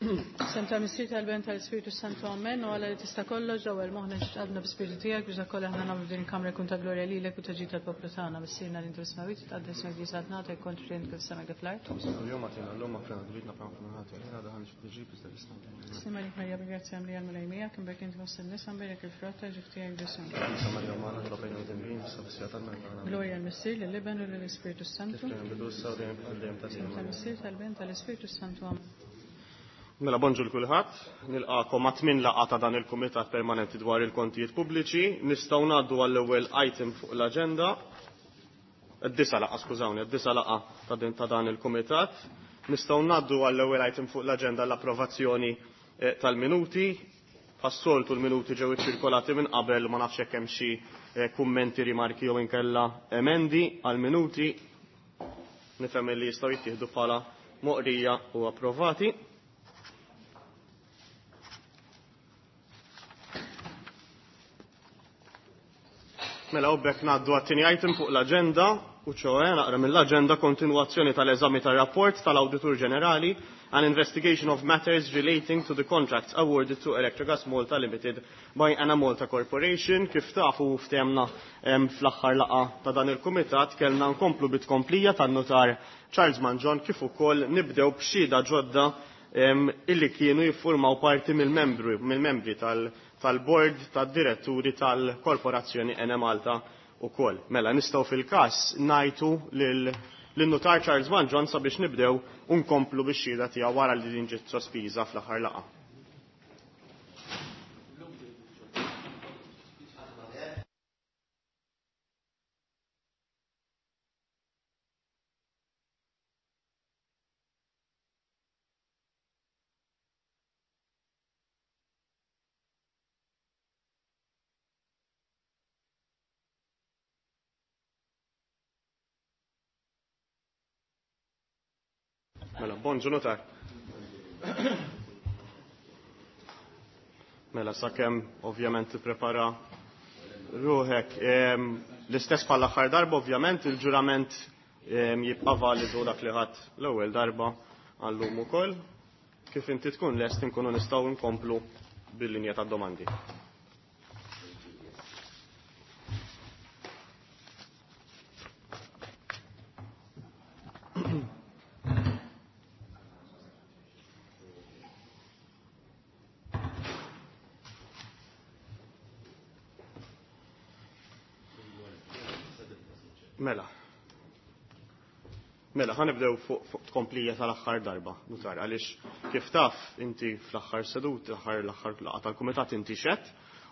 Sem tal-Missier tal-Ben tal-Ispirtu Santu Amen u għala li tista' kollox ġewwa l-moħħna ġqadna b'Spirtu tiegħek biex dak kollha aħna nagħmlu din il-kamra jkun ta' glorja lilek u ta' ġid tal-poplu tagħna. Missierna li inti smawit tqaddes ismek li saltnatek kont frint kif sema kif l-art. Kuljum agħtina llum aħfrina dnubietna bħalma aħna nagħtu lilna daħal xi tiġrib iżda ħlisna mill-ħażin. Sliem għalik Marija bil-grazzja mlija l-Mulej miegħek, imbierek inti fost in-nisa, mbierek il-frott ta' ġuf tiegħek Ġesù. Qaddisa Marija Ommana, itlob għalina midinbin, issa fis-siegħa tal-mewt tagħna. Amen. Glorja l-Missier, lill-Iben u lill-Ispirtu Kif Santu. kien il-bidu issa u dejjem għal dejjem ta' Sem żmien. Amen. tal-Missier, tal-Ben, tal-Ispirtu Santu. Amen. Mela bonġu l-kulħadd, nilqakom għat-tmien laqgħa ta' dan il-Kumitat Permanenti dwar il-Kontijiet Pubbliċi. Nistgħu ngħaddu għall-ewwel item fuq l-aġenda. Id-disa laqgħa, skużawni, id-disa laqgħa ta' din ta' dan il-Kumitat. Nistgħu ngħaddu għall-ewwel item fuq l-aġenda l-approvazzjoni eh, tal-minuti. Bħas-soltu l-minuti ġew iċċirkolati minn qabel ma nafx hekk hemm xi eh, kummenti, rimarki jew inkella emendi għall-minuti. Nifhem li jistgħu jittieħdu bħala moqrija u approvati. Mela u bekk ngħaddu għat-tieni item fuq l-aġenda u ċoe naqra mill-aġenda kontinwazzjoni tal-eżami tar-rapport tal-Awditur Ġenerali an investigation of matters relating to the contracts awarded to Electrogas Malta Limited by Enemalta Corporation. Kif tafu ftehemna fl-aħħar laqgħa ta' dan il-kumitat kellna nkomplu bit-tkomplija tan-notar Charles Mangion kif ukoll nibdew b'xhieda ġodda illi kienu jiffurmaw parti mill-membru mill-membri tal-bord tad-diretturi tal-Korporazzjoni Enemalta ukoll. Mela nistgħu fil-każ ngħidu lil-notar Charles Mangion sabiex nibdew u nkomplu bix-xhieda tiegħu wara li din ġiet sospiża fl-aħħar laqgħa. Mela, bonġu notar. Mela, sakemm ovvjament tipprepara ruħek. L-istess bħal aħħar darba, ovvjament, il-ġurament jibqa' validu dak li ħadd l-ewwel darba għallum ukoll. Kif inti tkun lest inkunu nistgħu nkomplu bil-linja tad-domandi. Mela. Mela, ħanibdew fuq fu tkomplija tal-aħħar darba, notar, għaliex kif taf inti fl-aħħar sedut, l-aħħar l-aħħar laqgħa tal-kumitat inti xed,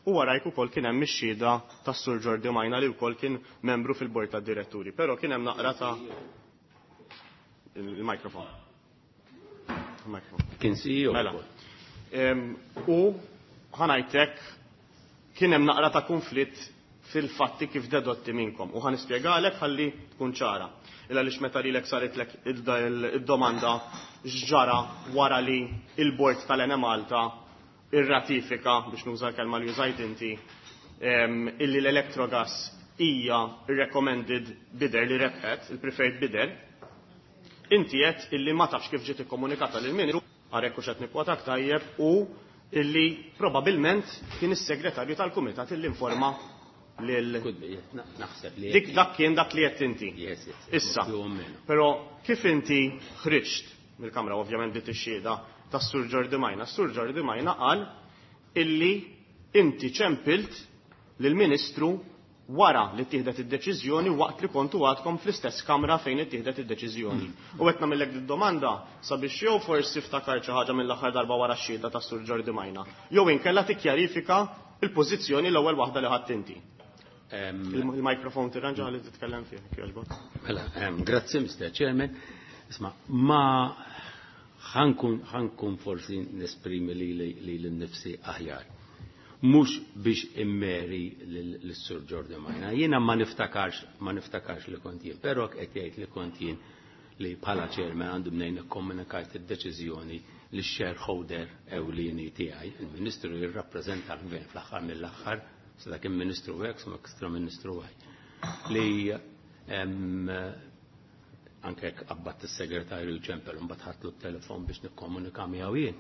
u warajk ukoll kien hemm ix-xhieda tas-Sur Jordi Majna li wkoll kien membru fil-bord tad-diretturi, però kien hemm naqra ta' il-mikrofon. Il-mikrofon. Kien CEO. Mela. U ħanajtek kien hemm naqra ta' konflitt fil-fatti kif dedotti minnkom. U ħanispjegalek ħalli tkun ċara. Illa lix meta lilek saritlek id-domanda x'ġara wara li il-bord tal-Enemalta irratifika, biex nuża l-kelma li użajt inti, illi l-Electrogas hija recommended bidder li rebħet, il-preferred bidder, inti qed illi ma tafx kif ġiet ikkomunikata lil ministru, għarek u xed nikkwotak tajjeb, u illi probabilment kien is-segretarju tal-kumitat illi informa lil Could be, naħseb li Dik dak kien dak li qed inti. Yes. Issa. Più o meno. Però kif inti ħriġt mill-kamra ovvjament dit ix-xhieda tas-Sur Jordi Majna, s-Sur Jordi Majna qal illi inti ċempilt lill-Ministru wara li ttieħdet id-deċiżjoni waqt li kontu għadkom fl-istess kamra fejn ittieħdet id-deċiżjoni. U qed nagħmellek id-domanda sabiex jew forsi ftakar xi ħaġa mill-aħħar darba wara x-xhieda tas-Sur Jordi Majna, jew inkella tikkjarifika il-pożizzjoni l-ewwel waħda li ħadd inti. Il-mikrofon tirranġa li titkellem fih, jogħġbok. Mela, grazzi Mr. Chairman. Isma, ma ħankun forsi nesprimi li li l-nifsi aħjar. Mhux biex immeri l-Sur Jordi Majna. Jiena ma niftakarx li kont jien, però qed jgħid li kont jien li bħala chairman għandu mnejn ikkomunikajt id-deċiżjoni li shareholder ewlieni tiegħi. Il-Ministru jirrappreżenta l-Gvern fl-aħħar mill-aħħar, sa dak il-Ministru hekk, sa ekstra Ministru hekk. Li anke jekk qabbadt is-segretarju ċempel u mbagħad ħadtlu t-telefon biex nikkomunika miegħu jien.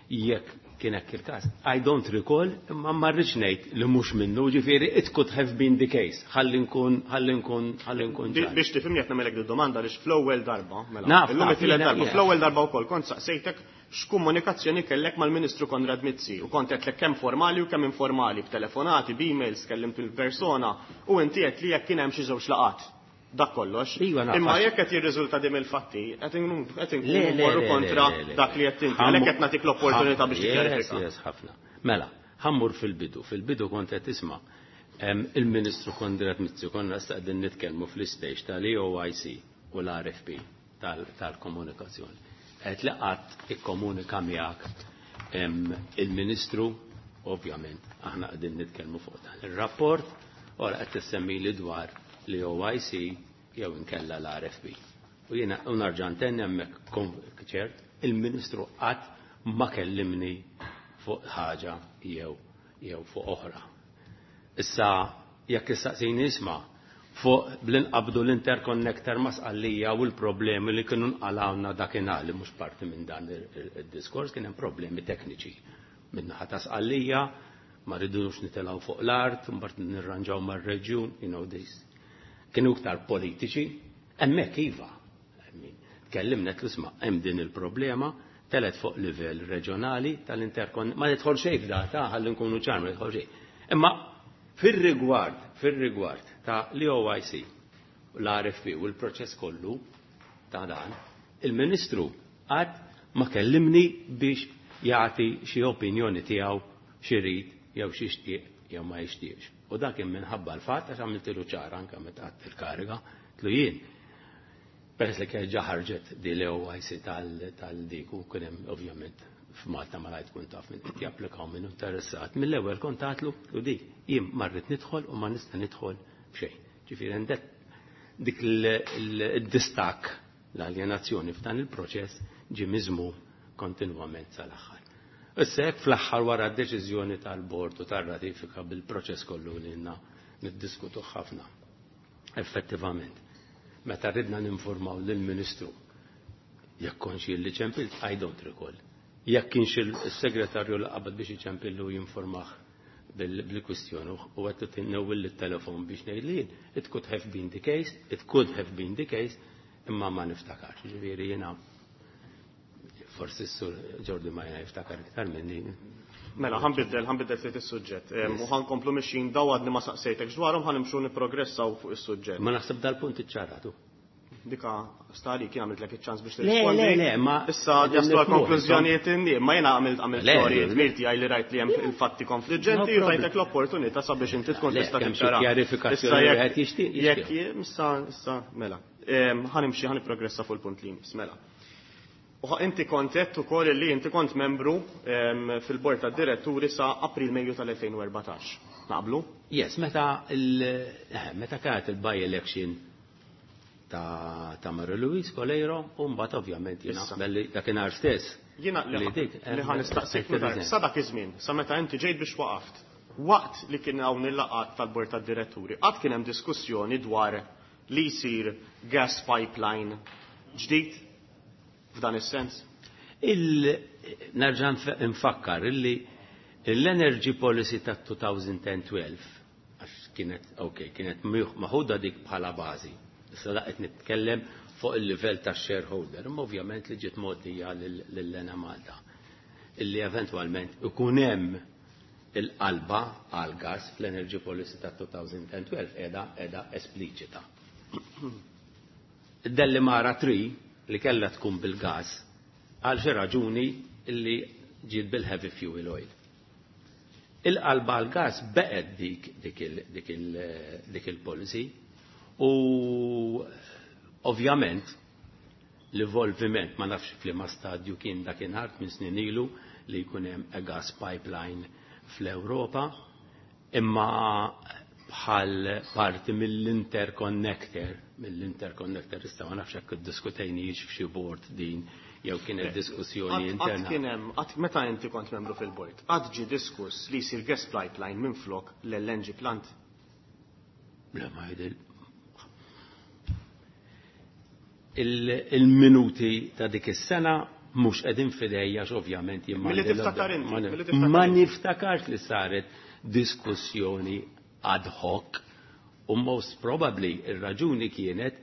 Jekk kien hekk il-każ, I don't recall, imma ma rridx ngħid li mhux minnu, ġifieri it could have been the case. Ħalli nkun ħalli nkun ħalli nkun ċar. Biex tifhimni qed nagħmellek domanda għaliex fl-ewwel darba, mela. Naf, Illum naf, it-tielet jiena- darba, jiena. fl-ewwel darba wkoll kont saqsejtek x'komunikazzjoni kellek mal-Ministru Konrad Mizzi u kont qedlek kemm formali u kemm informali, b'telefonati, b'emails, kellimt il-persona u inti qed li jekk kien hemm xi żewġ laqat. Dak kollox. Iva, naf, Imma għax- jekk qed jirriżulta dim il-fatti, qed inkunu qed inkunu Le, le, mmorru le, kontra le, le, le. dak li qed inti. Ħammu- Għalhekk qed nagħtik l-opportunità biex Yes, tikkjarifika. yes, ħafna. Mela, ħa mmur fil-bidu. Fil-bidu kont qed tisma' il-Ministru Konrad Mizzi konna qegħdin nitkellmu fl-istage tal-EOIC u l-RFP tal-komunikazzjoni. Qed li qatt ikkomunika miegħek il-Ministru, ovvjament, aħna qegħdin nitkellmu fuq dan ir-rapport, ora qed tissemmi li dwar l-EOIC jew inkella l-RFP. U jiena u nerġa' ntenni hemmhekk ċert, il-Ministru qatt ma kellimni fuq ħaġa jew fuq oħra. Issa jekk issaqsini isma' fuq bl-inqabdu l-interconnector ma' Sqallija u l-problemi li kienu nqalawna dakinhar li mhux parti minn dan il-diskors kien hemm problemi tekniċi. Min-naħa ta' Sqallija ma rridux nitilgħu fuq l-art, mbagħad nirranġaw mar-reġjun, you know this. Kienu iktar politiċi, hemmhekk iva. Tkellimna qed isma' hemm din il-problema, telet fuq livell reġjonali tal-interkon, ma nidħol xejn f'data, ħalli nkunu ċar, ma nidħol xejn. Imma fir-rigward ta' l-OIC, l-RFP u l-proċess kollu ta' dan, il-Ministru qatt ma kellimni biex jagħti xi opinjoni tiegħu xi jew xi jixtieq jew ma jixtieqx. U dak kien minħabba l-fatt għax għamiltilu ċara anke meta qatt il-kariga, tlu jien. Peress li kien ġa ħarġet di l-OIC tal-diku, kien hemm ovvjament f'Malta ma tkun taf minn qed japplikaw minn interessat. Mill-ewwel kont għatlu u di jien ma rrid nidħol u ma nista' nidħol f'xejn. Ġifieri għandek dik il-distak l-aljenazzjoni f'dan il-proċess ġie miżmum kontinwament sal-aħħar. Issa hekk fl-aħħar wara d-deċiżjoni tal-bord u tar-ratifika bil-proċess kollu li għandna niddiskutu ħafna. Effettivament, meta ridna ninformaw lill-Ministru jekk konx li ċempilt, I don't recall. Jekk kienx il-segretarju li qabad biex iċempillu jinformah bil-kwistjoni u għattu tinnewwil il-telefon biex ngħid li jien, it could have been the case, it could have been the case, imma ma niftakarx. Ġifieri jiena forsi s-sur Jordi ma jiftakar iktar minni. Mela, ħa nbiddel ftit is-suġġett. U ħa nkomplu mixin daw għadni ma saqsejtek dwarhom ħa nimxu nipprogressaw fuq is-suġġett. Ma naħseb dal-punt iċċaratu. Dika stali kien għamilt lek iċ-ċans biex Le, tirrispondi. le, le, ma- Issa jaslu għal konklużjonijiet inni, ma jiena għamilt Le, storji le. dmir tiegħi li rajt li hemm il-fatti konfliġġenti No u problem. tajtek l-opportunità sabiex inti tkun Le, tista' kemm xi tiċċara. kjarifikazzjoni Issa jekk- wieħed jixtieq, Jekk jixtieq. issa mela. Ħa nimxi ħa nipprogressa fuq il-punt li jmiss, mela. U inti kont għedt ukoll li inti kont membru fil-bord tad-diretturi sa April Mejju tal-2014. Naqblu? Yes, meta kienet il-by election ta' Marie Louise Coleiro, u mbagħad ovvjament jiena Issa. belli dakinhar stess. Jiena li li dik, li ħa nistaqsik eh, notar, sa dak iż-żmien, sa meta inti ġejt biex waqaft, waqt li kien hawn il-laqgħat tal-bord tad-diretturi, qatt kien hemm diskussjoni dwar li jsir gas pipeline ġdid f'dan is-sens? Nerġa' nfakkar illi l-Energy Policy ta' 2012, għax kienet, ok, kienet maħuda dik bħala bażi. Issa laqgħet nitkellem fuq il-livell ta' shareholder, imma ovvjament li ġiet mgħoddija lil-Enemalta. Illi eventwalment ikun hemm il-qalba għal gas fl-Energy Policy ta' 2012 qiegħda espliċita. Id-Delimara 3 li kellha tkun bil-gas għal xi raġuni illi ġiet bil-heavy fuel oil. Il-qalba għal gas beqgħet dik il-policy u ovvjament l-evolviment ma nafx f'liema stadju kien dakinhar minn snin ilu li jkun hemm a gas pipeline fl-Ewropa, imma bħal parti mill-interconnector, issa ma nafx hekk iddiskutejniex f'xi board din jew kienet diskussjoni Qatt interna. kien hemm, qatt meta inti kont membru fil-bord, qatt ġie diskuss li jsir gas pipeline minn flok l-LNG plant? Le ma jidil. Il-minuti ta' dik is-sena Mhux qegħdin f'idejja ovvjament jien Milli tiftakar inti, Ma niftakarx li saret diskussjoni ad hoc u most probably ir-raġuni kienet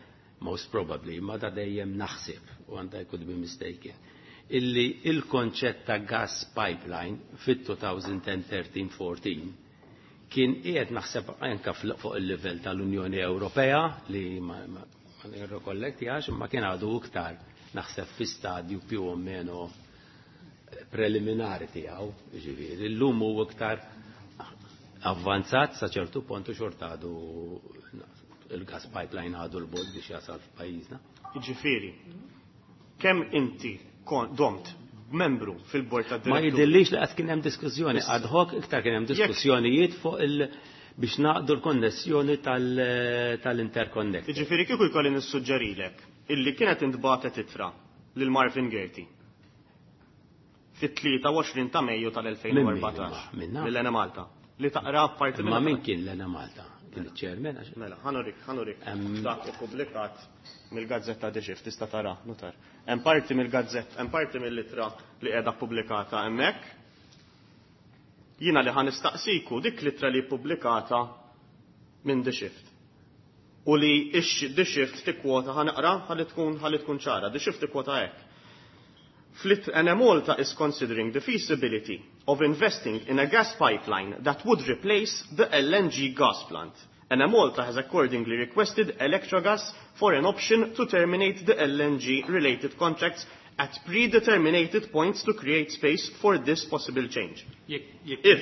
most probably ma da dejjem naħseb u għandha could be mistaken illi il-konċett ta' gas pipeline fit-2013-14 kien qiegħed naħseb anke fuq il-livell tal-Unjoni Ewropea li ma nirrekolletti għax imma kien għadu iktar naħseb fi stadju più o meno preliminari tiegħu, ġifieri, illum hu iktar avvanzat sa ċertu punt u xorta għadu il-gas pipeline għadu 'l bogħod biex jasal f'pajjiżna. Ġifieri, kemm inti domt membru fil-bord ta' Ma jidhirlix li qatt kien hemm diskussjoni ad hoc, iktar kien hemm diskussjonijiet fuq il biex naqdu l-konnessjoni tal-interconnect. Ġifieri kieku jkolli nissuġġerilek illi kienet intbagħtet ittra lil Marvin Gaerty fit-23 ta' Mejju tal-2014 Minna? mill-Enemalta li taqra parti Ma min kien l-Enemalta? Kien il-chairman? Mela, ħa nurik, ħa nurik. Dak ippubblikat mill-gazzetta The Shift, tista' tara, nutar. Hemm parti mill-gazzetta, hemm parti mill-ittra li qiegħda pubblikata hemmhekk. Jiena li ħa nistaqsiku dik l-ittra li pubblikata minn The Shift. U li ix The Shift tikkwota, ħa naqra ħalli tkun ċara, The Shift tikkwota hekk. Flit Enemalta is considering the feasibility of investing in a gas pipeline that would replace the LNG gas plant. Enemalta has accordingly requested Electrogas for an option to terminate the LNG related contracts at predeterminated points to create space for this possible change. If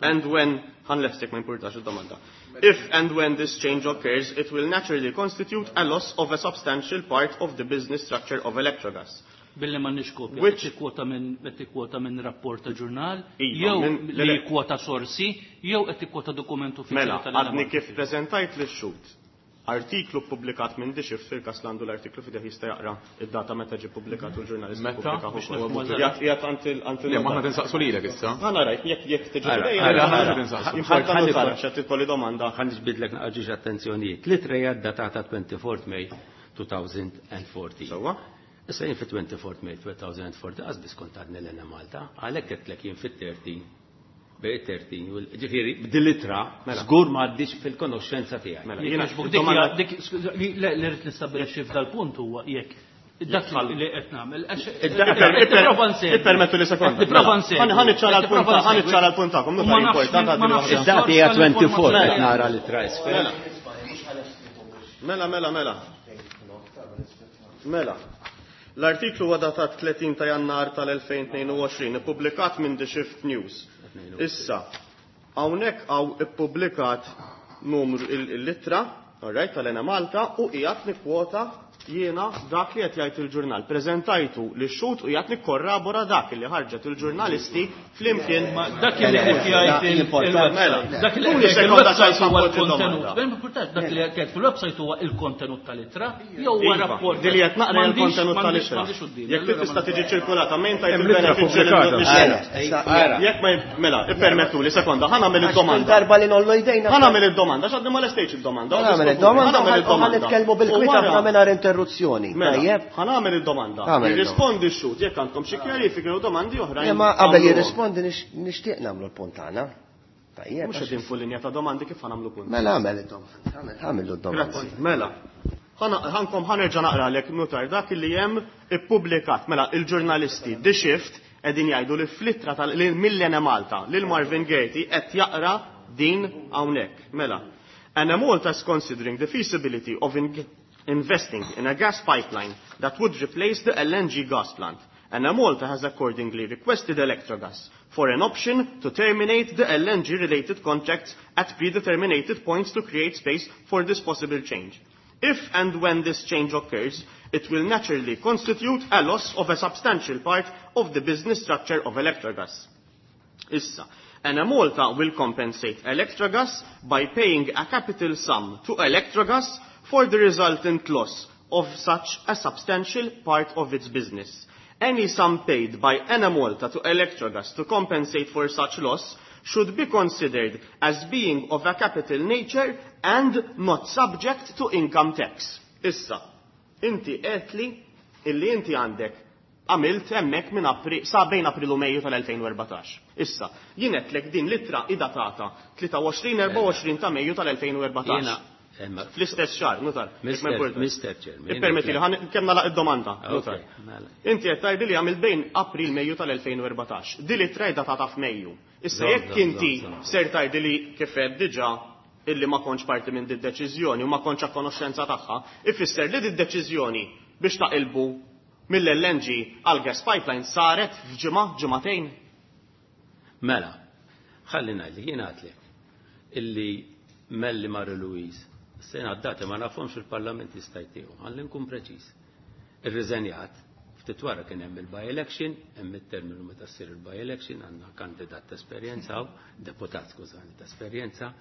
and when, ħa nlestik, ma importax id-domanda. If and when this change occurs, it will naturally constitute a loss of a substantial part of the business structure of Electrogas. Billi ma nix kopja, qed tikkwota minn rapport ta' ġurnal, Iva, jew le, li le. kwota sorsi, jew qed tikkwota dokument uffiċjali Mela, tal-Enemalta. għadni kif prezentajt li xut artiklu publikat minn The Shift, fil-kas għandu l-artiklu f'idejh jista' jaqra id-data meta ġie publikat u l-ġurnalist Meta? pubblika Biex ukoll. nifhmu eżatt. Qiegħed għand Le, ma aħna tinsaqsu lilek issa. Ħa rajt, jekk tiġi Ara, f'idejja, ara, nara. ara, tinsaqsu. Importanti tara x'qed titkolli domanda. Ħa niġbidlek naqra attenzjonijiet. L-ittra hija datata 24 May 2014. Sewwa? Issa jien fit-24 May 2014 qas biss kont għadni l-Enemalta, għalhekk qedtlek jien fit-13 bej 13, ġifieri b'dil-ittra żgur ma għaddix fil-konoxxenza tiegħi. Mela, Jekk jiena jogħġbok, dik domanda hija- dik li rrid nistabbilixxi f'dal-punt huwa jekk dak li qed nagħmel. Nipprova nsegwi. Ippermettu li sekonda. Nipprova nsegwi. Ħa niċċara l-punt, Nipprova ħa nsegwi. niċċara l-punt tagħkom, U nutar ma nafx importanti ma għaddi nafx waħda. Id-data hija 24 Mela. qed nara l-ittra isfel. Mela, mela, mela. Mela. L-artiklu huwa datat 30 ta' Jannar tal-2022, ippubblikat minn The Shift News. Issa, hawnhekk hawn ippubblikat numru il-ittra, alright, tal-Enemalta u qiegħed nikkwota jiena dak li qed jgħid il-ġurnal. Preżentajtu li xhud u qiegħed nikkorrabora dak li ħarġet il-ġurnalisti flimkien Ma dak li qed jgħid il-website. Dak li Tuni qed jgħid sekonda il-website sa huwa jsampoġġi l-kontenut. domanda. Ben importanti, dak li qed jgħid fil-website huwa il-kontenut tal-ittra jew huwa Iva, rapport. Dili qed naqra il-kontenut tal-ittra. Jekk tista' tiġi ċirkolata mejn tajt Hemm l-ittra il-benefiċċju pubblikata. lil Jekk ma mela, ippermettu li sekonda, ħa nagħmel id-domanda. Darba li nollu jdejna. Ħa nagħmel id-domanda, x'għadni ma lestejx id-domanda. Ħa nagħmel id-domanda Ħa nagħmel u ħa id-domanda. nitkellmu U bil-kwita wara- aħna mingħajr interruzzjoni. Mela, Tajjeb? ħa nagħmel id-domanda. Agħmel Jirrispondi x-xhud jekk għandkom xi kjarifiki u domandi oħrajn. Imma qabel għamluhom. jirrispondi nixtieq nagħmlu l-punt tagħna. Tajjeb. Mhux qegħdin fuq linja ta' domandi, kif ħa nagħmlu punt? Mela għamel id-domanda. Għamel id-domanda. Grazzi. Mela. Ħankom ħa nerġa' naqralek, nutar, dak li hemm ippubblikat. Mela, il-ġurnalisti The Shift qegħdin jgħidu li fl-ittra tal mill-Enemalta lil Marvin Gaerty qed jaqra din hawnhekk. Mela. Enemalta is considering the feasibility of investing in a gas pipeline that would replace the LNG gas plant. Enemalta has accordingly requested Electrogas for an option to terminate the LNG-related contracts at predeterminated points to create space for this possible change. If and when this change occurs, it will naturally constitute a loss of a substantial part of the business structure of Electrogas. Issa, Enemalta will compensate Electrogas by paying a capital sum to Electrogas for the resultant loss of such a substantial part of its business. Any sum paid by Enemalta to Electrogas to compensate for such loss should be considered as being of a capital nature and not subject to income tax. Issa, inti għedtli illi inti għandek għamilt hemmhekk minn April sa bejn April u Mejju tal-2014. Issa, jien għedtlek din l-ittra hi datata 23-24 ta' Mejju tal-2014. Fl-istess xahar, nutar. Mr. Chairman. Ippermetti li ħan kemm nagħlaq id-domanda, nutar. Mela. Inti qed tgħidli li għamilt bejn April Mejju tal-2014. Din l-ittra hi datata f'Mejju. Issa jekk inti ser tgħidli li kif għedt diġà illi ma kontx parti minn din deċiżjoni u ma kontx a konoxxenza tagħha, ifisser li din deċiżjoni biex taqilbu mill-LNG għal gas pipeline saret f'ġimgħa, ġimagħtejn. Mela, ħalli ngħidlek, jien għedtlek illi Melli Mary Louise, sena d-dati ma nafhomx il-Parlament jista' jtihom, ħalli nkun preċiż. Irriżenjat, ftit wara kien hemm il-by-election, hemm it-terminu meta ssir il-by-election, għandna kandidat ta' esperjenza, deputat skużani ta' esperjenza,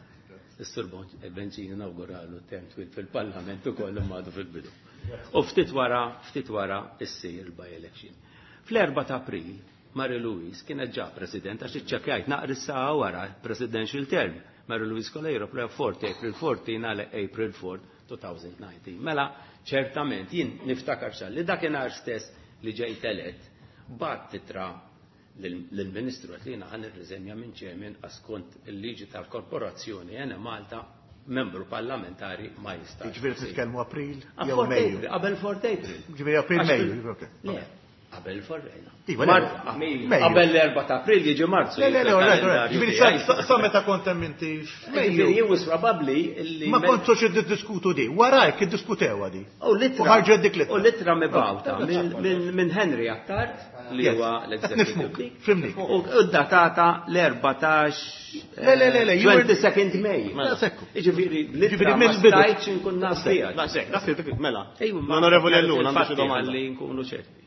is-Sur Bencini nawguralu term twil fil-Parlament ukoll imma għadu fil-bidu. U ftit wara, ftit wara issir il-by-election. Fl-4 ta' April, Mary Louise kienet ġa president għax iċċekkjajt naqra s-saħħa wara presidential term. Mary Louise Coleiro 4 April 14 għal April 4, 2019. Mela, ċertament, jien niftakar xal li dakinhar stess li ġejt elett, bgħatt ittra lill-Ministru għedt li jiena ħa nirriżenja minn chairman għax skont il-liġi tal-korporazzjoni Enemalta membru parlamentari ma jistax. Ġifieri titkellmu April jew Mejju. Qabel 4 April. Ġifieri April Mejju. Le, qabel 4 April. Iva, Qabel l-4 ta' April jiġi Marzu. Le, le, le, ġifieri sa meta kont hemm inti f'Mejju. Ġifieri jien probabbli li Ma kontux iddiskutu di, warajk iddiskutewha di. U l-ittra. U ħarġet dik l-ittra. U l-ittra mibgħuta minn Henry Attard li huwa l-executive. Fimnik. U datata l-14 Le, le, le, le, 22nd May. Sekku. Ġifieri l-ittra ma stajtx inkun naf biha. Daqshekk, dak mela. L-Onorevoli Ellul għandu xi domanda. Ħalli nkunu ċerti.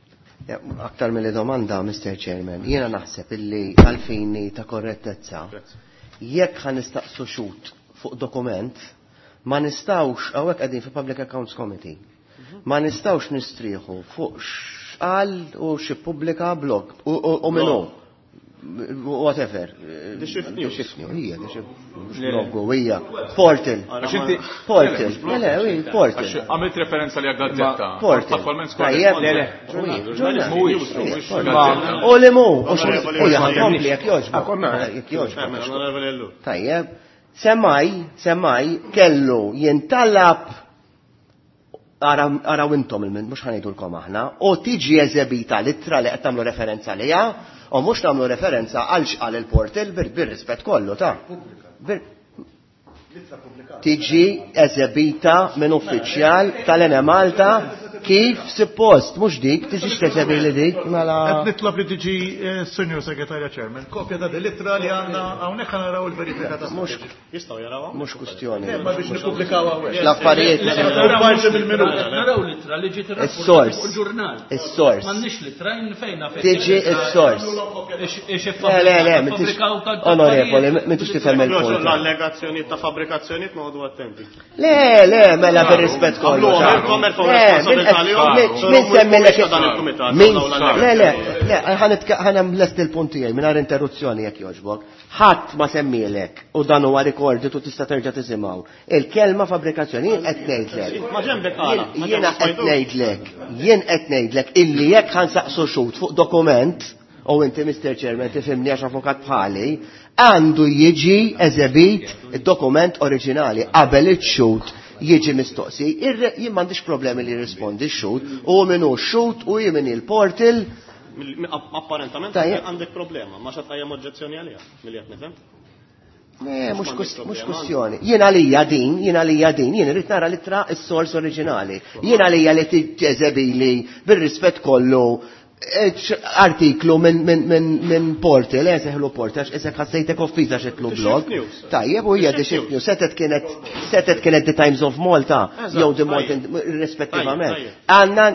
Aktar mill domanda, Mr. Chairman, jiena naħseb illi għalfini ta' korrettezza, jekk ħa nistaqsu xhud fuq dokument, ma nistgħux, hawnhekk qegħdin fi Public Accounts Committee, ma nistgħux nistrieħu fuq x'qal u xi pubblika blog u minnu. Whatever. The Shift News. The Shift News, hija, The Shift Blog, hija. Portal. Portal. Le, le, portal. Għamilt referenza li gazzetta. Portal. Attualment Tajjeb, le, le. Mhuwiex. U li mu, u jaħkompli jekk jogħġbok. Jekk jogħġbok. Tajjeb. Semmaj, semmaj, kellu jintalab araw intom il-min, mhux ħa ngħidulkom aħna, u tiġi eżebita l-ittra li qed tagħmlu referenza liha, u mhux nagħmlu referenza għal x'qal il-portal bir-rispett kollu ta' Tiġi eżebita minn uffiċjal tal-Enemalta kif suppost, mhux dik, tiġix teżebi li dik, mela. Qed nitlob li tiġi Senior Segretarja Chairman, kopja ta' l-ittra li għandna hawnhekk ħa naraw il-verifika ta' Mhux Jistgħu jarawha? Mhux kwistjoni. Ma biex nippubblikaw hawnhekk. L-affarijiet. Parti mill-minuta. Naraw l-ittra li ġiet Is-sors. fuq il-ġurnal. Is-sors. M'għandniex l-ittra fejna fejn. Tiġi is-sors. Le, le, le, m'intix onorevoli, m'intix tifhem il-punt. L-allegazzjonijiet ta' fabbrikazzjonijiet noqogħdu attenti. Le, le, mela bir-rispett kollu. Min semmilek Min Le, le, le, ħa nlesti l-punt tiegħi mingħajr interruzzjoni jekk jogħġbok. Ħadd ma semmilek u dan huwa recorded u tista' terġa' tisimgħu. Il-kelma fabbrikazzjoni jien qed ngħidlek. Ma ġembek għala. Jiena qed ngħidlek, jien qed ngħidlek illi jekk ħa nsaqsu xhud fuq dokument, u inti Mr. Chairman tifhimni għax avukat bħali, għandu jiġi eżebit id-dokument oriġinali qabel iċ-xhud jiġi mistoqsi. Jien m'għandix problemi li jirrispondi x-xhud, u min hu x-xhud u jien min il-portal. Apparentament għandek problema, ma xa tqajjem oġġezzjoni għaliha, milli qed nifhem. Le, mhux kwistjoni. Jien għalija din, jien għalija din, jien irrid nara l-ittra s-sors oriġinali. Jien għalija li tiġeżebili bir-rispett kollu artiklu minn portal, seħlu portal, għax isek ħassejtek offiża xitlu blog. Tajjeb, u hija The Shift News, setet kienet The Times of Malta, jew The Malta, rispettivament. Għandna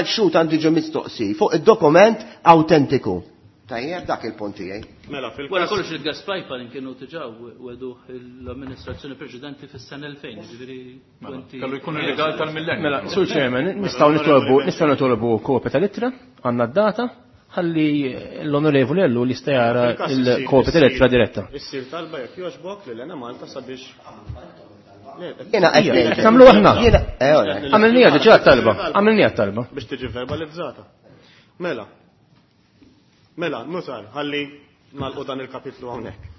l-xhud għandu ġo mistoqsi fuq id-dokument autentiku. Tajjeb, dak il-punt tiegħi. Mela, fil-każ. Wara kollox il-gas pipeline kienu diġà weduh l-amministrazzjoni preċedenti fis-sena 2000, ġifieri Kellu jkun il-legal tal-millennium. Mela, Sur Chairman, nistgħu nitolbu kopja tal-ittra, għandna d-data, ħalli l-onorevoli Ellul jista' jara il-kopja tal-ittra diretta. Issir talba jekk jogħġbok lil Enemalta sabiex Jiena qed ngħidlek. Nagħmlu aħna. Jiena, ora. Għamilniha diġà t-talba, għamilniha t-talba. Biex tiġi verbalizzata. Mela. Mela, nutar, ħalli nagħlqu dan il-kapitlu hawnhekk.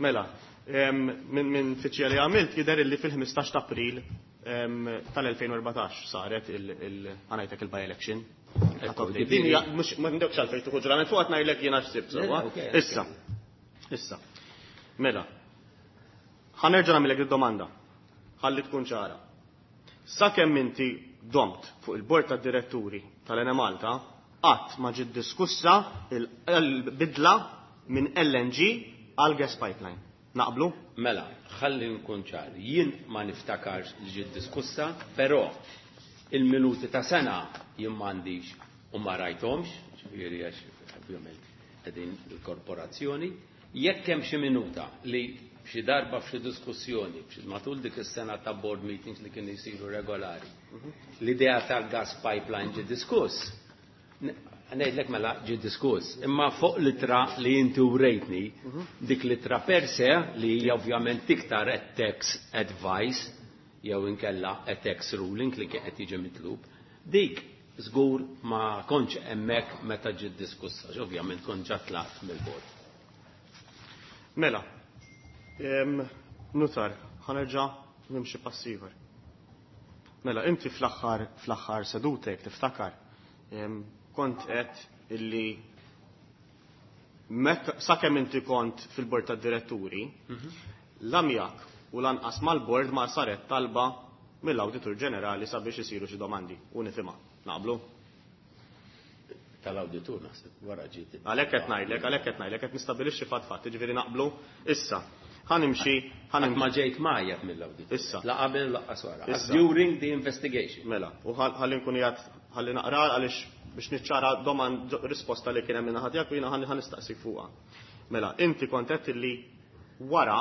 Mela, minn fiċċija li għamilt jidher illi fil-15 ta' April tal-2014 saret il-ħanajtek il-by-election. Din hija mhux ma ndewx għalfejn tieħu ġurament fuq qed ngħidlek jiena x'sibt sewwa. Issa. Issa. Mela. Ħa nerġa' nagħmilek id-domanda. Ħalli tkun ċara. Sakemm inti domt fuq il-bord tad-diretturi tal-Enemalta, qatt ma ġiet diskussa il-bidla minn LNG għal gas pipeline. Naqblu? Mela, ħalli nkun ċar. Jien ma niftakarx li ġiet diskussa, però il-minuti ta' sena jien m'għandix u ma rajthomx, ġifieri għax ovvjament qegħdin il-korporazzjoni. Jekk hemm xi minuta li xi darba f'xi diskussjoni matul dik is-sena ta' board meetings li kienu jsiru regolari, l-idea tal-gas pipeline ġie diskuss. Ngħidlek mela ġie diskuss, imma fuq l-ittra li inti urejtni, dik l-ittra per se li hija ovvjament iktar a tax advice jew inkella a tax ruling li kien qed jiġi mitlub, dik żgur ma kontx hemmhekk meta ġiet diskussa, ovvjament kont ġa tlaqt mill-bord. Mela, nutar, ħa nerġa' nimxi pass ieħor. Mela, inti fl-aħħar sedutek tiftakar, kont qed illi sakemm inti kont fil-bord tad-diretturi, la miegħek u lanqas mal-bord ma saret talba mill-Awditur Ġenerali sabiex isiru xi domandi u nifhimha. Naqblu? Tal-awditur naħseb wara ġiet. Għalhekk qed ngħidlek, għalhekk qed ngħidlek qed nistabilixxi fatt fatt, jiġifieri naqblu issa. Ħa nimxi, ħa nimxi. Ma ġejt majjab mill-awditur. Issa. La qabel laqqas wara. Issa. During the investigation. Mela, u ħalli nkun qiegħed ħalli naqra għaliex biex niċċara domand risposta li kien hemm minn ħadd u jiena ħalli nistaqsik fuqha. Mela, inti kont qed li wara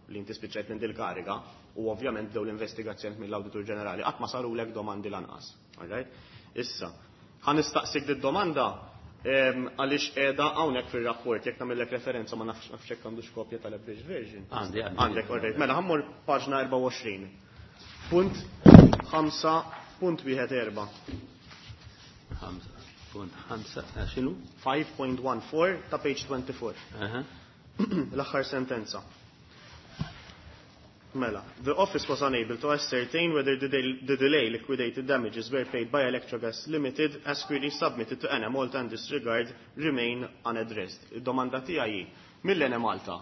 li inti spiċċajt minn dil-kariga u ovvjament bdew l-investigazzjoni mill-Awditur Ġenerali qatt ma sarulek domandi lanqas. All right? Issa, ħa nistaqsik did-domanda għaliex qiegħda hawnhekk fir-rapport jekk nagħmellek referenza ma nafx jekk għandux kopja tal-abridged version. Għandi, għandi. Għandek, all right. Mela, ħa mmur paġna 24. Punt ħamsa punt wieħed erba'. Ħamsa punt ħamsa, x'inhu? 5.14 ta' page 24. L-aħħar sentenza. Mela, the office was unable to ascertain whether the delay liquidated damages were paid by Electrogas Limited as queries submitted to Enemalta and this regard remain unaddressed. Id-domanda tiegħi hi, mill-Enemalta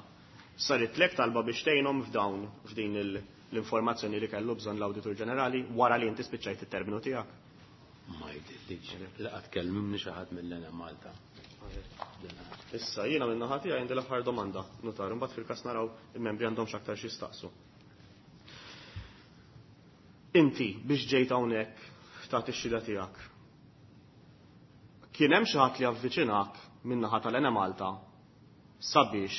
saret lek talba biex tgħinhom f'dawn f'din l-informazzjoni li kellu bżonn l-Awditur Ġenerali wara li inti spiċċajt it-terminu tiegħek? Ma jidhirlix. Laqgħad kellimni xi ħadd mill-Enemalta. Issa jiena minn naħa tiegħi għandi l-aħħar domanda, nutar, imbagħad fil-każ naraw il-membri għandhom x'aktar xi jistaqsu. Inti biex ġejt hawnhekk tagħti x-xhieda tiegħek. Kien hemm xi ħadd li avviċinak minn naħa tal-Enemalta sabiex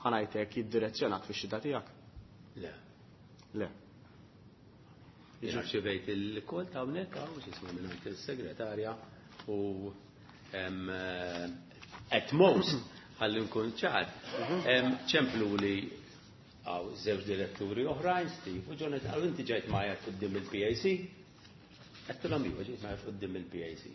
ħanajtek jiddirezzjonak fix-xhieda tiegħek? Le. Le. Jiena rċevejt il-kol ta' hawnhekk hawn x'ismu minn il-segretarja u at most ħalli nkun ċar. Ċemplu li għaw żewġ diretturi oħrajn, Steve u Jonathan, għaw inti ġejt maja quddiem il-PAC. Għedtilhom iva ġejt maja quddiem il-PAC.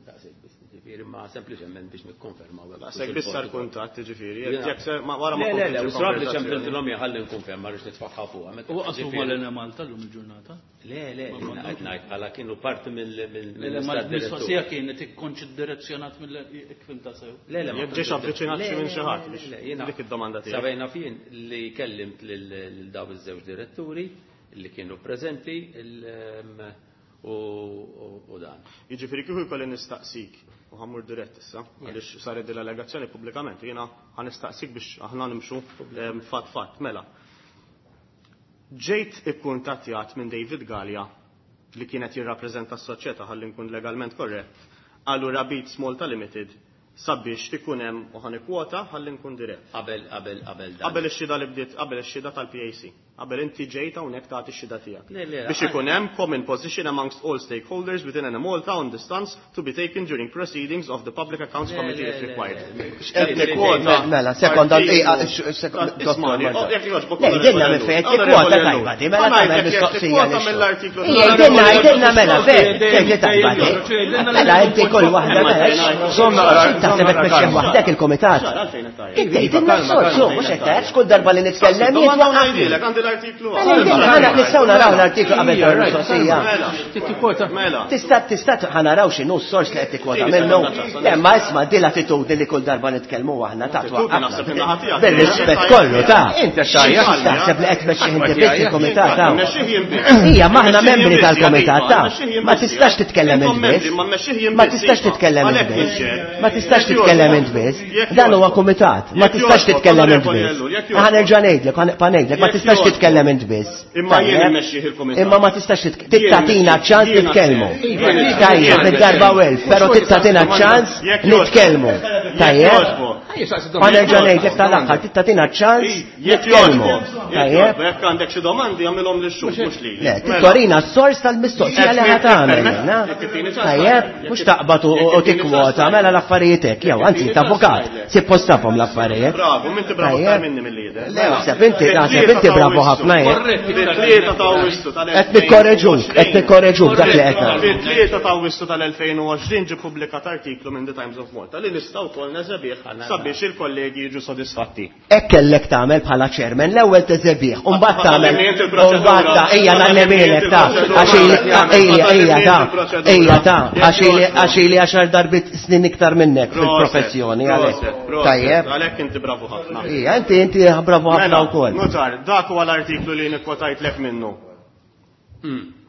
Daqshekk biss, ġifieri, ma sempliċement biex nikkonfermaw hekk. Daqshekk biss sar kuntatt, ġifieri, Jiena- jekk se ma wara ma Le, le, le, kontx u srab li il-konversazzjoni. ċempiltilhom jien ħalli nkonferma rridx nitfaħħa fuqha. Meta U qasmu ġifieri- mal-Enemalta llum il-ġurnata? Le, le, jiena qed ngħid bħala kienu parti Le, le, mill-istat ma direttur. l-mistoqsija kienet ikkonx iddirezzjonat mill jekk fimta sew. Le, le, ma Jekk ġiex kontx avviċinat Le, xi minn le, xi ħadd le, biex le, jiena dik id-domanda tiegħek. Sabejna fien li kellimt lil daw iż-żewġ diretturi li kienu preżenti u dan. Jiġifieri kieku jkolli nistaqsik, u ħammur dirett issa, għaliex saret din l-allegazzjoni pubblikament, jiena ħa nistaqsik biex aħna nimxu fatt fatt, mela. Ġejt ikkuntattjat minn David Galea li kienet jirrappreżenta s-soċjetà ħalli nkun legalment korrett, allura Beats Malta Limited sabiex ikun hemm u ħa nikkwota ħalli nkun dirett. Qabel, qabel, qabel dan. Qabel ix-xhieda li bdiet, qabel ix-xhieda tal-PAC. Qabel inti ġejt hawnhekk tagħti x-xhieda tiegħek. Biex ikun hemm common position amongst all stakeholders within Enemalta on the stance to be taken during proceedings of the Public Accounts Committee if required. Mela, sekonda, Għidilna minn fejn tikkwota tajba di, mela tagħmel mistoqsija Għidilna, għidilna mela fejn, fejn tajba di. Mela inti kull waħda mela. Taħseb qed tmexxih waħdek il-kumitat. Kif tgħidilna s-sorsu, mhux qed tgħid kull darba li nitkellem jien l-artiklu. Mela, nistgħu naraw l-artiklu qabel tal-mistoqsija. Mela. Tista' tista' ħanaraw x'inhu s-sors li qed tikkwota minnu. Le, ma isma' din l-attitudni li kull darba nitkellmu aħna ta' twaqqafna. Bir-rispett kollu ta' Inti xajja. Taħseb li qed tmexxi inti biss il-kumitat ta' Ija, maħna membri tal-kumitat ta' ma tistax titkellem int biss. Ma tistax titkellem int biss. Ma tistax titkellem int biss. Dan huwa kumitat. Ma tistax titkellem int biss. Ħa nerġa' ngħidlek, ħa nibqa' ngħidlek, ma tistax titkellem int biss. Imma jien immexxih il-kumitat. Imma ma tistax tittatina ċans nitkellmu. Tajjeb, mid-darba welf, però tittatina ċans nitkellmu. Tajjeb? Ħa nerġa' ngħidlek tal-aħħar, tittatina ċans nitkellmu. Tajjeb? Jekk għandek xi domandi għamilhom lix-xhud mhux lili. Le, tittorina s-sors tal-mistoqsija li ħa tagħmel. Tajjeb, mhux taqbad u tikkwota mela l-affarijiet hekk, jew anzi ta' avukat, suppost tafhom l-affarijiet. Bravo, minti bravo aktar minni mill-lider. Le, naħseb inti, naħseb inti bravo ħafna jien. Fit-tlieta ta' Awwissu tal Qed nikkoreġuk, qed nikkoreġuk dak li qed nagħmel. Fit-tlieta ta' Awwissu tal-2020 ġie ppubblikat artiklu minn The Times of Malta li nistgħu wkoll neżebih sabiex il-kollegi jiġu sodisfatti. Hekk kellek tagħmel bħala chairman, l-ewwel teżebih, u mbagħad tagħmel u mbagħad ta' ejja ngħallimilek ta' għax ejja ejja ta' ejja ta' għax ili għaxar darbit snin iktar minnek fil-professjoni għalhekk. Tajjeb. Għalhekk inti bravu ħafna. Ija, inti inti bravu ħafna wkoll. Notar, dak huwa l-artiklu li nikkwotajtlek minnu.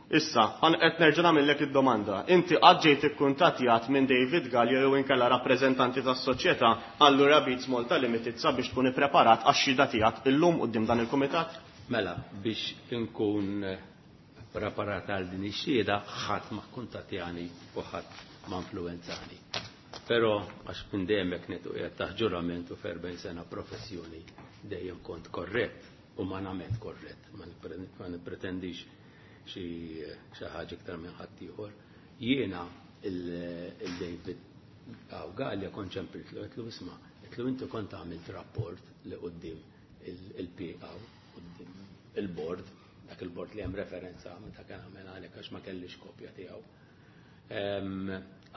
Issa, qed nerġa' nagħmellek id-domanda. Inti qatt ġejt ikkuntattjat minn David Galea jew inkella rappreżentanti tas-soċjetà Allura Beats Malta Limited sabiex tkun ippreparat għax-xhieda tiegħek illum quddiem dan il-kumitat? Mela, biex inkun preparat għal din ix-xhieda ħadd ma kkuntattjani u ħadd ma influwenzani. Però għax minn dejjem hekk ngħid u qiegħed taħt ġurament u f'erbgħin sena professjoni dejjem kont korrett, umanament korrett, ma nippretendix xi ħaġa iktar minn ħaddieħor. Jiena il-David Galea kont ċempiltlu, għedtlu isma', għedtlu inti kont għamilt rapport li quddiem il-PA, quddiem il-board, dak il-board li hemm referenza meta kien għamel għalhekk għax ma kellix kopja tiegħu.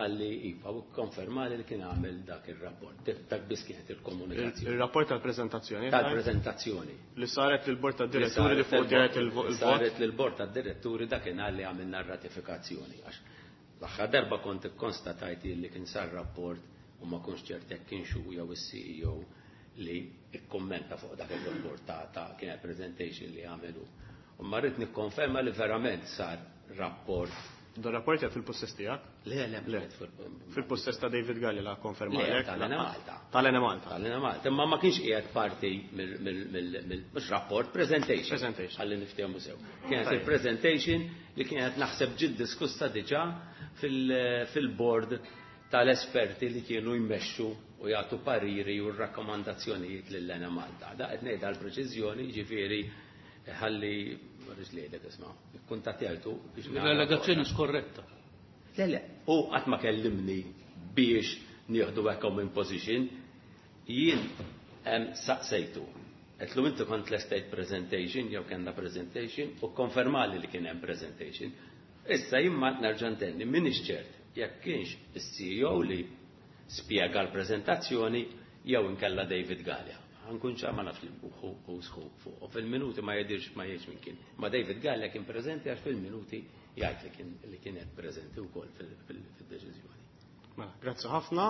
Għalli iva, u konfermali li kien għamel dak il-rapport. Dak biss kienet il-komunikazzjoni. Il-rapport tal-prezentazzjoni? Tal-prezentazzjoni. Li saret lill-bord tad-diretturi li fuq ġejt il-vot? Saret lill-bord tad-diretturi dak kien li għamilna r-ratifikazzjoni. Għax l-aħħar darba kont ikkonstatajt li kien sar rapport u ma kontx ċert jekk kienx hu jew is-CEO li ikkommenta fuq dak il-rapport ta' kienet presentation li għamelu. U ma rrid nikkonferma li verament sar rapport. Dan rapport jgħid fil-possess tiegħek? Le, le, Le. Fil-possess ta' David Galea la konferma. Le, tal-Enemalta. Tal-Enemalta. Tal-Enemalta. Imma ma kienx qiegħed parti mill mhux rapport, presentation. Presentation. Ħalli niftehmu sew. Kienet il-presentation li kienet naħseb ġiet diskussa diġà fil-board tal-esperti li kienu jmexxu u jagħtu pariri u rakkomandazzjonijiet lil Enemalta. Da qed ngħid għall-preċiżjoni, jiġifieri ħalli ma rridx ngħidlek isma', ikkuntattjajtu biex nara. L-allegazzjoni skorretta. Le, le, u qatt ma kellimni biex nieħdu hekk in position, jien saqsejtu. Għedtlu inti kont l-estate presentation, jew kellna presentation, u konfermali li kien hemm presentation. Issa jien ma nerġa' ntenni, m'iniex ċert jekk kienx is-CEO li spjega l-preżentazzjoni jew inkella David Galea. Ħankun ċar ma nafx li hu sħu fuq. U fil-minuti ma jidirx ma jgħidx minn kien. Ma David Galea kien preżenti għax fil-minuti jgħid li kienet preżenti wkoll fil-deċiżjoni. Mela, grazzi ħafna.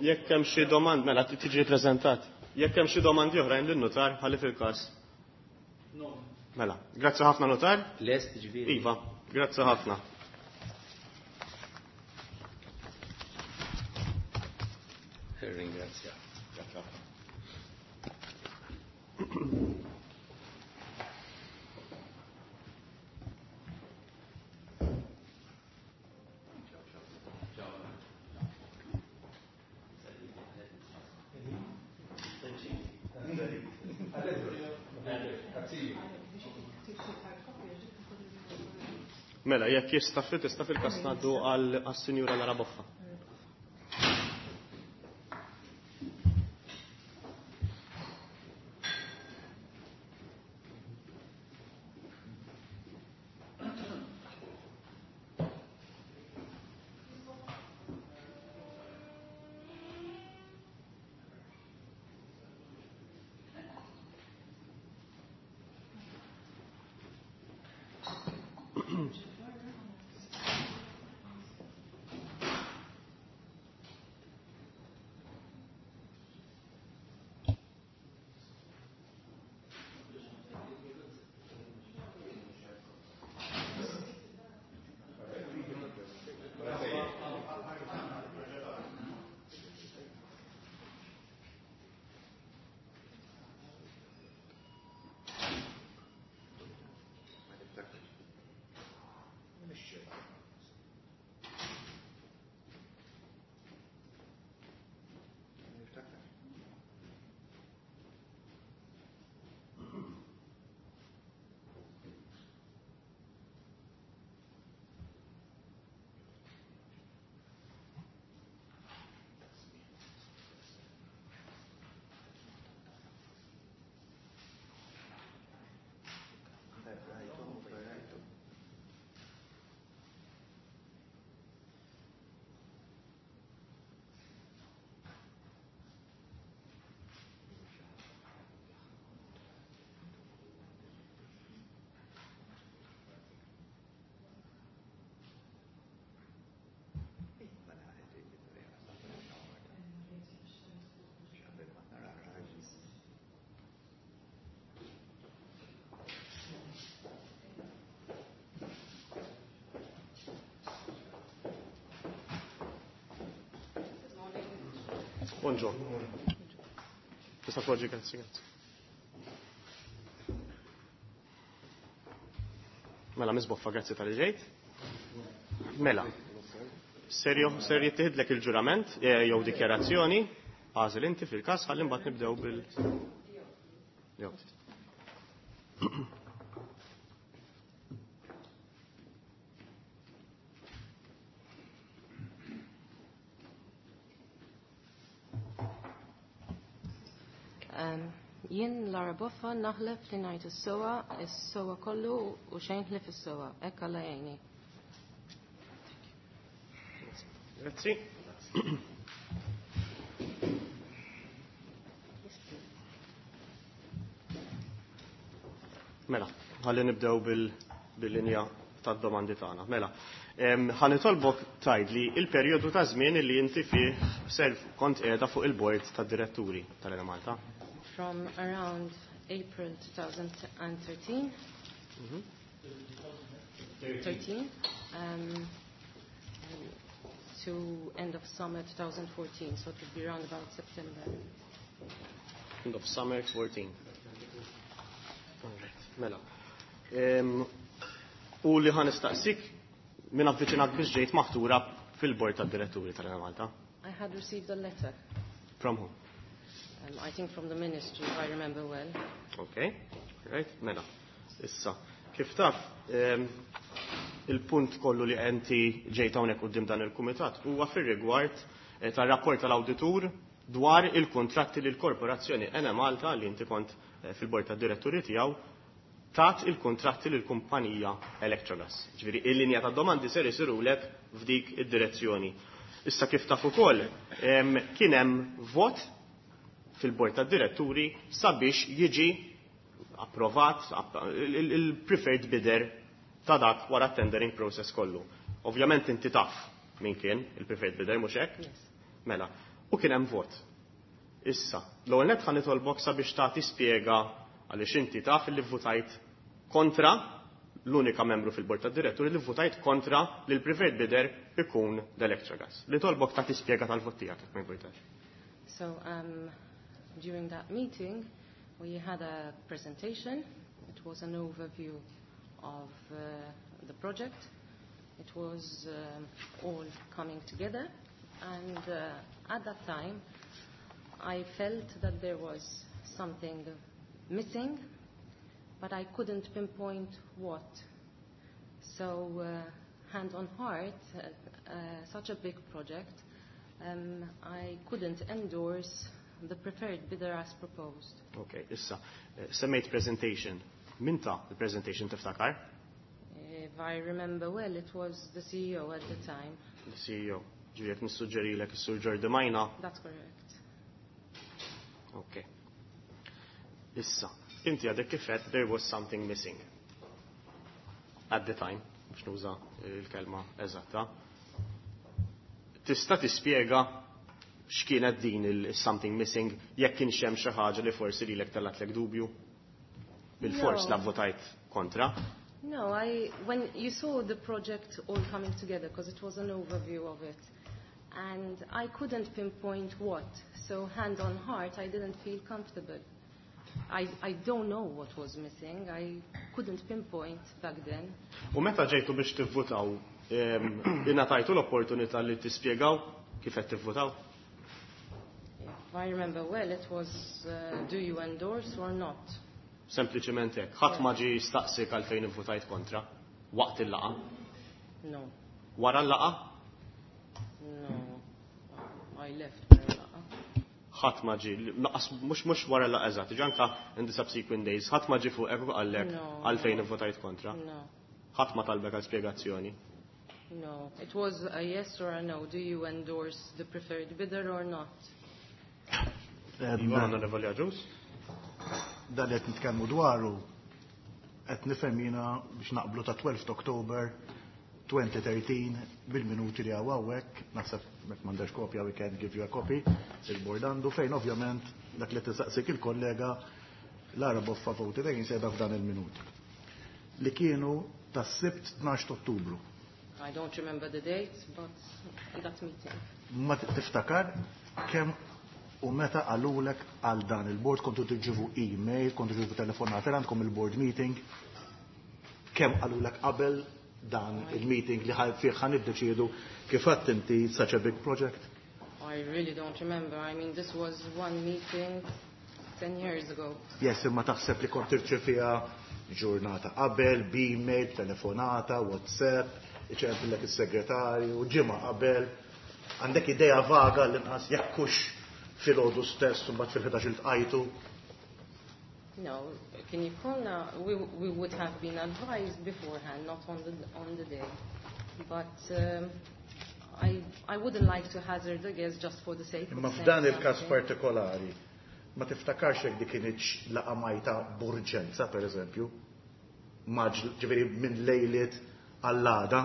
Jekk hemm xi domand, mela tiġi preżentat. Jekk hemm xi domandi oħrajn lin-notar, ħalli fil-każ. Mela, grazzi ħafna notar. Lest ġifieri. Iva, grazzi ħafna. Ringrazzja. Grazzi ħafna. Mela, jekk jista' ftit tista' fil-każ ngħaddu għas-Sinjura Lara Boffa. Buongiorno. Tista' tpoġġi, grazzi, grazzi. Mela, Miss Boffa, grazzi tal ġejt. Mela, serjo, ser jittieħdlek il-ġurament jew dikjarazzjoni, għażel inti fil-każ ħalli mbagħad nibdew bil Jew. Jien Lara Boffa naħlef li ngħid is-sewwa, is-sewwa kollu u xejn ħlief is-sewwa. Hekk Alla jgħinni. Grazzi. Mela, ħalli nibdew bil-linja tad-domandi tagħna. Mela, ħa nitolbok tgħidli il-perjodu ta' żmien li inti fih ser kont qiegħda fuq il-bord tad-diretturi tal-Enemalta. From around April 2013, 13, to end of summer 2014, so it would be around about September. End of summer 14. All right, mela. U li ħa nistaqsik minn avviċinat biex ġejt maħtura fil-bord tad-diretturi tal-Enemalta. I had received a letter. From whom? I think from the ministry, if I remember well. Okay, right, mela. Issa, kif taf, il-punt kollu li enti ġejt hawnhekk quddiem dan il-kumitat huwa fir-rigward tar-rapport tal-awditur dwar il-kontratti li l-korporazzjoni Enemalta li inti kont fil-bord tad-diretturi tiegħu tat il-kontratti lil kumpanija Electrogas. Ġifieri il-linja ta' domandi ser isirulek f'dik id-direzzjoni. Issa kif taf ukoll kien hemm vot fil-bord tad-diretturi sabiex jiġi approvat il-preferred bidder ta' dak wara tendering process kollu. Ovvjament inti taf min kien il-preferred bidder, mhux hekk? Yes. Mela, u kien hemm vot. Issa, l-ewwel nett ħa nitolbok sabiex tagħti spjega għaliex inti taf li votajt kontra l-unika membru fil-bord tad-diretturi li votajt kontra li l-preferred bidder ikun l-Electrogas. Li tolbok tagħti spjega tal-vot tiegħek jekk ma jbojtax. So, during that meeting, we had a presentation. It was an overview of the project. It was all coming together. And at that time, I felt that there was something missing, but I couldn't pinpoint what. So, hand on heart, such a big project, I couldn't endorse the preferred bidder as proposed. Ok, issa, semmejt presentation. Min ta il-presentation tiftakar? If I remember well, it was the CEO at the time. The CEO. Ġifieri jekk nissuġġerilek is-Sur Jordi Majna. That's correct. Ok. Issa, inti għadek kif għedt there was something missing. At the time, biex nuża il-kelma eżatta. Tista' tispjega x'kienet din il-something missing, jekk kienx hemm xi ħaġa li forsi lilek tellatlek dubju? Bil-fors No. la votajt kontra? No, when you saw the project all coming together, because it was an overview of it, and I couldn't pinpoint what, so hand on heart, I didn't feel comfortable. I don't know what was missing, I couldn't pinpoint back then. U meta ġejtu biex tivvutaw, ingħatajtu l-opportunità li tispjegaw kif qed tivvutaw? If I remember well, it was do you endorse or not? Sempliċement hekk. Ħadd ma ġie jistaqsik għalfejn ivvutajt kontra waqt il-laqgħa? No. Wara l-laqgħa? No. I left wara l-laqgħa. Ħadd ma ġie, laqas mhux wara l-laqgħa eżatt, ġi anka in the subsequent days, ħadd ma ġie fuqek u qallek No. għalfejn ivvutajt kontra? No. Ħadd ma talbek għal spjegazzjoni? No. It was a yes or a no. Do you endorse the preferred bidder or not? Iva, Onorevoli Agius? Dan li qed nitkellmu dwaru qed nifhem jiena biex naqblu ta' 12 October 2013 bil-minuti li hawn hawnhekk, naħseb jekk m'għandex kopja we can give you a copy, il-board għandu fejn ovvjament dak li tistaqsik il-kollega Lara Boffa voted against qiegħda f'dan il-minuti. Li kienu tas-Sibt 12 Ottubru. I don't remember the date, but that meeting. Ma tiftakar kemm u meta qalulek għal dan il-board, kontu tirċievu email, kontu tirċievu telefonata, għandkom il-board meeting, kemm qalulek qabel dan il-meeting li fih ħa niddeċiedu kif għedt inti such a big project? I really don't remember. This was one meeting 10 years ago. Yes, imma taħseb li kont tirċeviha ġurnata qabel, b'email, telefonata, WhatsApp, iċempillek is-segretarju, ġimgħa qabel. Għandek idea vaga l-inqas jekk hux filgħodu stess u mbagħad fil-ħdax iltqajtu? No, can you call now? We would have been advised beforehand, not on the day. But I wouldn't like to hazard a guess just for the sake of Imma saying f'dan il-każ something. partikolari, ma tiftakarx jekk dik kinitx laqgħa majta b'urġenza, per eżempju, ġifieri minn lejliet għall-għada,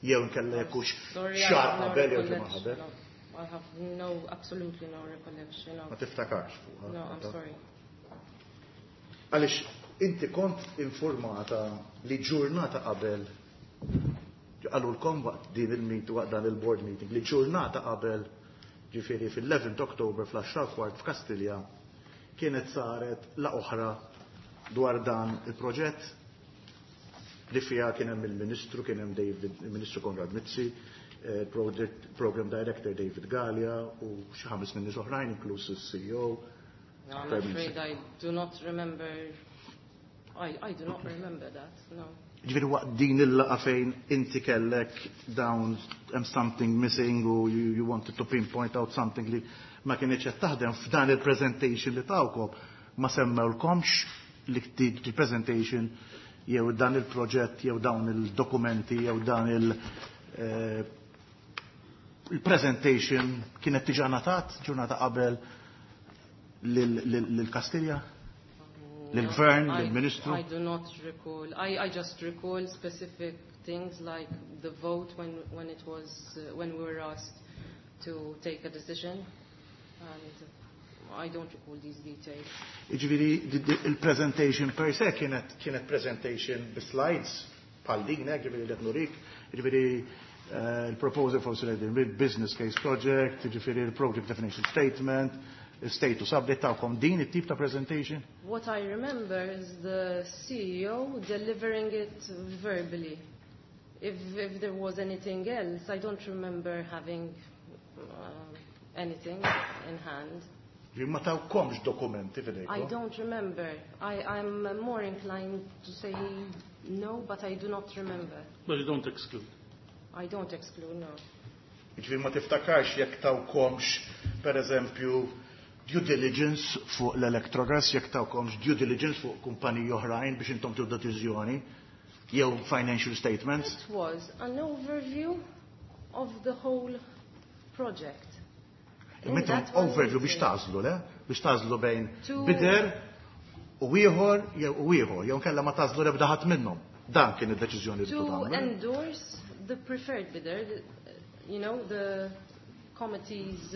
jew nkella jekk hux Sorry, I xahar have no qabel jew ġimgħa recollection qabel. of, I have no, absolutely no recollection of. Ma tiftakarx fuqha. No, I'm sorry. Għaliex inti kont informata li ġurnata qabel qalulkom waqt din il-meet, waqt dan il-board meeting, li ġurnata qabel, ġifieri fil-11 October fl-10 kwart f'Kastilja, kienet saret la oħra dwar dan il-proġett li fija kien hemm il-Ministru, kien hemm David, il-Ministru Konrad Mizzi, Program Director David Galea u xi ħames minn nies oħrajn, inkluż is-CEO. No, I'm Prime afraid Minister. I do not remember. I do not remember that, no. Ġifieri waqt din il-laqgħa fejn inti kellek dawn hemm something missing u you wanted to pinpoint out something li ma kienx qed taħdem f'dan il-presentation li tawkom ma semmewlkomx li il-presentation jew dan il-proġett jew dawn il-dokumenti jew dan il-presentation kienet diġà ngħatat ġurnata qabel lil Kastilja? Lil-Gvern, No, lil-Ministru? I do not recall. I just recall specific things like the vote when we were asked to take a decision, and I don't recall these details. Jiġifieri, il-presentation per se kienet presentation bi slides bħal din, ġifieri li nurik, ġifieri il-proposal for selected business case project, ġifieri il-project definition statement, status update tawkom din it-tip ta' presentation? What I remember is the CEO delivering it verbally. If there was anything else, I don't remember having anything in hand. Ma tawkomx dokumenti I f'idejkom. don't remember. I'm more inclined to say no, but I do not remember. But you don't exclude. I don't exclude, no. Ġifieri ma tiftakarx jekk tawkomx, per eżempju, due diligence fuq l-Electrogas, jekk tawkomx due diligence fuq kumpaniji oħrajn biex intom tieħdu deċiżjoni, jew financial statements. It was an overview of the whole project. In Imma intom that one overview biex meeting. tagħżlu, le? Biex tagħżlu bejn To bidder u ieħor jew u ieħor, jew kellha ma tagħżlu l-ebda ħadd minnhom. Dan kien id-deċiżjoni li To tagħmlu. endorse the preferred bidder, the committees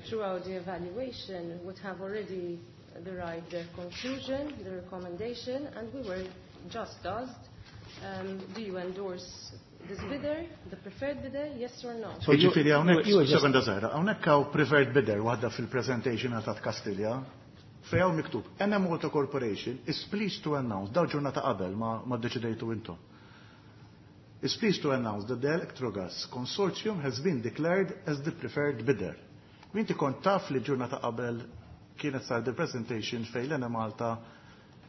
throughout the evaluation would have already derived their conclusion, the recommendation, and we were just asked, do you endorse this bidder, the preferred bidder, yes or no? So you- Ġifieri hawnhekk, you were just- sekonda żgħira, hawnhekk hawn preferred bidder waħda fil-presentation ta' Kastilja, fejn hawn miktub Enemalta Corporation is pleased to announce, daw ġurnata qabel ma ddeċidejtu intom. Is pleased to announce that the Electrogas Consortium has been declared as the preferred bidder. Inti kont taf li ġurnata qabel kienet sar the presentation fejn l-Enemalta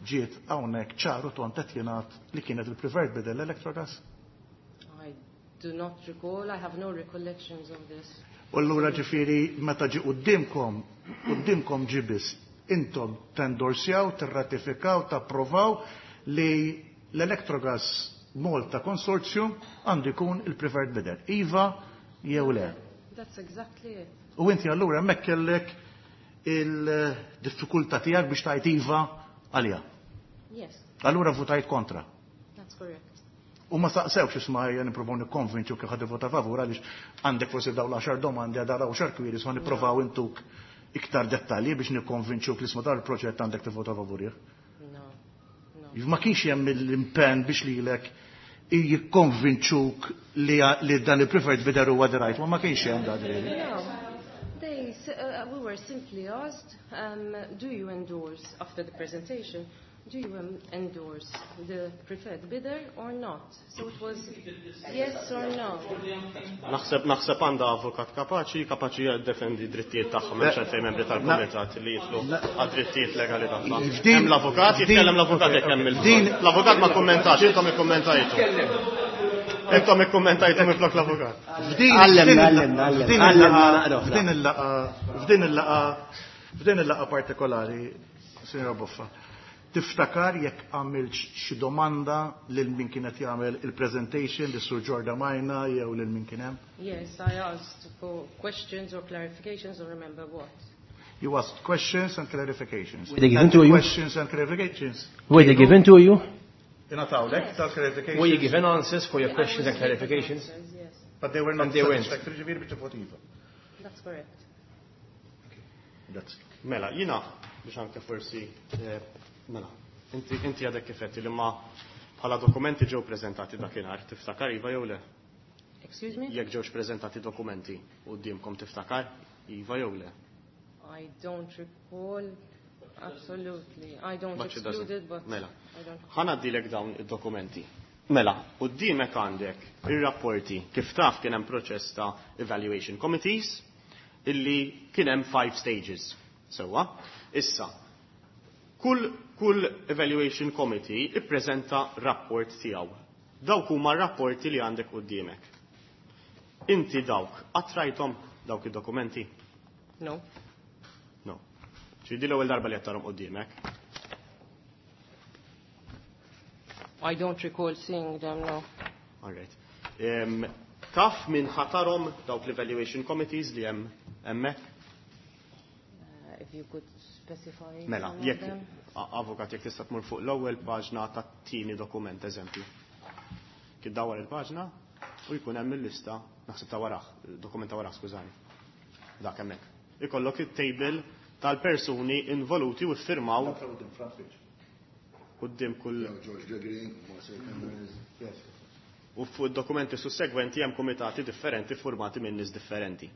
ġiet hawnhekk ċaru tont qed jingħad li kienet il-preferred bidder l-Electrogas? I do not recall, I have no recollections of this. U allura ġifieri meta ġi qudiemkom, qudiemkom ġi biss, intom tendorsjaw, tirratifikaw, tapprovaw li l-Electrogas Malta Consortium għandu jkun il-preferred bidder. Iva jew le. That's exactly it. U inti allura hemmhekk kellek il-diffikultà tiegħek biex tajt iva għalija. Yes. Allura votajt kontra. That's correct. U ma saqsewx isma' ejja nippruvaw nikkonvinċu kif ħad ivvota favur għaliex għandek forsi dawn l-għaxar domandi għal daraw xar kwiri so nippruvaw intuk iktar dettalji biex nikkonvinċuk li isma' dar il-proġett għandek tivvota favurih. No. No. Ma kienx hemm l-impenn biex lilek jikkonvinċuk li dan il-preferred bidder huwa the right one, ma kienx hemm dan really. No. We were simply asked, do you endorse, after the presentation, do you endorse the preferred bidder or not? So it was yes or no. Naħseb għandha avukat kapaċi, kapaċi jiddefendi drittijiet tagħha, m'hemmx għalfejn membri tal-kumitat li jitlu għad-drittijiet legali tagħha. Hemm l-avukat, jitkellem l-avukat jekk hemm il-bżonn. L-avukat ma kommentajtu, intom ikkummentajtu. Intom ikkummentajtu minflok l-avukat. Għallemna, għallemna, għallemna. Għallemna naqra oħra. F'din il-laqa partikolari, Signora Boffa, tiftakar jekk għamilx xi domanda lil min kienet jagħmel il-presentation li Sur Giordmaina jew lil min kien hemm? Yes, I asked for questions or clarifications or remember what. You asked questions and clarifications. Were they given And to you? Questions and clarifications. Were they given to you? Ingħatawlek tal-clarifications. Were you given answers for your I questions was and given clarifications? answers, yes. But they were not And they weren't. satisfactory, ġifieri biex tivvoti iva. That's correct. That's it. Mela, jina, biex anke forsi, mela, inti għadek kifetti li ma bħala dokumenti ġew prezentati dakinhar, tiftakar iva jew le? Excuse me? Jekk ġewx prezentati dokumenti quddiemkom tiftakar iva jew le? I don't recall, absolutely. I don't But she exclude doesn't. it, but Mela. I don't. Ħa ngħaddilek dawn id-dokumenti. Mela, quddiemek għandek ir-rapporti kif taf kien hemm proċess ta' evaluation committees illi kien hemm 5 stages. Sewwa, issa, kull evaluation committee ippreżenta rapport tiegħu. Dawk huma rapporti li għandek quddiemek. Inti dawk qatt rajthom dawk id-dokumenti? No. No. Ġifieri l-ewwel darba li qed tarhom quddiemek. I don't recall seeing them, no. All right. Taf min ħatarhom dawk l-evaluation committees li hemm hemmhekk? If you could specify Mela, some of jekk them. avukat jekk tista' tmur fuq l-ewwel paġna tat-tieni dokument, eżempju. Kif dawar il-paġna u jkun hemm il-lista, naħseb ta' warah, dokument ta' warah, skużani. Dak hemmhekk. Ikollok it-table tal-persuni involuti u ffirmaw quddiem kull George Gregory, Marcel Cameron. Yes. U fuq dokumenti sussegwenti hemm kumitati differenti formati minn nies differenti.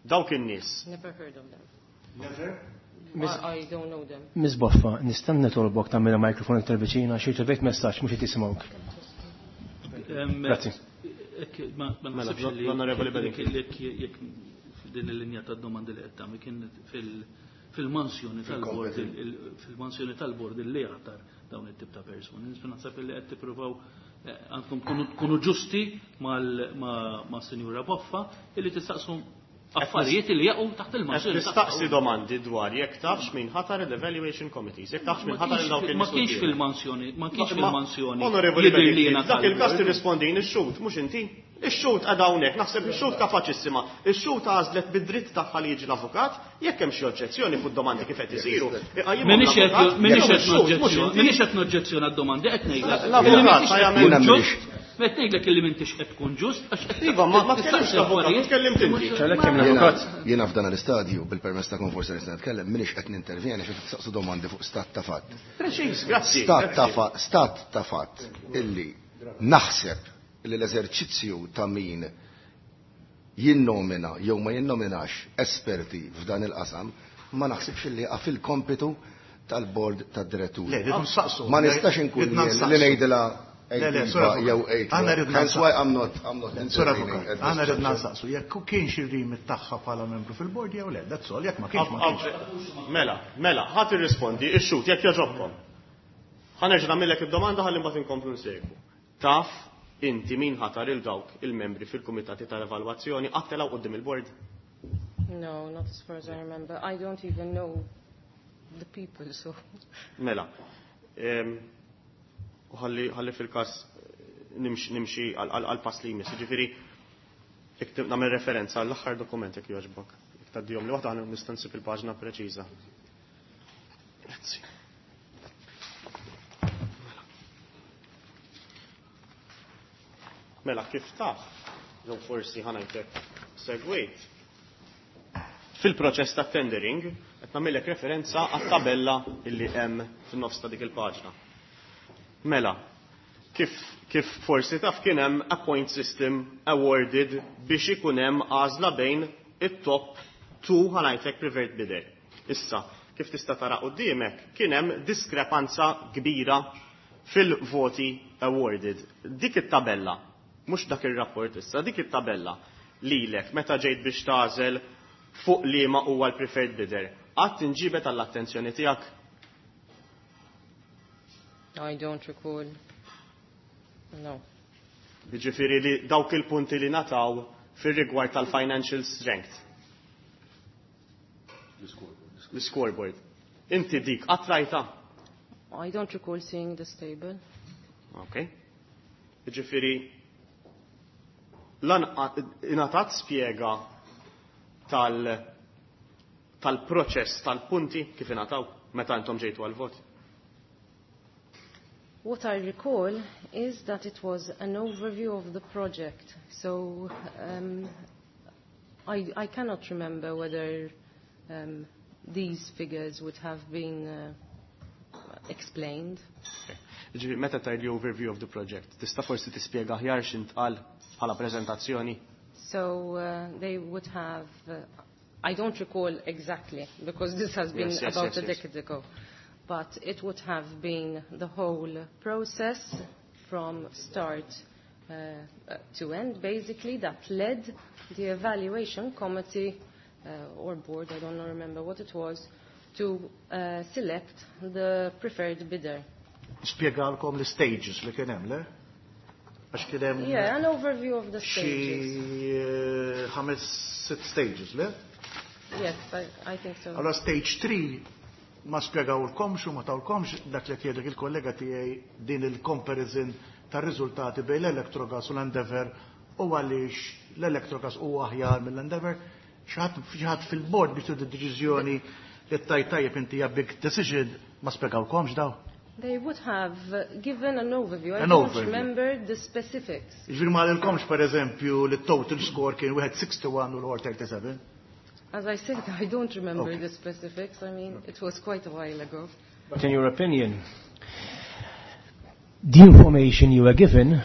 Dawk in-nies. Never heard of them. Never? I don't know them. Miss Boffa, nista' nitolbok tagħmel mikrofon iktar viċina xi rċevejt messaġġ mhux qed jisimgħuk. Grazzi. Ma Mela, naħsibx li l-Onorevoli Bedingfield. jekk din il-linja ta' domandi li qed tagħmel kien fil-mansjoni tal-bord fil-mansjoni tal-bord li jaħtar dawn it-tip ta' persuni. Naħseb li qed tippruvaw għandkom tkunu ġusti ma' Sinjura Boffa illi tistaqsu affarijiet li jaqgħu taħt il-mansjoni. Nistaqsi domandi dwar jekk tafx min ħatar l-evaluation committees, jekk tafx min ħatar dawk Ma kienx fil-mansjoni, ma kienx fil-mansjoni. Onorevoli, dak il-każ tirrispondin ix-xhud, mhux inti. Ix-xhud għadha hawnhekk, naħseb ix-xhud kapaċissima. Ix-xhud għażlet bid-dritt tagħha li jiġi l-avukat, jekk hemm xi oġġezzjoni fuq domandi kif qed isiru. M'iniex qed noġġezzjona d-domandi, qed ngħidlek. L-avukat jagħmel Qed ngħidlek illi m'intix qed tkun ġust għax qed Iva, ma tkellimx l-avukat, tkellimt inti. Jiena f'dan l-istadju bil-permess ta' forsi nista' nitkellem m'iniex qed nintervjeni xi tistaqsu domandi fuq stat ta' fatt. Preċiż, grazzi. Stat ta' fatt illi naħseb li l-eżerċizzju ta' min jinnomina jew ma jinnominax esperti f'dan il-qasam ma naħsibx li jaqa' fil-kompitu tal-bord tad-diretturi. Ma nistax inkun li ngħidilha jew Aħna ridna Hence why I'm not I'm not intervening. Aħna ridna nsaqsu jekk kienx ir-remit tagħha bħala membru fil-bord jew le, that's all, jekk ma kienx ma kienx. Mela, mela, ħadd irrispondi ix-xhud jekk jogħġobkom. Ħa nerġa' nagħmellek id-domanda ħalli mbagħad inkomplu nsegwu. Taf inti min ħatar il dawk il-membri fil-kumitati tal-evalwazzjoni qatt telgħu quddiem il-bord? No, not as far as I remember. I don't even know the people, so. Mela. U ħalli fil-każ nimxi għal pass li jmiss. Ġifieri, jekk nagħmel referenza għall-aħħar dokument jekk jogħġbok. Jekk tgħaddihom li waħda nista' nsib il-paġna preċiża. Grazzi. Mela, kif taf, jew forsi ħa ngħidlek segwejt, fil-proċess ta' tendering, qed nagħmellek referenza għat-tabella illi hemm fin-nofs ta' dik il-paġna. Mela, kif forsi taf kien hemm a point system awarded biex ikun hemm għażla bejn it-top 2 ħa ngħidlek preferred bidder. Issa, kif tista' tara quddiemek, kien hemm diskrepanza kbira fil-voti awarded. Dik it-tabella, mhux dak ir-rapport issa, dik it-tabella lilek meta ġejt biex tagħżel fuq liema huwa l-preferred bidder. Qatt inġibet għall-attenzjoni tiegħek? I don't recall. No. Jiġifieri li dawk il-punti li nataw fir-rigward tal-financial strength. L-scoreboard. Inti dik qatt rajta? I don't recall seeing this table. Okay. Jiġifieri lan ingħatat spjega tal-proċess tal-punti kif ingħataw meta intom ġejtu għal-vot. What I recall is that it was an overview of the project. So I cannot remember whether these figures would have been explained. Ġifieri, meta tgħid li overview of the project, tista' forsi tispjega aħjar x'intqal bħala preżentazzjoni? So they would have, I don't recall exactly, because this has been about a decade ago, but it would have been the whole process from start to end, basically, that led the evaluation committee or board, I don't remember what it was, to select the preferred bidder. Spjegalkom l-stages li kien hemm, le? Għax kien hemm Yeah, an overview of the xi stages. ħames, sitt stages, le? Yes, I think so. Allora stage 3 ma spjegawlkomx u ma tawlkomx dak li jgħidlek il-kollega tiegħi din il-comparison tar-riżultati bejn l-Electrogas u l-Endeavour u għaliex l-Electrogas huwa aħjar mill-Endeavour. Xi ħadd fil-bord biex tieħdu deċiżjoni li tajt tajjeb inti hija big decision ma spjegawlkomx daw. They would have given an overview. I An don't overview. remember the specifics. Ġifieri ma qalilkomx per eżempju li total score kien wieħed 61 u l-ieħor 37. As I said, I don't remember the specifics. It was quite a while ago. But in your opinion, the information you were given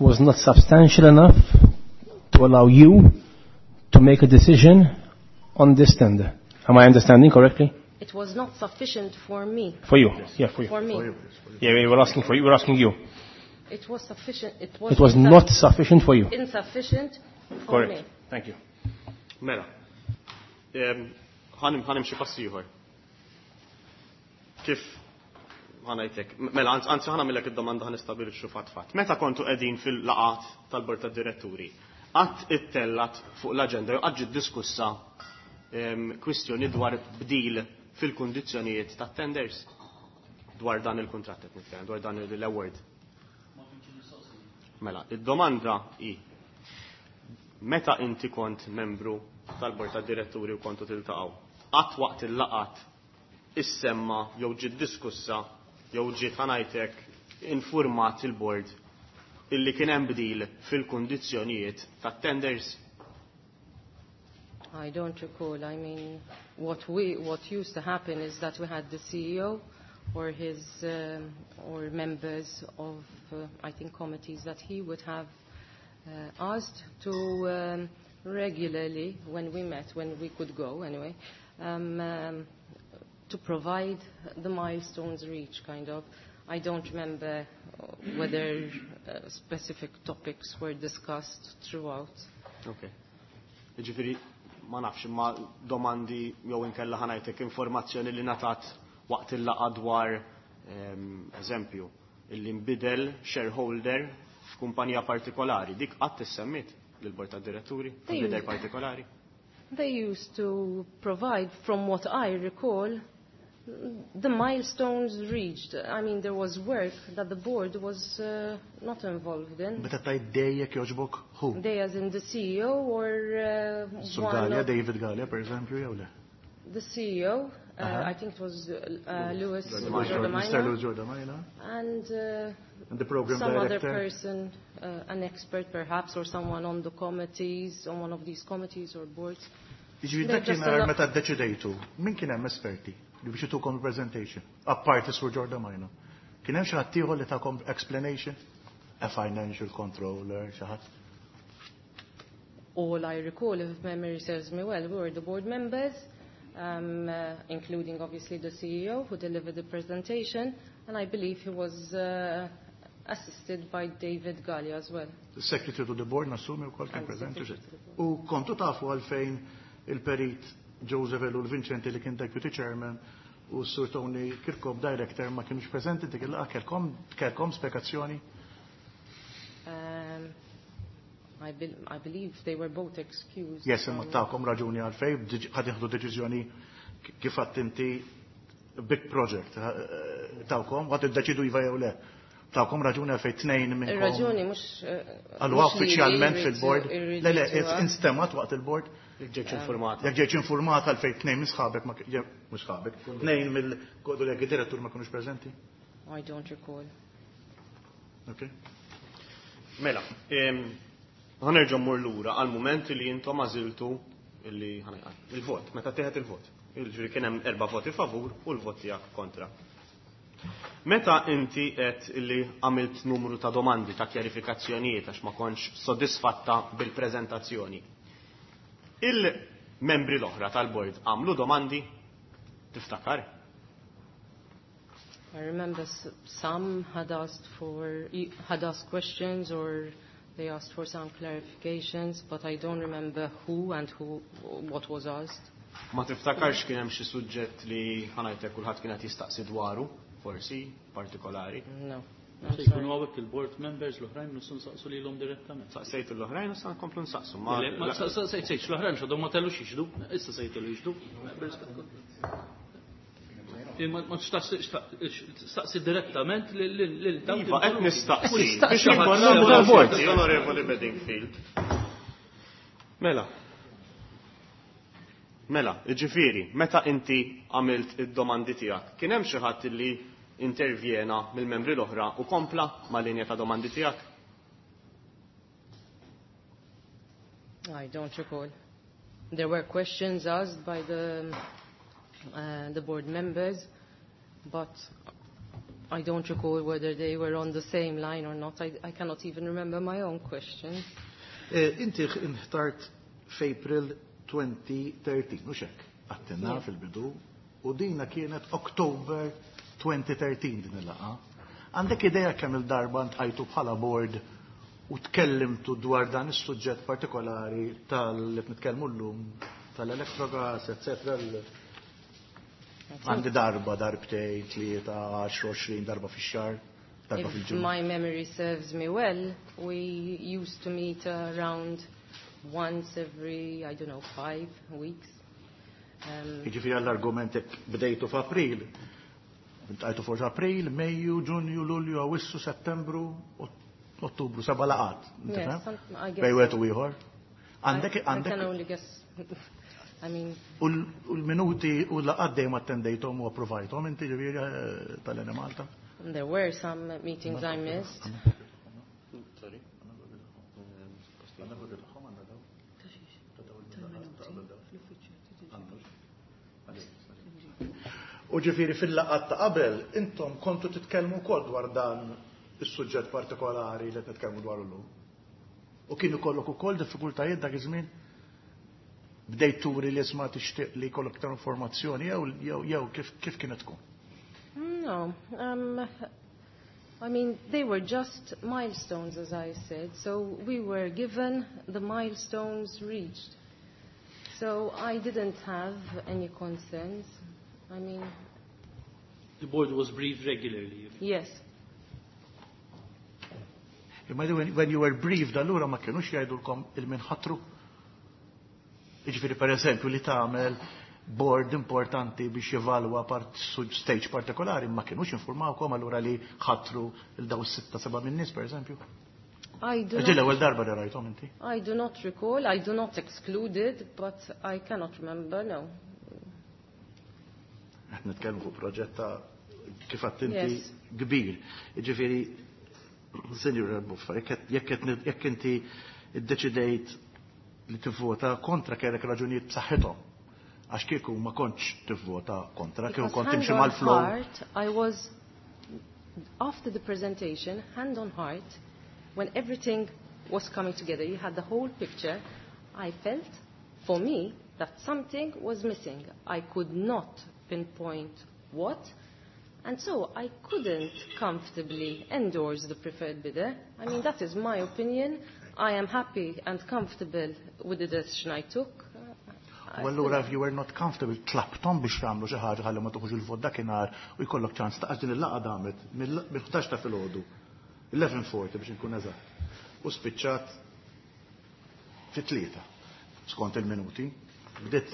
was not substantial enough to allow you to make a decision on this tender. Am I understanding correctly? It was not sufficient for me. For you, yeah, for you. For me. For you, yes, for you. Yeah, we were asking for you. We were asking you. It was sufficient. It was, It was not sufficient for you. Insufficient for Correct. me. Thank you. Mela. Ħa nimxi pass ieħor. Kif ħa ngħidlek, mela, anzi ħa nagħmillek id-domanda, ħa nistabbilixxu fatt fatt. Meta kontu qegħdin fil-laqgħat tal-bord tad-diretturi, qatt ittellgħet fuq l-aġenda jew qatt ġiet diskussa kwistjoni dwar bdil fil-kundizzjonijiet tat-tenders dwar dan il-kuntratt qed nitkellem, dwar dan l-award? Mela, id-domanda hi: meta inti kont membru tal-bord tad-diretturi u kontu tiltaqgħu, qatt waqt il-laqgħat issemma jew ġiet diskussa jew ġiet, ħa ngħidlek, informat il-bord illi kien hemm bdil fil-kundizzjonijiet tat-tenders? I don't recall. I mean, what used to happen is that we had the CEO or his or members of, I think, committees that he would have asked to regularly, when we met, when we could go anyway, to provide the milestones reached, kind of. I don't remember whether specific topics were discussed throughout. Okay. Ġifieri, ma nafx, ma domandi jew inkella, ħa ngħidlek, informazzjoni li ngħatat waqt il-laqgħa dwar, eżempju, illi nbidel shareholder f'kumpanija partikolari. Dik qatt issemmiet lill-bord tad-diretturi, leader partikolari? They used to provide, from what I recall, the milestones reached. I mean, there was work that the board was not involved in. Meta tgħid they, jekk jogħġbok, who? They as in the CEO or Sur one Galea, of David Galea, per eżempju, jew le? The CEO, I think it was Louis Mr. Giordamayna. Louis Giordamayna. And And the program some other director. person, an expert perhaps, or someone on the committees, on one of these committees or boards. Jiġifieri They dak just kien meta ddeċidejtu, min kien hemm esperti li biex itukom presentation, apparti Sur Giordamayna? Kien hemm xi ħadd ieħor li takom explanation? A financial controller, xi ħadd? All I recall, if memory serves me well, we were the board members, including obviously the CEO who delivered the presentation, and I believe he was assisted by David Galea as well. The secretary to the board, nassumi wkoll kien And the preżenti. secretary to the board. U kontu tafu għalfejn il-perit Joseph Ellul Vincenti li kien deputy chairman u Sur Tony Kirkop director ma kienux preżenti dik il-laqgħa? Kelkom spjegazzjoni? I believe they were both excused. Yes, imma takom raġuni għalfejn ħad jieħdu deċiżjoni, kif għedt inti, big project, tawkom, għad iddeċidu iva jew le. Tawkom raġuni għalfejn tnejn minnkom? Ir-raġuni mhux Għallu mhux li uffiċjalment fil-board? Le, irridu instemgħet waqt il-board? Jekk ġietx informata. Jekk ġietx informata għalfejn tnejn minn sħabek, ma mhux sħabek, tnejn mill-kollegi direttur ma kinux preżenti? I don't recall. Okay. Mela, ħa nerġa' mmur lura għal moment li intom għażiltu illi il-vot, meta teħet il-vot. Jiġifieri kien hemm erba' voti favur u l-vot tiegħek kontra. Meta inti qed illi għamilt numru ta' domandi ta' kjarifikazzjonijiet għax ma kontx sodisfatta bil-preżentazzjoni, il-membri l-oħra tal-bord għamlu domandi? Tiftakar? I remember some had asked questions or they asked for some clarifications, but I don't remember who and what was asked. Ma tiftakarx kien hemm xi suġġett li, ħa ngħidlek, kulħadd kien qed jistaqsi dwaru, forsi partikolari? No. Se jkunu hawnhekk il-board members l-oħrajn, nistgħu nsaqsu lilhom direttament. Saqsejt l-oħrajn u sa nkomplu nsaqsu. Le, ma saqsejtx l-oħrajn x'għadhom ma tellux jixhdu, issa se jtellu jixhdu. Ma staqsi direttament lil dawk Iva, qed il-board. nistaqsi. Nistaqsi Biex xi ħadd ikollna sewa. bord, Onorevoli Bedingfield. Mela. Mela, ġifieri, meta inti għamilt id-domandi tiegħek, kien hemm xi ħadd li intervjena mill-membri l-oħra u kompla mal-linja ta' domandi tiegħek? I don't recall. There were questions asked by the board members, but I don't recall whether they were on the same line or not. I cannot even remember my own questions. Inti inħtart f'April 2013, mhux hekk? Għedtilna fil-bidu, u dina kienet October 2013 din il-laqgħa. Għandek idea kemm il-darba ltqajtu bħala board U tkellimtu dwar dan is-suġġett partikolari tal-li nitkellmu llum tal-Electrogas, eccetera. Għandi darba, darbtejn, 3, 10, 20 darba fix-xahar, darba If fil-ġimgħa. my memory serves me well, we used to meet around once every, I don't know, 5 weeks. Jiġifieri għall-argument jekk bdejtu f'April, iltqajtu forsi April, Mejju, Ġunju, Lulju, Awissu, Settembru, Ottubru, seba' laqgħat. Yes, I guess Bejn wieħed so. u ieħor. Għandek I għandek can only guess. I mean, u l-minuti u l-laqgħat dejjem attendejthom u approvajthom inti ġifieri tal-Enemalta? There were some meetings I missed. Sorry. U ġifieri fil-laqgħat ta' qabel intom kontu titkellmu wkoll dwar dan is-suġġett partikolari li qed nitkellmu dwar illum. U kienu kollok ukoll diffikultajiet dak iż-żmien? Bdejt turi li isma' tixtieq li jkollok iktar informazzjoni jew kif kienet tkun? No. I mean, they were just milestones, as I said. So we were given the milestones reached. So I didn't have any concerns. I mean, The board was briefed regularly. Yes. Imma when you were briefed allura ma kienux jgħidulkom lil min ħatru? Jiġifieri per eżempju li tagħmel board importanti biex jevalwa part stage partikolari ma kienux informawkom allura li ħatru lil daw sitta seba' min-nies per eżempju? I do Ġi not, l-ewwel darba li rajthom inti. I do not recall. I do not exclude it, but I cannot remember, no. Qed nitkellmu fuq proġett ta' kif għedt inti kbir. Jiġifieri Sinjura Buffa, jekk inti iddeċidejt li tivvota kontra kellek raġunijiet b'saħħithom. Għax kieku ma kontx tivvota kontra, kieku Because kont hand timxi on mal-flow. heart, I was, after the presentation, hand on heart, when everything was coming together, you had the whole picture, I felt, for me, that something was missing. I could not pinpoint what, and so I couldn't comfortably endorse the preferred bidder. I mean, that is my opinion. I am happy and comfortable with the decision I took. U allura if you were not comfortable, tlabthom biex jagħmlu xi ħaġa ħalli ma tuħux il-vot dakinhar u jkollok ċans ta' din il-laqgħa damet mill-11 ta' filgħodu. 11:40 biex nkun eżatt. U spiċċat fit-3 skont il-minuti. Bdiet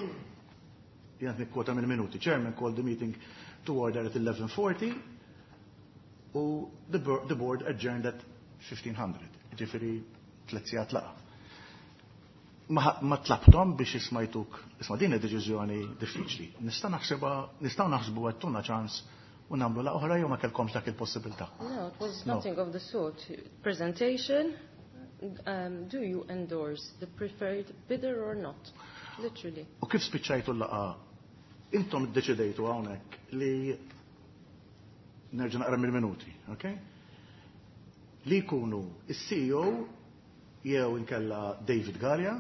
jien nikkwota mill-minuti. Chairman called the meeting to order at 11:40 u the board adjourned at 1500. Ġifieri 3 sigħat laqgħa. Ma tlabthom biex ismajtuk, isma' din id-deċiżjoni diffiċli. Nista' naħsibha, nistgħu naħsbu għattuna ċans u nagħmlu laqgħa oħra jew ma kellkomx dak il-possibilità. No, it was No. nothing of the sort. Presentation, do you endorse the preferred bidder or not? Literally. U kif spiċċajtu l-laqgħa? Intom iddeċidejtu hawnhekk li nerġa' naqra mill-minuti, ok? Li jkunu is-CEO jew inkella David Galea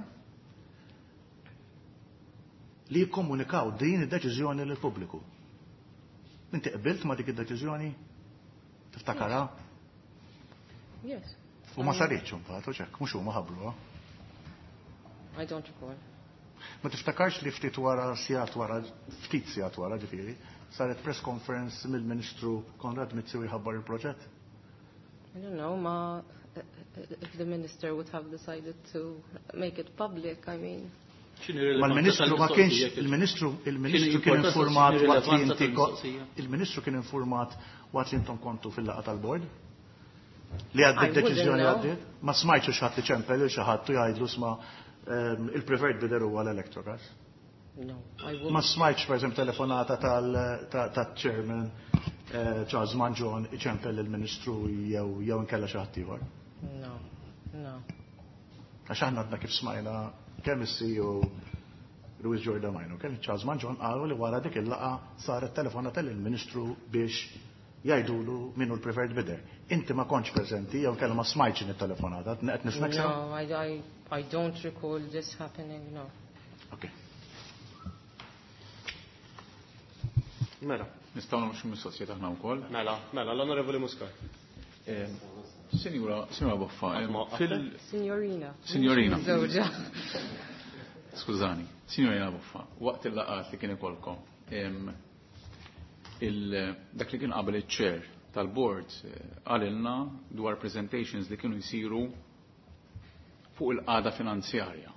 li jikkomunikaw din id-deċiżjoni lil pubbliku. Inti qbilt ma dik id-deċiżjoni? Tiftakarha? Yes. U ma saritx imbagħad, u ċekk, mhux huma ħabbruha. I don't recall. Ma tiftakarx li ftit wara sigħat wara, ftit sigħat wara ġifieri, saret press conference mill-Ministru Konrad Mizzi u jħabbar il-proġett? I don't know, ma, if the minister would have decided to make it public, I mean. Ma l-Ministru ma kienx, il-Ministru kien informat waqt li inti il-Ministru kien informat waqt li intom kontu fil-laqgħa tal-bord? Li għaddit deċiżjoni għaddit? Ma smajtx xi ħadd li ċempel xi ħadd u jgħidlu sma il-preferred bidder huwa l-Electrogas. No, I wouldn't. Ma smajtx per eżempju telefonata tal-chairman Charles Mangion iċempel il-Ministru jew inkella xi ħadd ieħor. No. Għax aħna għadna kif smajna kemm is-CEO Louis Giordmaina, kemm Charles Mangion qalu li wara dik il-laqgħa saret telefonata lill-Ministru biex jgħidulu min hu l-preferred bidder. Inti ma kontx preżenti jew kellha ma smajtx din it-telefonata, qed nifhmek sew? No, I don't recall this happening, no. Okay. Mela. Nistgħu nagħmlu xi mistoqsijiet aħna wkoll. Mela, mela, l-Onorevoli Muscat. Signora, signora Boffa, fil... Signorina. Signorina. Skużani, signorina Boffa, waqt il-laqat li kien ikolkom, dak li kien qabel iċ-chair tal-board qalilna dwar presentations li kienu jsiru fuq il-qagħda finanzjarja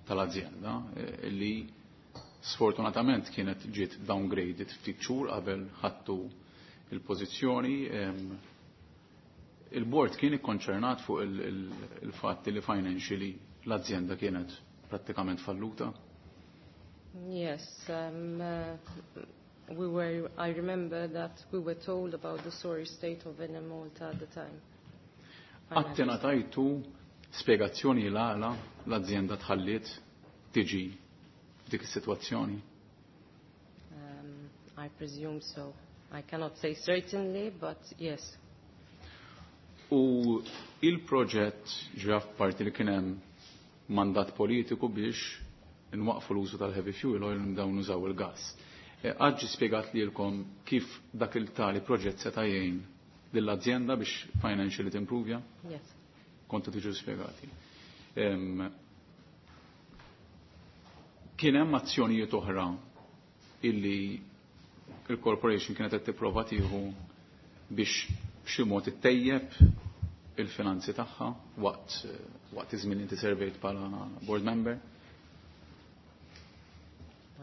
tal-azienda li sfortunatament kienet ġiet downgraded ftit xhur qabel ħadtu il-pożizzjoni. Il-board kien ikkonċernat fuq il-fatt li financially l-azienda kienet prattikament falluta. Yes, we were. I remember that we were told about the sorry state of Enemalta at the time. Qatt ingħatajtu spjegazzjoni l-għala l-azienda tħalliet tiġi f'dik is-sitwazzjoni? I presume so. I cannot say certainly, but yes. U il-proġett ġra f'parti li kien hemm mandat politiku biex nwaqfu l-użu tal-heavy fuel oil nibdew nużaw il-gas. Qatt ġie spjegat lilkom kif dak il-tali proġett seta' jgħin lill-azienda biex financially timprovja? Yes. Kontu tiġu spjegati. Kien hemm azzjonijiet oħra illi il-corporation kienet qed tipprova tieħu biex b'xi mod ittejjeb il-finanzi tagħha waqt waqt iż-żmien li inti servejt bħala board member?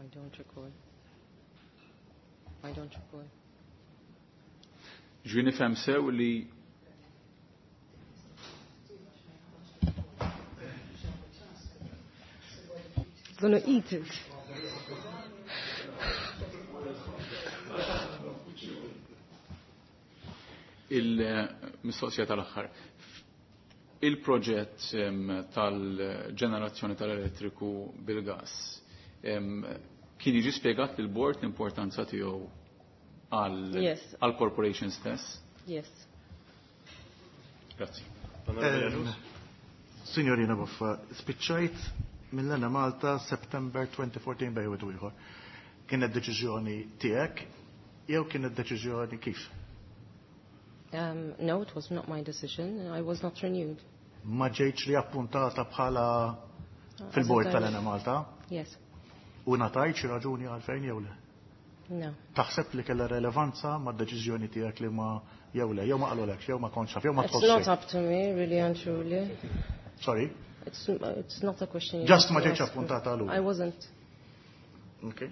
I don't recall. I don't recall. Ġi nifhem sew li Gonna eat it. Il-mistoqsija tal-aħħar. Il-proġett tal-ġenerazzjoni tal-elettriku bil-gas kien jiġi spjegat lil board l-importanza tiegħu għal corporation stess? Yes. Grazzi. Signorina Boffa, spiċċajt mill-Enemalta September 2014 bejn wieħed u ieħor. Kienet deċiżjoni tiegħek jew kienet deċiżjoni kif? No, it was not my decision. I was not renewed. Ma ġejtx li appuntata bħala fil-bord tal-Enemalta? Yes. U ngħatajt xi raġuni għalfejn jew le? No. Taħseb li kellha relevanza mad-deċiżjoni tiegħek li ma jew le, jew ma qalulekx, jew ma kontx taf, jew ma It's not up to me, really and truly. Sorry? It's not a question you Just have ma to ġejtx ask me. appuntata għalura. I wasn't. Okay.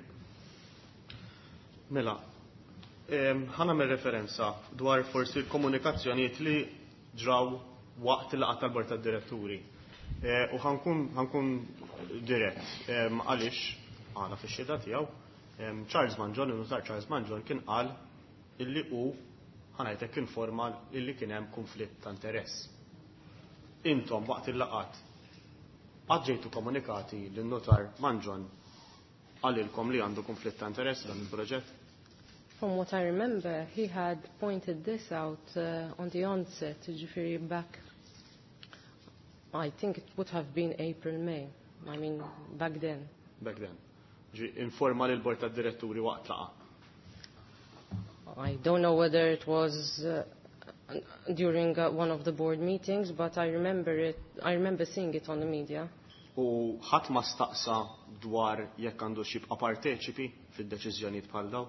Mela, ħa nagħmel referenza dwar forsi l-komunikazzjonijiet li ġraw waqt il-laqgħa tal-bord tad-diretturi. U ħankun dirett, għaliex għana fix-xhieda tiegħu, Charles Mangion, il-nutar Charles Mangion kien qal illi hu ħanajtek informa illi kien hemm konflitt ta' interess. Intom waqt il-laqgħat qatt ġejtu komunikati lin-nutar Mangion qalilkom li għandu konflitt ta' interess dan il-proġett? From what I remember, he had pointed this out on the onset, ġifieri back, I think it would have been April, May. I mean, back then. Back then. Ġi informa lil bord tad-diretturi waqt laqa. I don't know whether it was during one of the board meetings, but I remember it. I remember seeing it on the media. U ħadd ma staqsa dwar jekk għandu xi jibqa' parteċipi fid-deċiżjonijiet bħal dawn?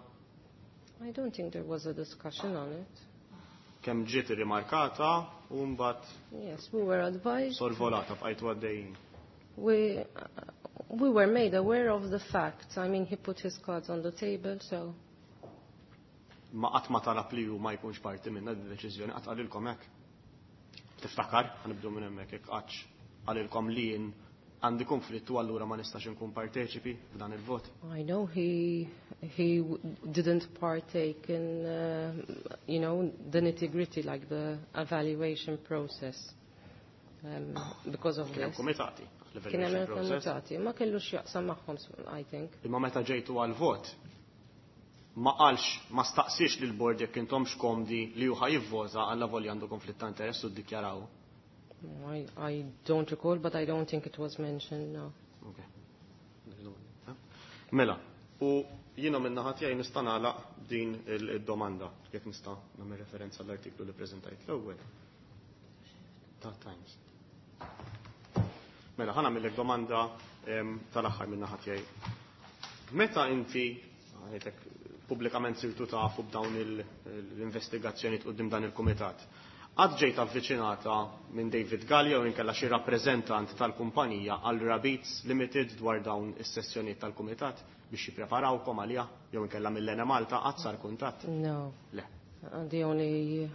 I don't think there was a discussion on it. Kemm ġiet irrimarkata u mbagħad Yes, we were advised. Sorvolata bqajtu għaddejjin. We were made aware of the facts. I mean, he put his cards on the table, so. Ma qatt ma talab li hu ma jkunx parti minna din id-deċiżjoni, qatt qalilkom hekk. Tiftakar, ħanibdu minn hemmhekk jekk qattx qalilkom li jien għandi konflitt u allura ma nistax inkun parteċipi f'dan il-vot. I know he didn't partake in the nitty-gritty, like the evaluation process, because of Kien hemm this. kumitati, Kien hemm l-evaluation process. kumitati, ma kellux jaqsam magħhom, I think. Imma meta ġejtu għal-vot, ma qalx, ma staqsix lil bord jekk intom xkomdi li hu ħajivvota għal volja għandu konflitt ta' interess u ddikjaraw. I don't recall, but I don't think it was mentioned, no. Okay. Mela, u jiena minn naħa tiegħi nista' nagħlaq din il-domanda, jekk nista' nagħmel referenza l-artiklu li preżentajt l-ewwel. Ta' Times. Mela, ħa nagħmillek domanda tal-aħħar minn naħa tiegħi. Meta inti għajtek pubblikament sirtu tafu b'dawn l-investigazzjoni quddiem dan il-kumitat, qatt ġejt avviċinata minn David Gallia u inkella xi rappreżentant tal-kumpanija għal Rabits Limited dwar dawn is-sessjonijiet tal-kumitat biex jippreparawkom għaliha jew inkella mill-Enemalta qatt sar kuntatt? No. Le. The only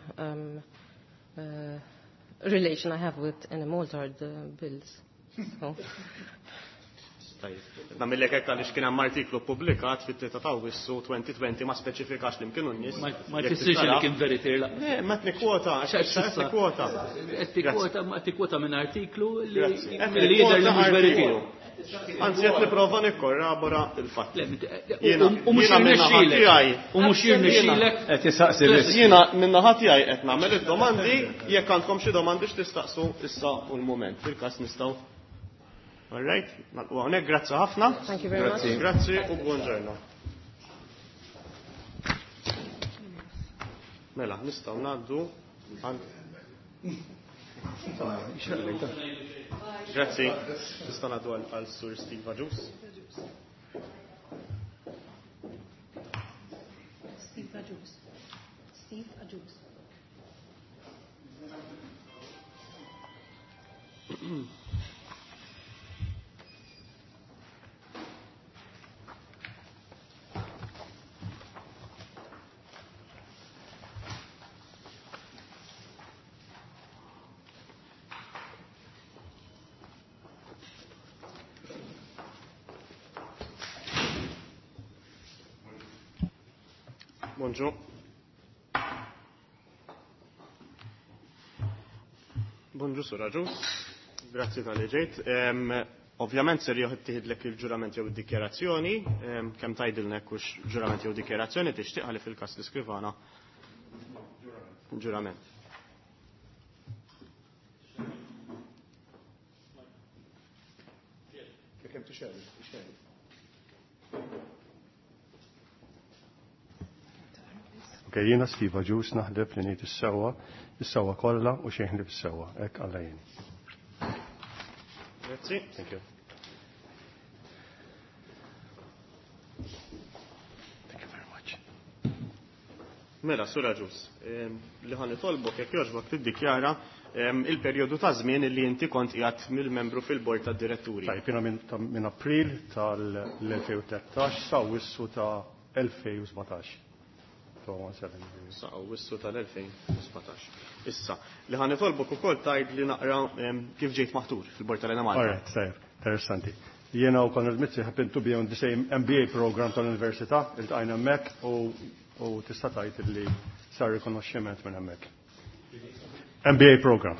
relation I have with Enemalta are the bills. So. Tajjeb. Nagħmillek hekk għaliex kien hemm artiklu ppubblikat fit-3 ta' Awwissu 2020 ma speċifikax li kienu n-nies. Ma jfissirx li kien veritier la. Le, ma qed nikkwota, għax qed nikkwota. Qed tikkwota, ma tikkwota minn artiklu li jidher li mhux veritier. Anzi qed nipprova nikkorrabora il-fatt. U mhux jirnexxielek. U mhux jirnexxielek. Qed jistaqsi biss. Jiena min-naħa tiegħi qed nagħmel id-domandi, jekk għandkom xi domandi x'tistaqsu issa u l-mument. Fil-każ nistgħu. All right, nagħlqu hawnhekk, grazzi ħafna. Thank you very much. Grazzi u buongiorno. Mela, nistgħu ngħaddu għal Grazzi. Nistgħu ngħaddu għal Sur Steve Agius. Steve Agius. Steve Agius. Bonġu. Bonġu, Sur Agius. Grazzi tal-li ġejt. Ovvjament ser jittieħdlek il-ġurament jew id-dikjarazzjoni, kemm tgħidilna hekk hux ġurament jew dikjarazzjoni tixtieq li fil-każ l-iskrivana. Ġurament. Kemm tixgħel, tixgħel. Ok, jiena Steve Agius naħlef li ngħid is-sewwa, is-sewwa kollha u xejn ħlief is-sewwa, hekk Alla jien. Grazzi. Thank you. Thank you very much. Mela, Sur Agius, li ħa nitolbok jekk jogħġbok tiddikjara il-perjodu ta' żmien li inti kont qiegħed mill-membru fil-bord tad-diretturi. Tajjeb, jiena minn April tal-2013 sa Awwissu ta' 2017. Sa Awwissu tal-2017. Issa, li ħa nitolbok ukoll tgħid li naqra kif ġejt maħtur fil-bord tal-Enemalta. All right, tajjeb, interessanti. Jiena u Konrad Mizzi happen to be on the same MBA program tal-Università, iltqajna hemmhekk u tista' tgħid li sar rikonoxximent minn hemmhekk. MBA program.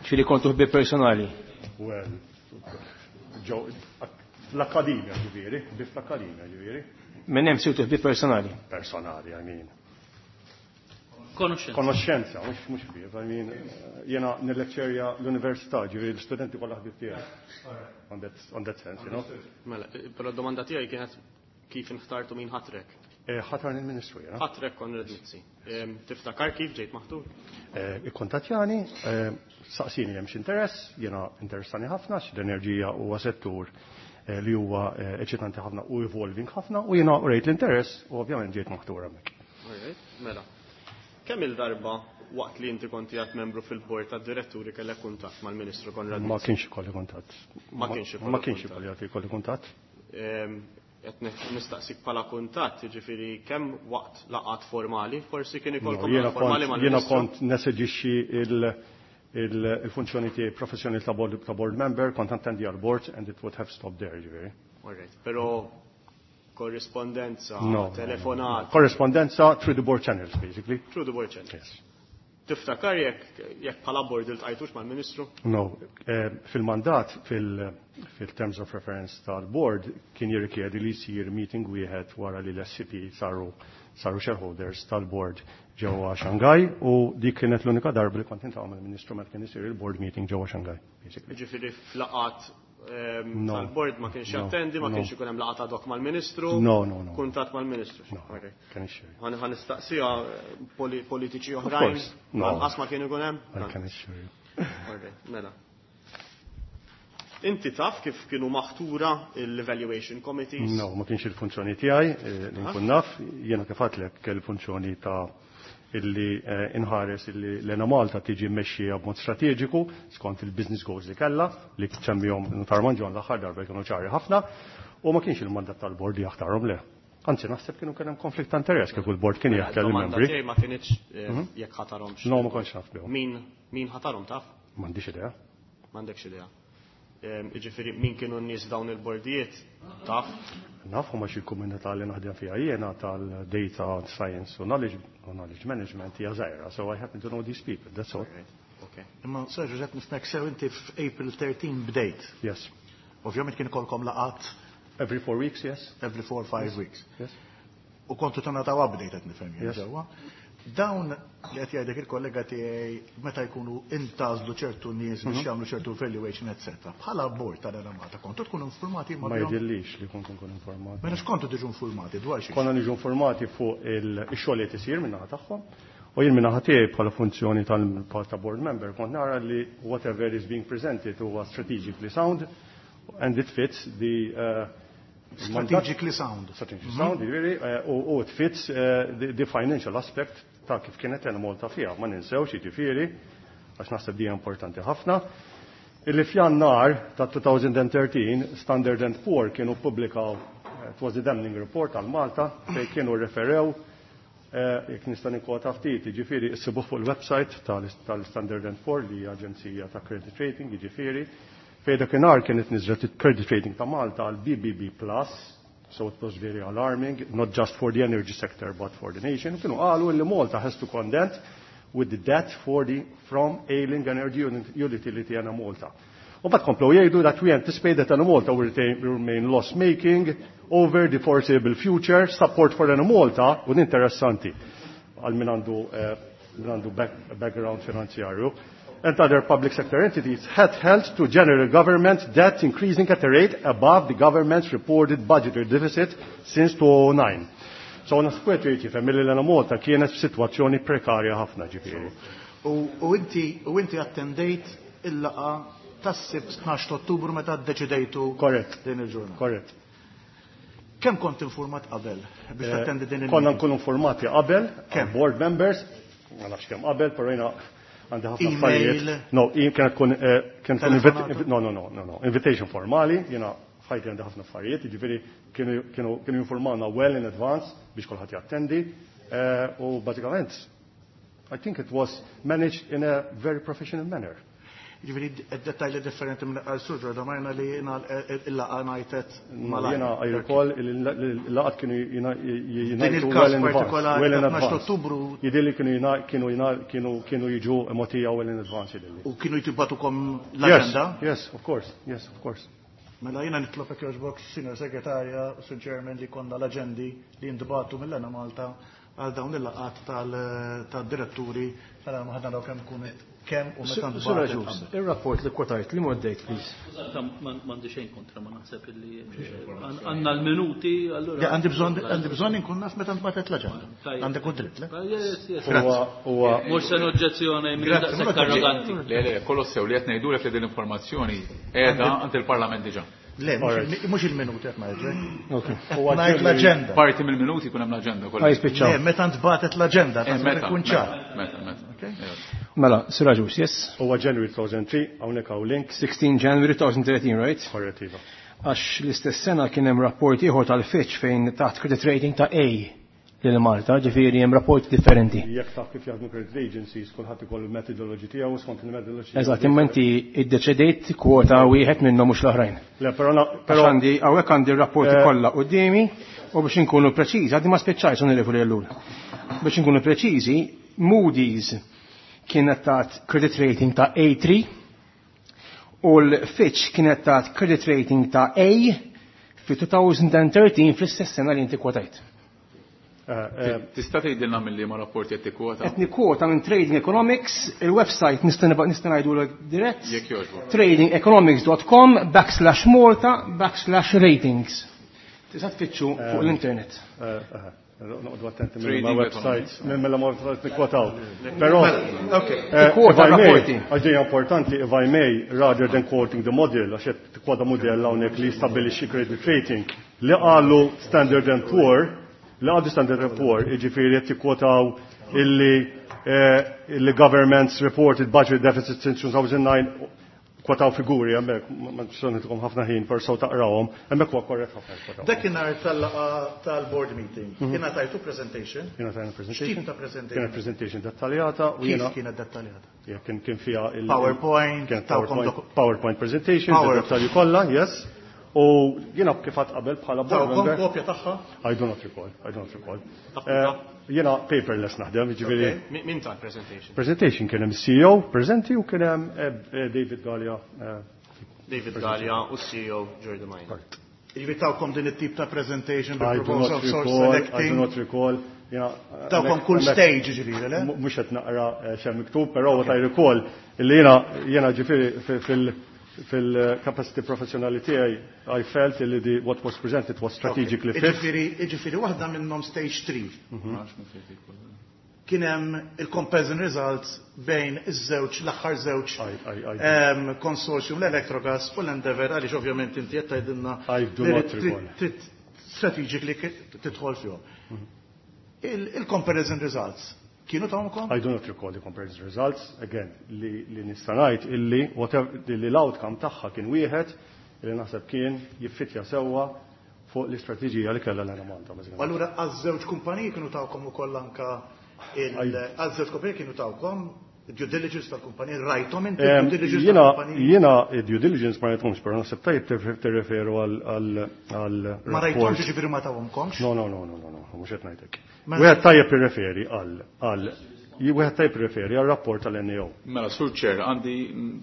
Ġifieri kontu ħbieb personali? Well, ġo, fl-akkademja ġifieri, bi fl-akkademja ġifieri. Minn hemm sirtu ħbieb personali? Personali, I mean. Konoxxenza. Konoxxenza, mhux ħbieb, I mean, jiena nilleċċerja l-università, ġifieri l-studenti kollha ħbieb tiegħi. On that sense, you know. Mela, però d-domanda tiegħi kienet kif inħtartu min ħatrek? Ħatarni l-Ministru, jiena. Ħatrek Konrad Mizzi. Tiftakar kif ġejt maħtur? Ikkontattjani, saqsini hemm x'interess, jiena interessani ħafna, l-enerġija huwa settur li huwa eċitanti ħafna u evolving ħafna u jiena rejt l-interess u ovvjament ġejt maħtur hemmhekk. All right, mela. Kemm il-darba waqt li inti konti għat membru fil-bord tad-diretturi kellek kuntatt mal-Ministru Konrad Ma Mizzi? kienx ikolli kuntatt. Ma kienx ikolli Ma kienx kuntatt. ikolli għati ikolli kuntatt. Qed nistaqsik bħala kuntatt, jiġifieri kemm waqt laqgħat formali, forsi kien ikolkom No, laqgħat formali mal-Ministru? jiena kont neseġixxi il-funzjoni tiegħi professjonali ta' board member, kont attendi għal board and it would have stopped there, jiġifieri. All right, però korrispondenza, No, no, no. telefonat. Korrispondenza through the board channels, basically. Through the board channels. Yes. Tiftakar jekk bħala board iltqajtux mal-Ministru? No, fil-mandat, fil-terms of reference tal-board, kien jirrikjedi li jsir meeting wieħed wara li l-SCP saru shareholders tal-board ġewwa Shanghai u dik kienet l-unika darba li kont niltaqa' mal-Ministru meta kien isir il-board meeting ġewwa Shanghai, basically. Jiġifieri f'laqgħat tal-bord ma kienx jattendi, ma kienx ikun hemm laqgħa ad hoc mal-Ministru. No. Kuntatt mal-Ministru. No. Can assure you. Ħa nistaqsiha politiċi oħrajn. Lanqas ma kien ikun hemm? I can assure you. Alright, mela. Inti taf kif kienu maħtura l-evaluation committees? No, ma kienx il-funzjoni tiegħi li nkun naf, jiena kif għedtlek il-funzjoni ta' illi inħares illi l-Enemalta tiġi mmexxija b'mod strateġiku skont il-business goals li kellha li semmihom Nutar Mangion l-aħħar darba kienu ċari ħafna u ma kienx il-mandat tal-bord li jaħtarhom le. Anzi, naħseb kienu kien hemm konflitt ta' interess kieku l-bord kien jaħtar il-membri. Tiegħi ma kinitx jekk ħatarhomx. No, ma kontx naf bihom. Min ħatarhom taf? M'għandix idea. M'għandekx idea. Jiġifieri min kienu n-nies dawn il-bordijiet taf? Naf huma xi komunità li naħdem fiha jiena tal-data science u knowledge management hija żgħira, so I happen to know these people, that's all. Okay. Imma Sir Giuseppe nifhmek sew inti f'April 13 bdejt. Yes. Ovvjament kien ikolkom laqat Every 4 weeks, yes. Every 4 5 weeks. Yes. U kontu tingħataw update qed nifhem jien sewwa. Dawn li qed jgħidlek il-kollega tiegħi meta jkunu intgħażlu ċertu nies biex jagħmlu ċertu evaluation etc. Bħala bord tal-Enemalta kontu tkunu informati ma jidhirlix li kontu nkunu informati. Mela x'kontu tiġu informati dwar xi? Konna niġu informati fuq ix-xogħol li qed isir min-naħa tagħhom. U jien min-naħa tiegħi bħala funzjoni tal ta' board member kont nara li whatever is being presented huwa strategically sound and it fits the Strategically sound. Strategically sound, jiġifieri, u it fits the financial aspect ta' kif kienet Enemalta fiha. Ma ninsewx, jiġifieri, għax naħseb di importanti ħafna, illi f'Jannar ta' 2013 Standard and Poor kienu ppubblikaw, it was the damning report għal Malta, fejn kienu referew, jekk nista' nikkwota ftit, jiġifieri issibuh fuq il-website tal-Standard and Poor li hija aġenzija ta' credit rating, jiġifieri, fejn dakinhar kienet niżlet il-credit rating ta' Malta għal BBB plus, so it was very alarming, not just for the energy sector but for the nation. Kienu qalu li Malta has to contend with the debt from ailing energy utility Enemalta. U mbagħad komplew jgħidu that we anticipate that Enemalta will remain loss-making over the foreseeable future. Support for Enemalta, u interessanti għal min għandu background finanzjarju, and other public sector entities had held to general government debt increasing at a rate above the government's reported budgetary deficit since 2009. So naħseb wieħed jifhem li l-Enemalta kienet f'sitwazzjoni prekarja ħafna ġifieri. U inti attendejt il-laqgħa tas-Sibt 12 Ottubru meta ddeċidejtu din il-ġurnata. Korrett. Kemm kont informat qabel biex tattendi din il-? Konna nkunu informati qabel, board members, ma nafx kemm qabel, però jiena għandi ħafna affarijiet. No, kienet tkun kienet no, no, no, no, no, invitation formali, jiena ħajti għandi ħafna affarijiet, jiġifieri kienu informawna well in advance biex kulħadd jattendi, u bażikament I think it was managed in a very professional manner. Jiġifieri d-dettalji differenti minn qal Sur Giordano li il-laqgħa ngħidet malajr. Jiena I recall il-laqgħat kienu Din il-każ partikolari well in advance. Ottubru. Jidhirli kienu jiġu mogħtija well in advance jidhirli. U kienu jtibatukom l-aġenda? Yes, of course, yes, of course. Mela jiena nitlob hekk jogħġbok, Sinjor Segretarja, Sur Chairman, li konna l-aġendi li jintbagħtu mill-Enemalta għal dawn il-laqgħat tad-diretturi tal ħadna daw kemm kun kemm u meta Sur Agius, ir-rapport li kwotajt li moddejt, please. M'għandi xejn kontra, ma naħseb illi għandna l-minuti, allura. Għandi bżonn inkun naf meta ntbatet l-aġenda. Għandek u dritt, le? Yes, yes. Mhux se noġġezzjoni minn daqshekk arroganti. Le, le, kollox sew li qed ngħidulek li din l-informazzjoni qiegħda għand il-Parlament diġà. Le, mhux il-minuti qed ngħidlek. Ngħid l-aġenda. Parti mill-minuti jkun hemm l-aġenda kollha. Jispiċċaw. Le, meta ntbatet l-aġenda, meta tkun ċar. Meta, meta. Mela, Sir Agius, yes? Huwa January 2003, hawnhekk hawn link. 16 January 2013, right? Korrett, iva. Għax l-istess sena kien hemm rapport ieħor tal-Fitch fejn taħt credit rating ta' A lil Malta, ġifieri hemm rapporti differenti. Jekk taf kif jaħdmu credit agencies, kulħadd ikollu l-methodology tiegħu skont il-methodology. Eżatt, imma inti iddeċidejt kwota wieħed minnhom mhux l-oħrajn. Le, però però għandi hawnhekk għandi r-rapporti kollha quddiemi u biex inkunu preċiżi, għadni ma spiċċajt onorevoli Ellul. Biex inkunu preċiżi, Moody's kienet tat credit rating ta' A3 u l-Fitch kienet tat credit rating ta' A fi 2013 fl-istess sena li inti kwotajt. Tista' tgħidilna minn liema rapporti qed tikkwota? Qed nikkwota minn Trading Economics, il-website nista' nista' ngħidulek dirett. Jekk jogħġbok. tradingeconomics.com backslash Malta backslash ratings. Tista' tfittxu fuq l-internet. Noqogħdu attenti minn ma websites, minn mela ma websites nikkwotaw. Però, Tikkwota rapporti. Għax din importanti, if I may, rather than quoting the model, għax qed tikkwota model hawnhekk li jistabbilixxi credit rating, li qalu Standard and Poor, li qalu Standard and Poor, jiġifieri qed jikkwotaw illi illi governments reported budget deficit since 2009 kwotaw figuri hemmhekk, ma nixtieq ħafna ħin per so taqrawhom, hemmhekk huwa korrett ħafna kwotaw. Dakinhar tal-laqgħa tal-board meeting, kien tajtu presentation? Jiena tajna presentation. X'tip ta' presentation? Kienet presentation dettaljata u Kif jiena kienet dettaljata? Ja, kien fiha il- PowerPoint, kienet tawkom PowerPoint presentation, Power- dettalji kollha, yes. U jiena kif għad qabel bħala board Tawkom member. kopja tagħha? I do not recall, I do not recall. Jiena paperless naħdem, jiġifieri. Min ta' presentation? Presentation kien hemm CEO preżenti u kien hemm David Galea. David Galea u CEO Jordi Maina. Jiġifieri tawkom din it-tip ta' presentation I do bil-proposal not of source recall, I do selecting. not recall. Jiena, Tawkom kull stage jiġifieri, le? Mhux qed naqra xemm miktub, però what I recall illi jiena ġifieri fil-capacity professjonali tiegħi I felt li the what was presented was strategically fit. Jiġifieri waħda minnhom stage 3. Kien hemm il-comparison results bejn iż-żewġ, l-aħħar żewġ, consortium, l-Electrogas u l-Endeavour, għaliex ovvjament inti qed tgħidilna I do li not recall. trid strategically tidħol fihom. Il-comparison results kienu tawkom? I do not recall the comparison results. Again, li nista' ngħid illi whatever li l-outcome tagħha kien wieħed illi naħseb kien jiffitja sewwa fuq l-istrateġija li kellha l-Enemalta, bażikament. U allura għaż-żewġ kumpaniji kienu tawkom ukoll anka għaż-żewġ kumpaniji kienu tawkom due diligence tal-kumpaniji, rajthom inti due diligence tal-kumpaniji? Jiena due diligence ma rajthomx, però naħseb tajjeb tirreferu għal Ma rajthomx rapport. jiġifieri ma tawhomkomx? No, no, no, no, no, no, mhux qed ngħidlek. Mela- Wieħed tajjeb irreferi għal, għal, wieħed tajjeb irreferi għal rapport tal-NAO. Mela, Sur Chair, għandi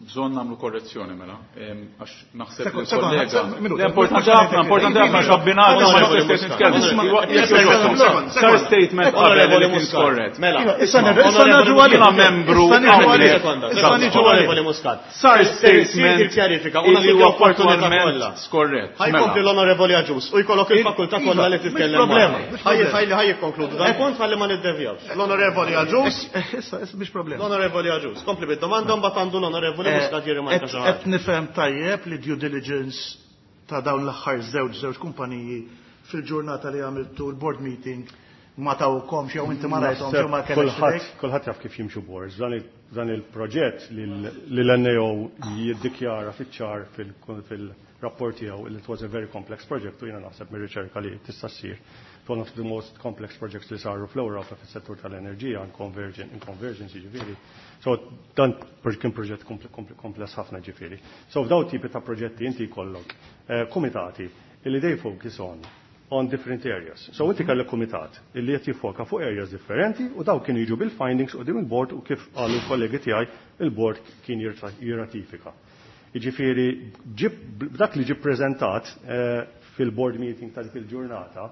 bżonn nagħmlu korrezzjoni mela, għax naħseb Sekond, li sekond, kollega. sekond, minuta. Le, importanti ħafna, importanti ħafna xabbinata, ma nistax nitkellmu. Sar statement qabel li kien skorrett. Mela, Iva, issa issa nerġu għalih. Jiena membru Issa nerġu għalih. hawnhekk. Issa niġu għalih. Onorevoli Muscat. Sar Sir statement il-kjarifika, u illi nagħtik huwa l-opportunità fattwalment kollha. skorrett. Ħajkompli Mela. l-Onorevoli Agius u jkollok il-fakultà Iva, kollha li mhux titkellem problema, magħna. mhux Ħajji, problema. ħajli, ħajji konkludu. Dan punt ħalli ma niddevjawx. L-Onorevoli Agius, issa, issa mhix problema. L-Onorevoli Agius, kompli bid-domanda mbagħad għandu l-Onorevoli Muscat jirrimarka xi ħaġa. Qed nifhem tajjeb li due diligence ta' dawn l-aħħar żewġ kumpaniji fil-ġurnata li għamiltu l-board meeting ma tawkomx jew inti ma rajthomx jew ma Naħseb kellekx idejk? Kulħadd jaf kif jimxu boards. Dan il-proġett li l-NAO jiddikjara fiċ-ċar fil-rapport tiegħu li it was a very complex project u jiena naħseb mir-riċerka li tista' ssir. One of the most complex projects li saru fl-Ewropa fis-settur tal-enerġija in convergence jiġifieri. So dan kien proġett kompless ħafna ġifieri. So f'daw tipi ta' proġetti inti jkollok kumitati li they focus on different areas. So inti kellek kumitat illi qed jiffoka fuq areas differenti u daw kienu jiġu bil-findings u dim il-board u kif qalu l-kollegi tiegħi il-board kien jirratifika. Jiġifieri dak li ġie preżentat fil-board meeting ta' dik il-ġurnata,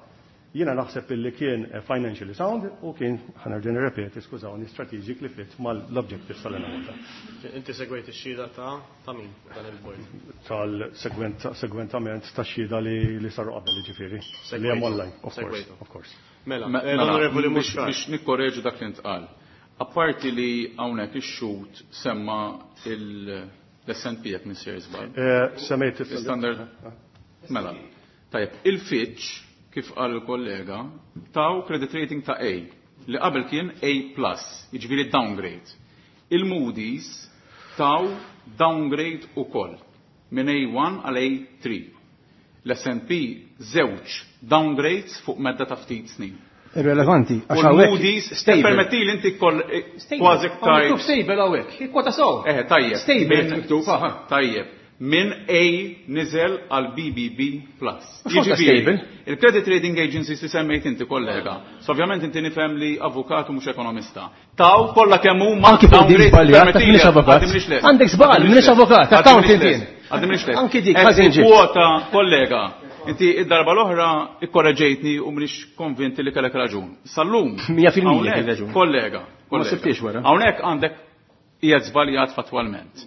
jiena naħseb illi kien financially sound u kien, ħanerġa' nirrepeti, skużawni, strategically fit mal-objectives tal-Enemalta. Inti segwejt ix-xhieda ta' min dan il-board? Tal-segwentament ta' xhieda li saru qabel, jiġifieri. Li hemm online, of course, Segwejtu. of course. Mela, l-Onorevoli Muscat. Biex nikkorreġu dak li ntqal. Apparti li hawnhekk ix-xhud semma l-S and P jekk nisir żball. Semmejt il- Standard. Mela. Tajjeb, il-Fitch, kif qal il-kollega, taw credit rating ta' A, li qabel kien A plus, jiġifieri downgrade. Il-Moody's taw downgrade ukoll, minn A1 għal A3. L-S and P żewġ downgrades fuq medda ta' ftit snin. Irrelevanti, U għax hawnhekk l-Moody's, stable. permetti li inti koll, Stable. kważi Hawn ktajt. miktub stable hawnhekk, ikkwota sew. Tajjeb. Stable miktub, aha. Tajjeb. Minn A niżel għal BBB plus. Mhux xorta Jiġifieri, stable. il-credit rating agencies li semmejt inti kollega. So ovvjament inti nifhem li avukat u mhux ekonomista. Taw kollha kemm huma Anki fuq din downgrade żbaljat, permetti ta' minix li, avukat. għaddi minix les. Għandek żball, Għaddi minix minix les. avukat, Għaddi accountant minix les. jien. Għaddi minix les. Anki dik, Qed ħażin ġiet. Kwota, kollega, Inti id-darba l-oħra ikkoreġejtni u m'iniex konvinti li kellek raġun. Sal-lum. 100% kellek raġun. Kollega. Ma sibtix wara. Hawnhekk għandek qiegħed żbaljat fattwalment.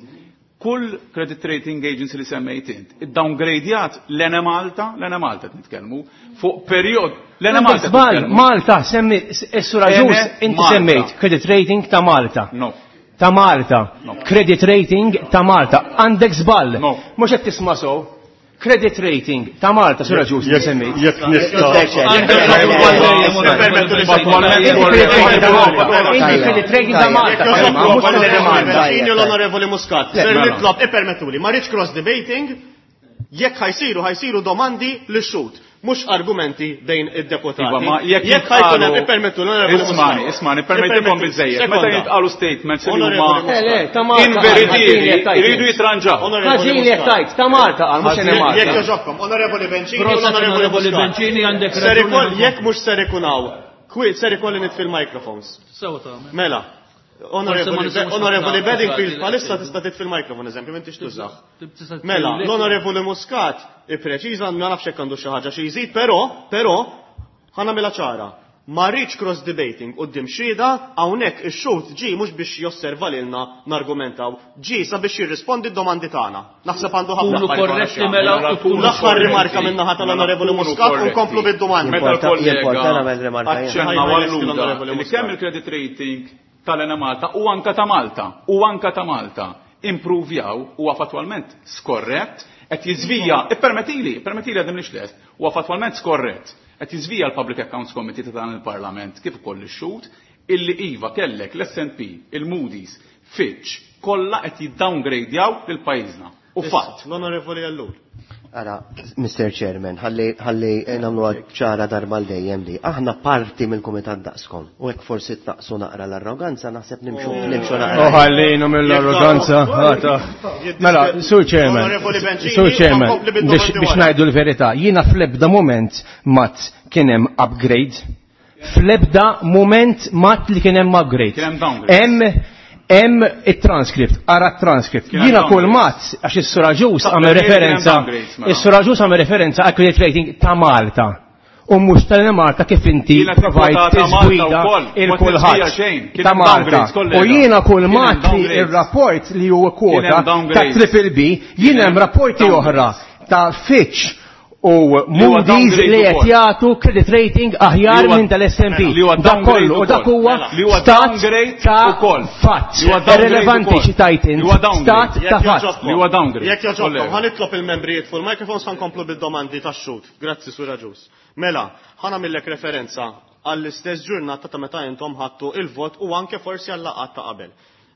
Kull credit rating agency li semmejt int, id-downgradejat l-Enemalta, l-Enemalta qed nitkellmu, fuq perjod l-Enemalta. Żball, Malta, semmi, is-Sur Agius, inti semmejt credit rating ta' Malta. No. Ta' Malta. No. Credit rating ta' Malta. Għandek żball. No. Mhux qed tisma' sew. Credit rating ta' Malta, Sur Agius, inti semmejt. Jekk nista'. Inti credit rating ta' Malta. L-Onorevoli Muscat, ser nitlob ippermettuli, ma rridx cross debating, jekk ħa jsiru ħa jsiru domandi lix-xhud, mhux argumenti bejn id-deputati. Iva, ma jekk Jekk ħa jkun hemm ippermettu l-Onorevoli Muscat. Ismani, ismani, permettikom biżejjed. Meta Sekonda. jintqalu statements li Onorevoli huma Muscat. Le, le, ta' Malta. inveritieri, jridu jitranġaw. Ħażin jekk tajt, ta' Malta qal mhux Enemalta. Jekk jogħġobkom, Onorevoli Bencini u Proset, l-Onorevoli Onorevoli Muscat. Bencini, għandek Ser raġuni ikoll- ħafna. Jekk mhux ser ikun hawn, kwi ser ikolli nitfi l-microphones. Sewa tagħmel. Mela, Forse ma nisimgħux Onorevoli ħafna Bedingfield, affarijiet palissa li tista' titfi l-microphone, eżempju, m'intix tużah. Tista' Mela, tgħidlek- l-Onorevoli Muscat ippreċiża ma nafx hekk għandu xi ħaġa xi jżid, però, però, ħa nagħmilha ċara. Ma rridx cross debating quddiem xhieda hawnhekk ix-xhud ġie mhux biex josserva lilna nargumentaw, ġie sabiex jirrispondi d-domandi tagħna. Naħseb għandu ħafna Kunu affarijiet oħra korretti xi jagħmel. mela u tkunu L-aħħar korretti. rimarka min-naħa tal-Onorevoli Mela, kunu Muscat u korretti. nkomplu bid-domandi. Meta l-kollega Jimporta nagħmel rimarka jien. aċċenna Ħajja, għalluda l-Onorevoli li Muscat. kemm il-credit rating tal-Enemalta u anka ta' Malta u anka ta' Malta improvjaw huwa fattwalment skorrett qed jiżvija, ippermettili, ippermettili għadhom lix lest, huwa fattwalment skorrett qed jiżvija l-Public Accounts Committee ta' dan il-Parlament kif ukoll ix-xhud illi iva kellek l-S&P, il-Moody's, Fitch, kollha qed jiddowngradjaw lil pajjiżna. U fatt. L-Onorevoli Ellul. Ara, Mr. Chairman, ħalli ħalli nagħmlu ċara darba l dejjem li aħna parti mill-kumitat daqskom. U hekk forsi tnaqsu naqra l-arroganza, naħseb nimxu nimxu naqra. Oh, ħallinu mill-arroganza. ħata. Mela, Sur Chairman, Onorevoli Bencini, Sur Chairman, nkompli bid-domandi biex biex wara. ngħidu l-verità, jiena fl-ebda moment mat kien hemm upgrade. Fl-ebda moment mat li kien hemm upgrade. Kien hemm downgrade. Hemm hemm it-transcript, ara t-transcript. Kien hemm Jiena kull downgrade. mat għax is-Sur Agius Ta' għamel kien hemm referenza, downgrades, mela. is-Sur Agius għamel referenza għal credit rating ta' Malta. U mhux tal-Malta kif inti Kienet provajt kwotata Malta tiżgwida wkoll, ma il-kulħadd tiżvija xejn. Kien ta' hemm Malta. downgrades, kollega. U jiena kull Kien hemm mat li downgrades. ir-rapport li huwa Kien kwota hemm ta' downgrades. Triple B, jien hemm rapporti downgrades. oħra ta' Fitch u huwa Moody's downgrade li qed ukoll. jagħtu credit rating aħjar Li huwa- minn tal-S&P. Li huwa Dak downgrade kollu, u dak ukoll. huwa Mela. Li huwa stat downgrade ta' ukoll. fatt. Li huwa downgrade Irrelevanti ukoll. xi tajt int. Li huwa downgrade. Stat ta' Jekk fatt. jogħġobkom. Li huwa downgrade. Jekk jogħġobkom, Kollega. ħa nitlob il-membri jitfu l-microphones ħa nkomplu bid-domandi tax-xhud. Grazzi Sur Agius. Mela, ħa nagħmillek referenza għall-istess ġurnata ta' meta intom ħadtu il-vot u anke forsi għal-laqgħat ta' qabel.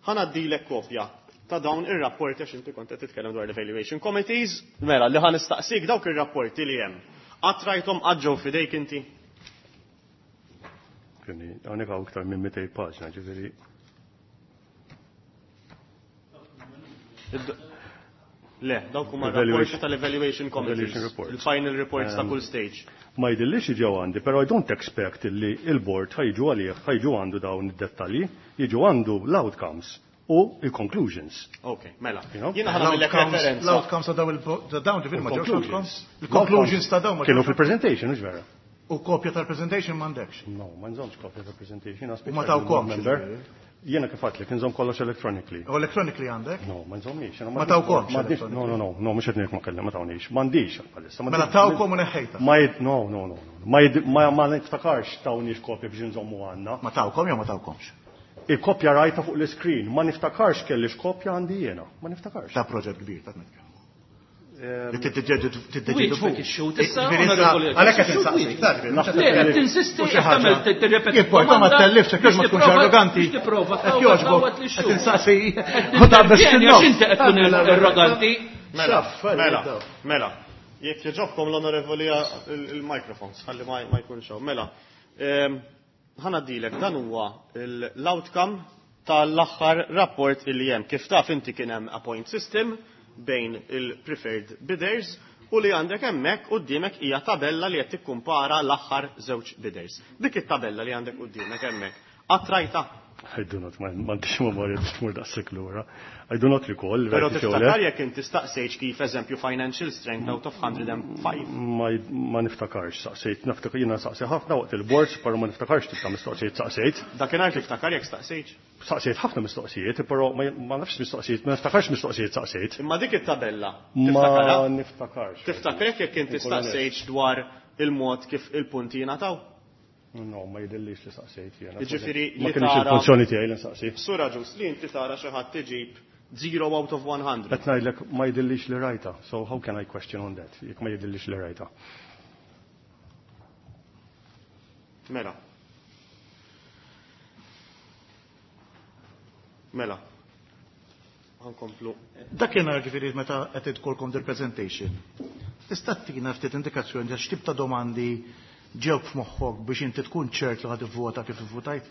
Ħa ngħaddilek kopja ta' dawn ir-rapporti għax inti kont qed titkellem dwar l-evaluation committees. Mela, li ħa nistaqsik dawk ir-rapporti li hemm. Qatt rajthom qatt ġew f'idejk inti? Quindi hawnhekk hawn iktar minn 200 paġna, ġifieri. Le, dawk huma Evaluation- rapporti tal-evaluation committees. Evaluation reports. Il-final reports ta' kull stage. Ma jidhirlix ġew għandi, però I don't expect li il-board ħa jiġu għalih, ħa jiġu għandu dawn id-dettalji, jiġu għandu l-outcomes u il-conclusions. Ok, mela. You know? Jiena ħa nagħmillek referenza. L-outcomes ta' daw il- ta' dawn ġifieri ma ġewx outcomes? Conclusions. Il-conclusions ta' dawn ma Kienu ġewx. fil-presentation, mhux vera? U kopja tal-presentation m'għandekx. No, ma nżommx kopja tal-presentation. U ma tawkomx, ġifieri. Jiena kif għedtlek, nżomm kollox electronically. U electronically għandek? No, ma nżommix. jiena Ma tawkomx m'għandix- No, no, no, no, mhux qed ngħid ma kellem, ma tawniex. M'għandix bħalissa. Mela tawkom u neħħejta. Ma jid, no, no, no, no. Ma jid, ma ma niftakarx tawniex kopja biex nżommu għandna. Ma tawkom jew ma tawkomx? Il-kopja rajta fuq l-screen, ma niftakarx kellix kopja għandi jiena, ma niftakarx. Ta' proġett kbir ta' nitkellmu. Li tiddeċidu fuq. Wieġbek ix-xhud issa, Ġifieri issa, Onorevoli Għalhekk qed Ix-xhud insaqsik, wieġbek. ta' ġifieri, mhux qed Le, qed tellif. tinsisti, U xi qed tagħmel ħaġa. tirrepeti Jimporta ma domanda tellifx, jekk biex ma tkunx tipprova- arroganti. biex tipprova Hekk tgħawwad jogħġbok, tgħawwad qed lix-xhud. insaqsi Qed u taqbeż tintervjeni fin-nofs. għax inti qed tkun arroganti. Mela, Xaff, mela, daw. mela. Jekk jogħġobkom l-onorevoli il-microphones, ħalli ma jkunx hawn. Mela, ħa ngħaddilek dan huwa l-outcome tal-aħħar rapport illi hemm. Kif taf inti kien hemm a point system bejn il-preferred bidders u li għandek hemmhekk quddiemek hija tabella li qed tikkumpara l-aħħar żewġ bidders. Dik it-tabella li għandek quddiemek hemmhekk. Qatt rajtha? I do not, m'għandix memorja biex tmur daqshekk lura. I do not recall. Però tiftakar jekk inti staqsejtx kif eżempju financial strength out of 105. Ma niftakarx staqsejt, niftakar jiena saqsi ħafna waqt il-boards, però ma niftakarx tip ta' mistoqsijiet saqsejt. Dakinhar tiftakar jekk staqsejtx? Saqsejt ħafna mistoqsijiet, però ma nafx mistoqsijiet, ma niftakarx mistoqsijiet saqsejt. Imma dik it-tabella, tiftakarha? Ma niftakarx. Tiftakrek jekk inti staqsejtx dwar il-mod kif il-punti jingħataw? No, ma jidhirlix li saqsejt jiena. Jiġifieri li Ma kinitx il-funzjoni tiegħi li nsaqsi. Sur Agius, li inti tara xi ħadd iġib 0 out of 100. Qed ngħidlek ma jidhirlix li rajtha, so how can I question on that jekk ma jidhirlix li rajtha. Mela. Mela. Ħa nkomplu. Dakinhar ġifieri meta qed idkolkom dil-presentation, tista' ttina ftit indikazzjoni ta' x'tip ta' domandi ġewk f'moħħok biex inti tkun ċert li ħa tivvota kif ivvutajt?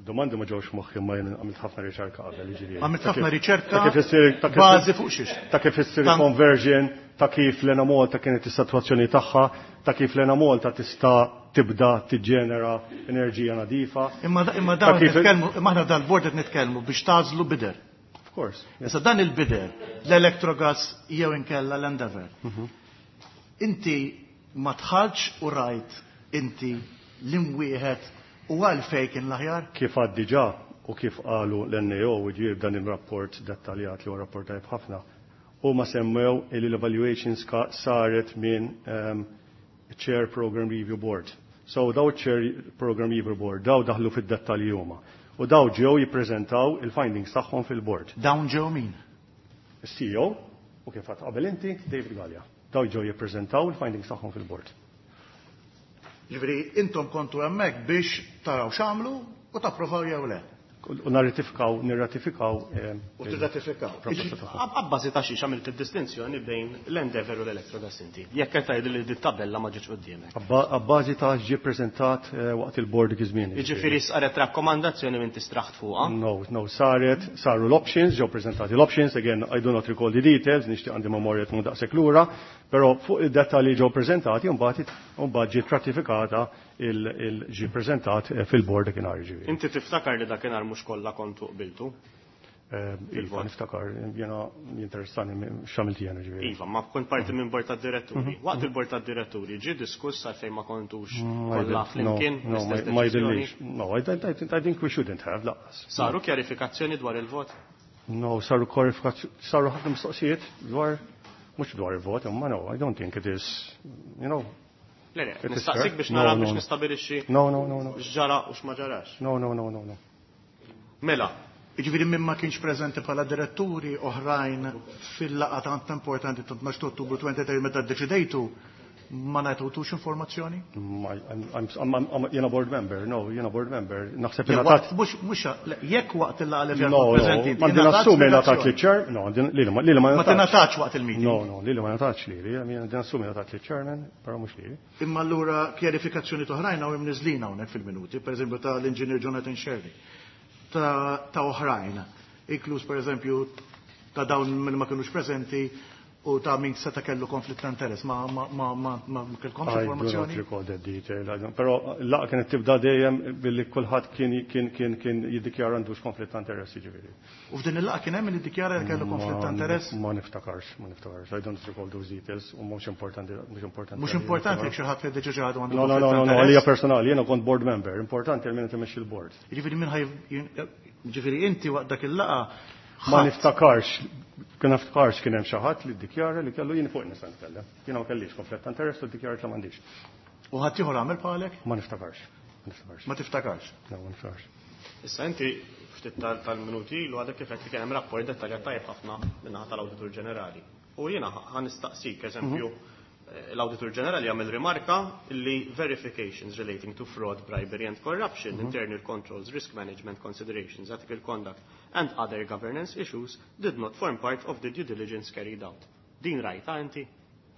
Domandi ma ġewx f'moħħi imma jien għamilt ħafna riċerka qabel, jiġifieri. Għamilt ħafna riċerka bażi fuq xiex? Ta' kif issir conversion, ta' kif l-Ena Malta kienet is-sitwazzjoni tagħha, ta' kif l-Ena Malta tista' tibda tiġġenera enerġija nadifa. Imma imma dawn nitkellmu, imma aħna dal-bord qed nitkellmu biex tagħżlu bidder. Of course. Issa dan il-bidder, l-Electrogas jew inkella l-Endeavour. Inti ma dħaltx u rajt inti liem wieħed u għalfejn kien l-aħjar? Kif għad diġà u kif qalu l-NAO u ġie b'dan ir-rapport dettaljat li huwa rapport tajjeb ħafna, huma semmew li l-evaluations saret minn Chair Program Review Board. So daw Chair Program Review Board, daw daħlu fid-dettalji huma. U daw ġew jippreżentaw il-findings tagħhom fil-board. Dawn ġew min? Is-CEO u kif għedt qabel inti, David Galea. Daw ġew jippreżentaw il-findings tagħhom fil-board. Ġifieri intom kontu hemmhekk biex taraw x'għamlu u tapprovaw jew le. U narratifikaw, nirratifikaw. U tirratifikaw. Abbażi ta' xiex għamilt id-distinzjoni bejn l-Endeavour u l-Electrogas inti. Jekk qed tgħid li dit-tabella ma ġietx quddiemek. Abbażi ta' ġie preżentat waqt il-board dik iż-żmien. Jiġifieri saret rakkomandazzjoni minn tistraħt fuqha. No, no, saret, saru l-options, ġew preżentati l-options, again, I do not recall the details, nixtieq għandi memorja tkun daqshekk lura, però fuq id-dettalji ġew preżentati u mbagħad ġiet ratifikata il-ġi preżentat fil-board dakinhar ġifieri. Inti tiftakar li dakinhar mhux kollha kontu qbiltu? Iva, niftakar, jiena jinteressani x'għamilt jiena ġifieri. Iva, ma kont parti minn bord tad-diretturi. Waqt il-bord tad-diretturi ġie diskuss għalfejn ma kontux kollha flimkien No, ma jidhirlix. No, I think we shouldn't have, lanqas. Saru kjarifikazzjoni dwar il-vot? No, saru kjarifikazzjoni, saru ħafna mistoqsijiet dwar, mhux dwar il-vot, imma no, I don't think it is, you know. Le, le, nistaqsik biex nara biex nistabilixxi. No, no, no, no. X'ġara u x'ma ġarax. No, no, no, no, no. Mela. Jiġifieri min ma kienx preżenti bħala diretturi oħrajn fil-laqgħa tant importanti ta' 12 Ottubru 23 meta ddeċidejtu ma ngħatawtux informazzjoni? Jiena board member, no, jiena board member. Naħseb li Mhux jekk waqt il-laqgħa li fiha preżenti. Ma nassumi ngħatat li chair, no, li li ma Ma tingħatax waqt il-meeting. No, no, li ma ngħatatx li, li nassumi ngħatat li chairman, però mhux li. Imma allura kjarifikazzjoni oħrajn hawn imniżlin hawnhekk fil-minuti, pereżempju ta' l-inġinier Jonathan Scerri, ta' oħrajn, inkluż pereżempju ta' dawn min ma kinux preżenti u ta' min seta' kellu konflitt ta' interess. Ma ma ma ma ma kellkomx informazzjoni? I do not recall that detail. Però laqgħa kienet tibda dejjem billi kulħadd kien kien kien kien jiddikjara għandux konflitt ta' interess jiġifieri. U f'din il-laqgħa kien hemm min iddikjara li kellu konflitt ta' interess? Ma niftakarx, ma niftakarx. I don't recall those details u mhux importanti, mhux importanti. Mhux importanti jekk xi ħadd jiddeċiedi xi ħadd għandu No, no, no, no, għalija personali, jiena kont board member, importanti għal min qed imexxi l-board. Jiġifieri min ħaj jiġifieri inti waqt dak il-laqgħa Ma niftakarx, kien niftakarx kien hemm xi ħadd li ddikjara li kellu jien fuq nista' nitkellem. Jiena ma kellix konflitt ta' interess u ddikjarat li m'għandix. U ħadd ieħor għamel bħalek? Ma niftakarx. Ma niftakarx. Ma tiftakarx? No, ma niftakarx. Issa inti ftit tal-minuti ilu għadek kif li kien hemm rapport dettaljat tajjeb ħafna min-naħa tal-Awditur Ġenerali. U jiena ħa nistaqsik, eżempju, l-Awditur Ġenerali għamel rimarka li verifications relating to fraud, bribery and corruption, internal controls, risk management considerations, ethical conduct and other governance issues did not form part of the due diligence carried out. Din rajta inti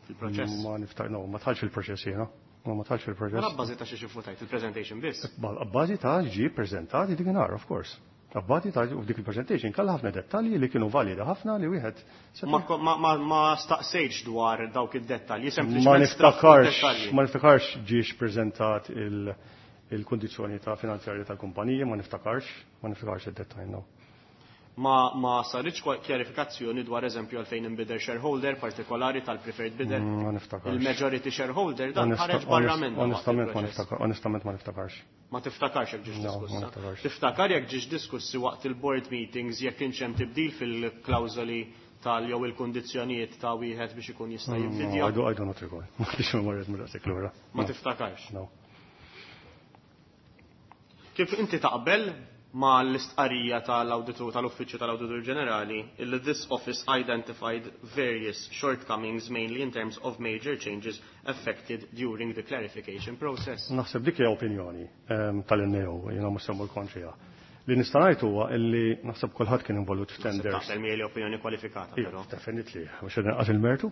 fil-proċess? Ma niftak, no, ma dħaltx fil-proċess jiena. Ma ma dħaltx fil-proċess. Ma abbażi ta' xiex ivvutajt il-presentation biss? Abbażi ta' ġie preżentati dik nhar, of course. Abbażi ta' u dik il-presentation kellha ħafna dettalji li kienu validi ħafna li wieħed Ma staqsejtx dwar dawk id-dettalji, Ma sempliċement niftakarx, ma niftakarx ġiex preżentat il-kundizzjoni ta' finanzjarja tal-kumpaniji, ma niftakarx, ma niftakarx id-dettall, no. Ma saritx kjarifikazzjoni dwar eżempju għalfejn inbidel shareholder partikolari tal-preferred bidder? Ma niftakarx. Il-majority shareholder dan ħareġ barra minn. Onestament ma niftakarx, onestament ma niftakarx. Ma tiftakarx jekk ġiex diskussa. Tiftakar jekk ġiex diskussi waqt il-board meetings jekk kienx hemm tibdil fil-klawżoli tal jew il-kundizzjonijiet ta' wieħed biex ikun jista' jibbidja? No, I do not recall. Ma kienx memorja minn daqshekk lura. Ma tiftakarx? No. Kif inti taqbel ma l-istqarrija tal-awditur tal-Uffiċċju tal-Awditur Ġenerali illi this office identified various shortcomings mainly in terms of major changes affected during the clarification process? Naħseb dik hija opinjoni tal-NAO, jiena mhux se mmur kontriha. Li nista' ngħid huwa illi naħseb kulħadd kien involut f'tenders. Naħseb miegħi opinjoni kwalifikata però. Definitely, mhux qed inqas il-mertu.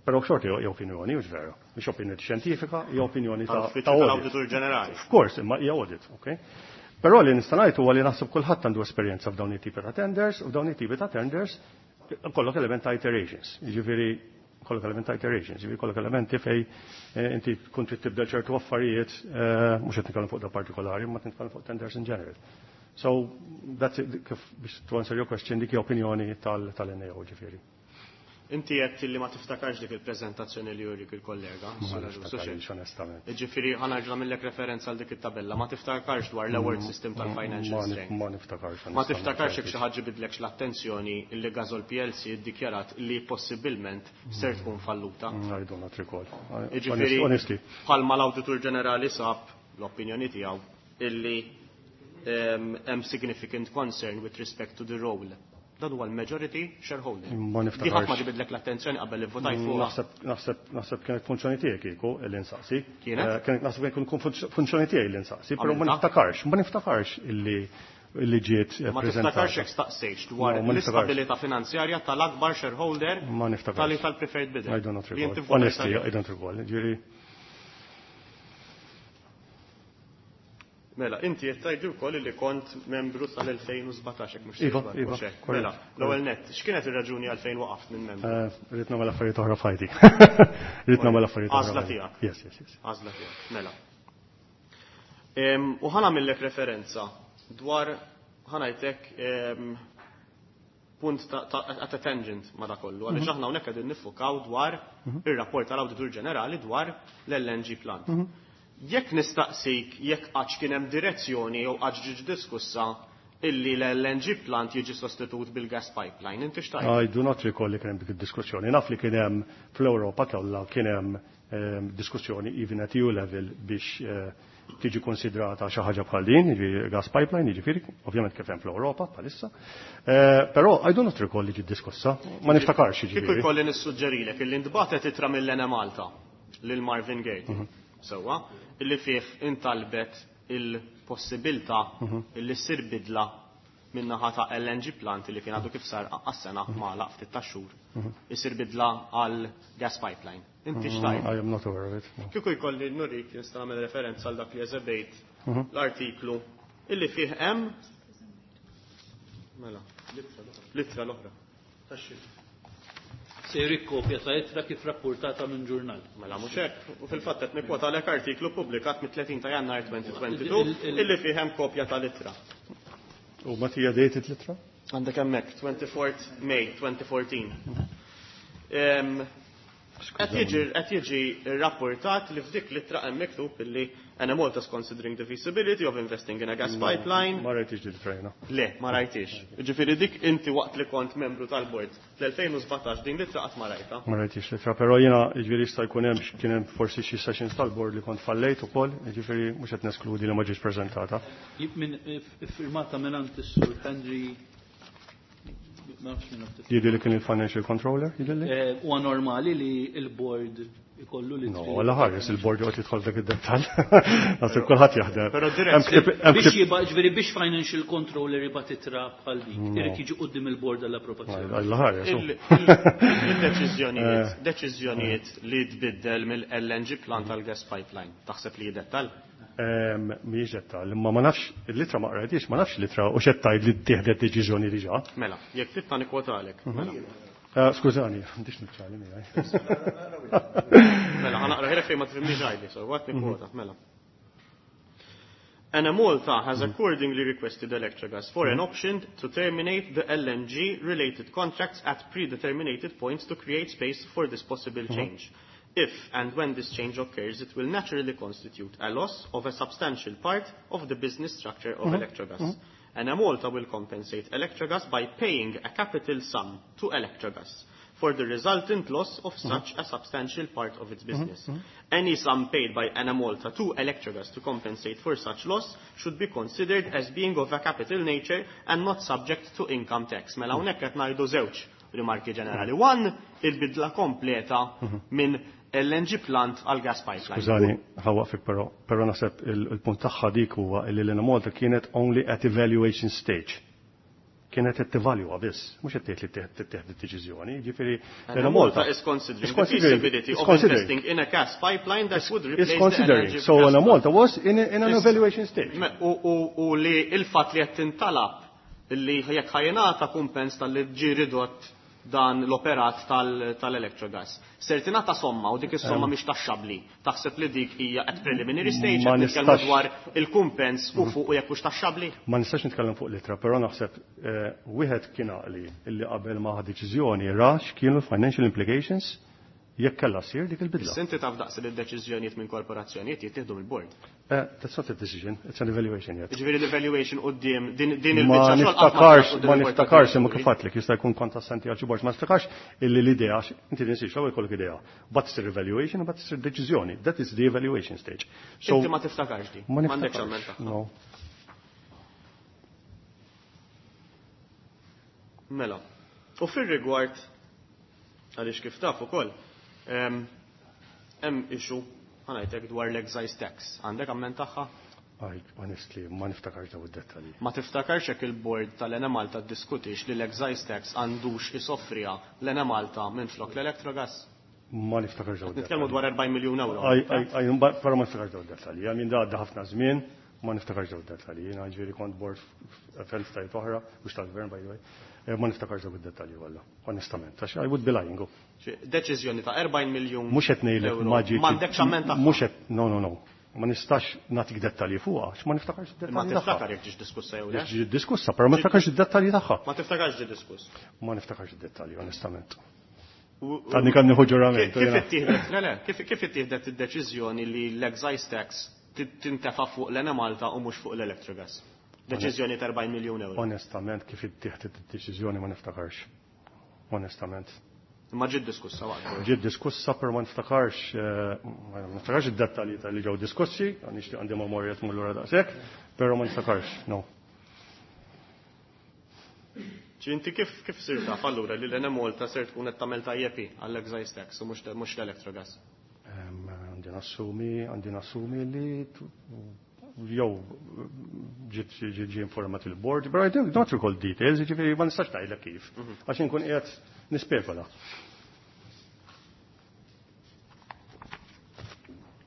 Però xorta hija opinjoni, mhux veru. Mhix opinjoni xjentifika, hija opinjoni ta' tal-Awditur Ġenerali. Of course, imma hija audit, okay? Però li nista' ngħid huwa li naħseb kulħadd għandu esperjenza f'dawn it-tipi ta' tenders, u f'dawn it-tipi ta' tenders kollok element ta' iterations. Jiġifieri kollok element ta' iterations, jiġifieri kollok elementi fej inti tkun trid tibdel ċertu affarijiet, mhux qed nitkellem fuq da partikolari, imma nitkellem fuq tenders in general. So that's it, kif biex to answer your question, dik hija opinjoni tal-NAO ġifieri. Inti għedt li ma tiftakarx dik il-preżentazzjoni li jurik il-kollega, Ma Sura niftakarx, Ġusu, onestament. Ġifieri, ħa nerġa' nagħmillek referenza għal dik it-tabella, ma tiftakarx dwar l-award system tal-financial strength. Ma niftakarx, Ma onestament. tiftakarx jekk xi ħaġa bidlekx l-attenzjoni li Gasol PLC iddikjarat li possibilment ser tkun falluta. I do not recall. Ġifieri, Honestly. bħalma l-Awditur Ġenerali sab l-opinjoni tiegħu illi hemm significant concern with respect to the role. Dan huwa l-majority shareholder. Ma niftakarx. Di ħadd ma ġibidlek l-attenzjoni qabel li votajt fuqha. Naħseb kienet funzjoni tiegħi kieku li nsaqsi. Kienet? Kienet naħseb kienet funzjoni tiegħi li nsaqsi, però ma Għamilta? niftakarx, ma niftakarx illi ġiet Ma preżentata. tiftakarx jekk staqsejx dwar No, ma niftakarx. l-istabilità finanzjarja tal-akbar shareholder Ma niftakarx. tal tal-preferred bidder. I do not Li recall. inti votajt Honestly, għalih. I don't recall. Ġifieri Mela, inti qed tgħidli wkoll li kont membru sal-2017 jekk mhux Iva, sejjer iva, mhux hekk. korrett, Mela, l-ewwel nett, x'kienet ir-raġuni għalfejn waqaft minn membru? Rrid nagħmel affarijiet oħra f'ħajti. Rrid nagħmel affarijiet oħra Għażla f'ħajti. tiegħek. Yes, yes, yes. Għażla tiegħek, mela. U ħa nagħmillek referenza dwar ħa ngħidlek punt ta' at a tangent ma' da kollu, għaliex aħna hawnhekk qegħdin niffukaw dwar ir-rapport tal-Awditur Ġenerali dwar l-LNG plant. Jekk nistaqsik jekk qatt kien hemm direzzjoni jew qatt ġiġ diskussa illi l-LNG plant jiġi sostitut bil-gas pipeline, inti x'tajt? I do not recall li kien hemm dik id-diskussjoni. Naf li kien hemm fl-Ewropa kollha kien hemm diskussjoni even at EU level biex tiġi konsidrata xi ħaġa bħal din, jiġifieri gas pipeline, jiġifieri ovvjament kif hemm fl-Ewropa bħalissa. Però I do not recall li ġiet diskussa, ma niftakarx Kieku jiġifieri. jkolli nissuġġerilek illi ntbagħtet ittra mill-Enemalta lil Marvin Gaye. Sewwa, illi fih intalbet il-possibilità illi ssir bidla min-naħa ta' LNG plant li kien għadu kif sar għas-sena magħlaq ftit tax-xhur. Isir bidla għal gas pipeline. Inti x'tajt? I am not aware of it. No. Kieku jkolli nurik nista' nagħmel referenza għal dak li eżebejt l-artiklu illi fih hemm mela, l-ittra l-oħra. Tax-xi. Se jrik kopja ta' ittra kif rapportata minn ġurnal. Mela mhux hekk, u fil-fatt qed nikkwota għalek artiklu ppubblikat mit-30 ta' Jannar 2022 illi fih hemm kopja tal-ittra. U ma tija dated l-ittra? Għandek hemmhekk 24 May 2014. Qed jiġi rrapportat li f'dik l-ittra hemm miktub illi Enemalta is considering the feasibility of investing in a gas No, pipeline. Ma rajtix din it-trejna. Le, ma rajtix. Ġifieri dik inti waqt li kont membru tal-bord fl-2017 din l-ittra qatt ma rajta. Ma rajtix l-ittra, però jiena jiġifieri jista' jkun hemm kien hemm forsi xi sessions tal-bord li kont fallejt ukoll, jiġifieri mhux qed neskludi li ma ġietx preżentata. Iffirmata minn is-Sur Henry. Jidhi li kien il-financial controller, jidhi li? Huwa normali li il-board ikollu li No, għalla ħares, il-board joqgħod jidħol dak id-dettall. Naħseb kulħadd jaħdem. Però dirett Hemm ktib, hemm Biex ktib- jibqa', ġifieri biex financial controller jibgħat ittra bħal dik, No. irid jiġi quddiem il-board għall-approvazzjoni. Għalla ħares, oh. Il-deċiżjonijiet li tbiddel mill-LNG plant għal gas pipeline, taħseb li jidettall? Mhijiex dettall, imma ma nafx, il-litra ma qrajtix, ma nafx litra u x'qed tgħid li ttieħdet deċiżjoni diġà. Mela, jekk titna nikkwotalek. Mela. Skużani, m'għandix niċċali miegħi. Mela, ħa naqra ħirek fejn ma tifhimniex għajdi, so waqt nikkwota, mela. Enemalta has accordingly requested Electrogas for an option to terminate the LNG-related contracts at predeterminated points to create space for this possible change. If and when this change occurs, it will naturally constitute a loss of a substantial part of the business structure of Electrogas. Enemalta will compensate Electrogas by paying a capital sum to Electrogas for the resultant loss of such a substantial part of its business. Any sum paid by Enemalta to Electrogas to compensate for such loss should be considered as being of a capital nature and not subject to income tax. Mela hawnhekk qed ngħidu żewġ rimarki ġenerali. One, il-bidla kompleta minn LNG plant għal gas pipeline. Skużani, ħa nwaqqfek però naħseb il-punt tagħha dik huwa li l-Enemalta kienet only at evaluation stage. Kienet qed tevalwa biss, mhux qed tgħid li tittieħed id-deċiżjoni, jiġifieri Enemalta is considering the feasibility of investing in a gas pipeline that would replace the considering. LNG So gas Enemalta was in an evaluation stage. U li il-fatt li qed tintalab li jekk ħa jingħata kumpens tal-li ġie ridott dan l-operat tal-Electrogas. Ser tingħata somma u dik is-somma mhix taxxabbli. Taħseb li dik hija at preliminary stage Ma qed nitkellmu nistax dwar il-kumpens u fuq u jekk hux taxxabbli? Ma nistax nitkellem fuq l-ittra, però naħseb wieħed kien għaqli illi qabel ma ħa deċiżjoni ra x'kienu l-financial implications jekk kellha ssir dik il-bidla. Issa inti taf daqs li d-deċiżjonijiet minn korporazzjonijiet jittieħdu mill-board. That's not a decision, it's an evaluation yet. Jiġifieri l-evaluation quddiem din Ma il-biċċa xogħol qatt ma niftakarx, quddiem ma il-board niftakarx imma tal-diretturi. kif għedtlek, jista' jkun kont assenti għal xi board, ma niftakarx illi l-idea, għax inti tinsiex l-ewwel jkollok idea. But issir evaluation u but issir deċiżjoni. That is the evaluation stage. So, inti ma tiftakarx di? Ma M'għandekx niftakarx. amment tagħha. No. Mela. U fir-rigward għaliex kif taf ukoll, hemm issue ħa ngħidlek dwar l-excise tax. Għandek amment tagħha? Aj, honestly, ma niftakarx daw id-dettalji. Ma tiftakarx jekk il-board tal-Enemalta ddiskutix li l-excise tax għandux isoffriha l-Enemalta minn flok l-Electrogas? Ma niftakarx daw id-dettalji. Nitkellmu dwar 40 miljun euro. Aj, aj, aj, però ma niftakarx daw id-dettalji. Għamin da għadda ħafna żmien, ma niftakarx daw id-dettalji. Jiena ġifieri kont board f'entitajiet oħra, mhux tal-gvern by the way. Ma niftakarx daw id-dettalji walla, onestament. Għax I would be lying. Xi deċiżjoni ta' 40 miljun Mhux qed ngħidlek euro. ma ġietx M'għandekx amment tagħha. Mhux qed, no, no, no. Ma nistax nagħtik dettalji fuqha, għax ma niftakarx id-dettalji Ma tagħha. tiftakar jekk ġiex diskussa jew le? Ġiet diskussa, però ma niftakarx id-dettalji tagħha. Ma tiftakarx ġie diskuss. Ma niftakarx id-dettalji, onestament. Għadni kemm nieħu ġurament, Kif jiena. ittieħdet, le, le, kif ittieħdet id-deċiżjoni li l-excise tax tintefa' fuq l-Enemalta u mhux fuq l-Electrogas? Deċiżjoni ta' 40 miljun euro. Onestament, kif ittieħdet id-deċiżjoni ma niftakarx. Onestament. Ma ġiet diskussa waqt. Ġiet diskussa, però ma niftakarx id-dettalji tal-li ġew diskussi, nixtieq għandi memorja tmur lura daqshekk, però ma niftakarx, no. Ġi inti kif sir taf allura li l-Enemalta ser tkun qed tagħmel tajjeb għall-excise tax u mhux l-Electrogas? Għandi nassumi li jew ġiet informat il-board, but I don't recall details, jiġifieri ma nistax ngħidlek kif, għax inkun qiegħed nispekula.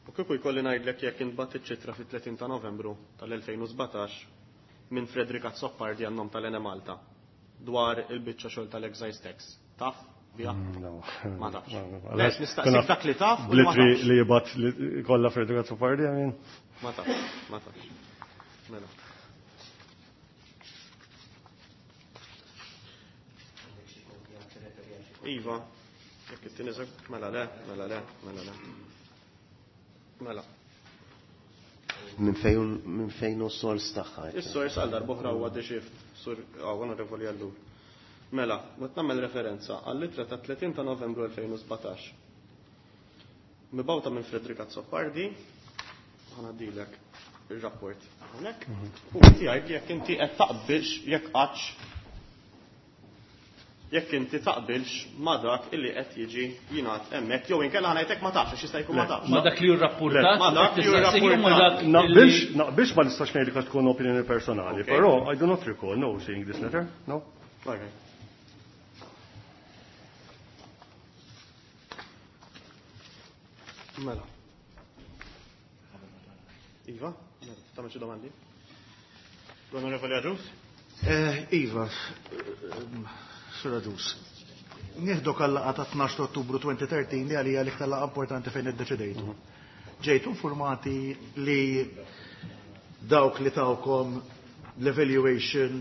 U kieku jkolli ngħidlek jekk intbagħat iċ-ċitra fit-30 ta' Novembru tal-2017 minn Frederick Azzopardi għan-nom tal-Enemalta dwar il-biċċa xogħol tal-excise tax. Taf? Bija? No. Ma tafx. No, no. Le, nistaqsik dak li taf u li ma Blitri tafx. li jibgħat li kollha Frederick Azzopardi, I mean. Ma tafx, ma tafx. Mela. Iva, jekk it-tieni mela le, mela le, mela le. Mela. Minn fejn hu s-sors tagħha? Is-sors għal darb'oħra huwa The Shift, sur Onorevoli Ellul. Mela, qed nagħmel referenza għall-ittra ta' 30 ta' Novembru 2017. Mibgħuta minn Frederick Azzopardi, ħa ngħaddilek ir-rapport hawnhekk. U inti għid li jekk inti qed taqbilx jekk qattx jekk inti taqbilx ma dak illi qed jiġi jingħad hemmhekk jew inkella ħa ngħidlek ma tafx għax jista' jkun ma tafx. Ma dak li hu rrapportat, Ma dak li hu tista' ssir ma dak rrapportat. li Naqbilx ma nistax ngħidlek għax tkun opinjoni personali, però I do not recall no seeing this letter, no. Okay. Mela. Iva, mela, tagħmel xi domandi? L-Onorevoli Agius? Iva, Sur Agius. Nieħdok għal-laqgħa ta' 12 ta' Ottubru 2013 li għalija l-iktar laqgħa importanti fejn iddeċidejtu. Ġejtu informati li dawk li tawkom l-evaluation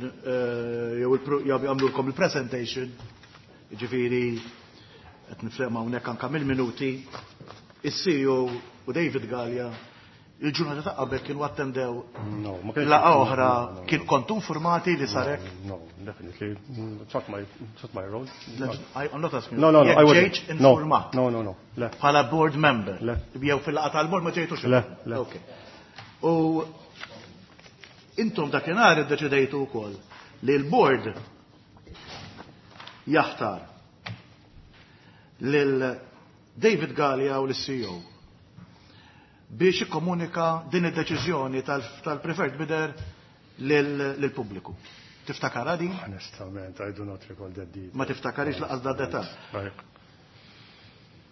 jew jagħmlulkom il-presentation, jiġifieri qed nifhem hawnhekk anke mill-minuti, is-CEO u David Galea il-ġurnata ta' qabel kienu attendew laqgħa oħra, kien kontu informati li sar hekk? No, definitely. It's not my, it's not my role. I'm not asking. No, no, no, I wasn't. Ġejtx informat. No, no, no. Le. Bħala board member. Le. Jew fil-laqgħa tal-board ma ġejtux. Le, le. Okay. U intom dakinhar iddeċidejtu wkoll li l-board jaħtar lil David Galea u l-CEO biex ikkomunika din id-deċiżjoni tal-preferred bidder lill-pubbliku. Tiftakara din? Onestament, I do not recall that detail. Ma tiftakarix laqas da detal.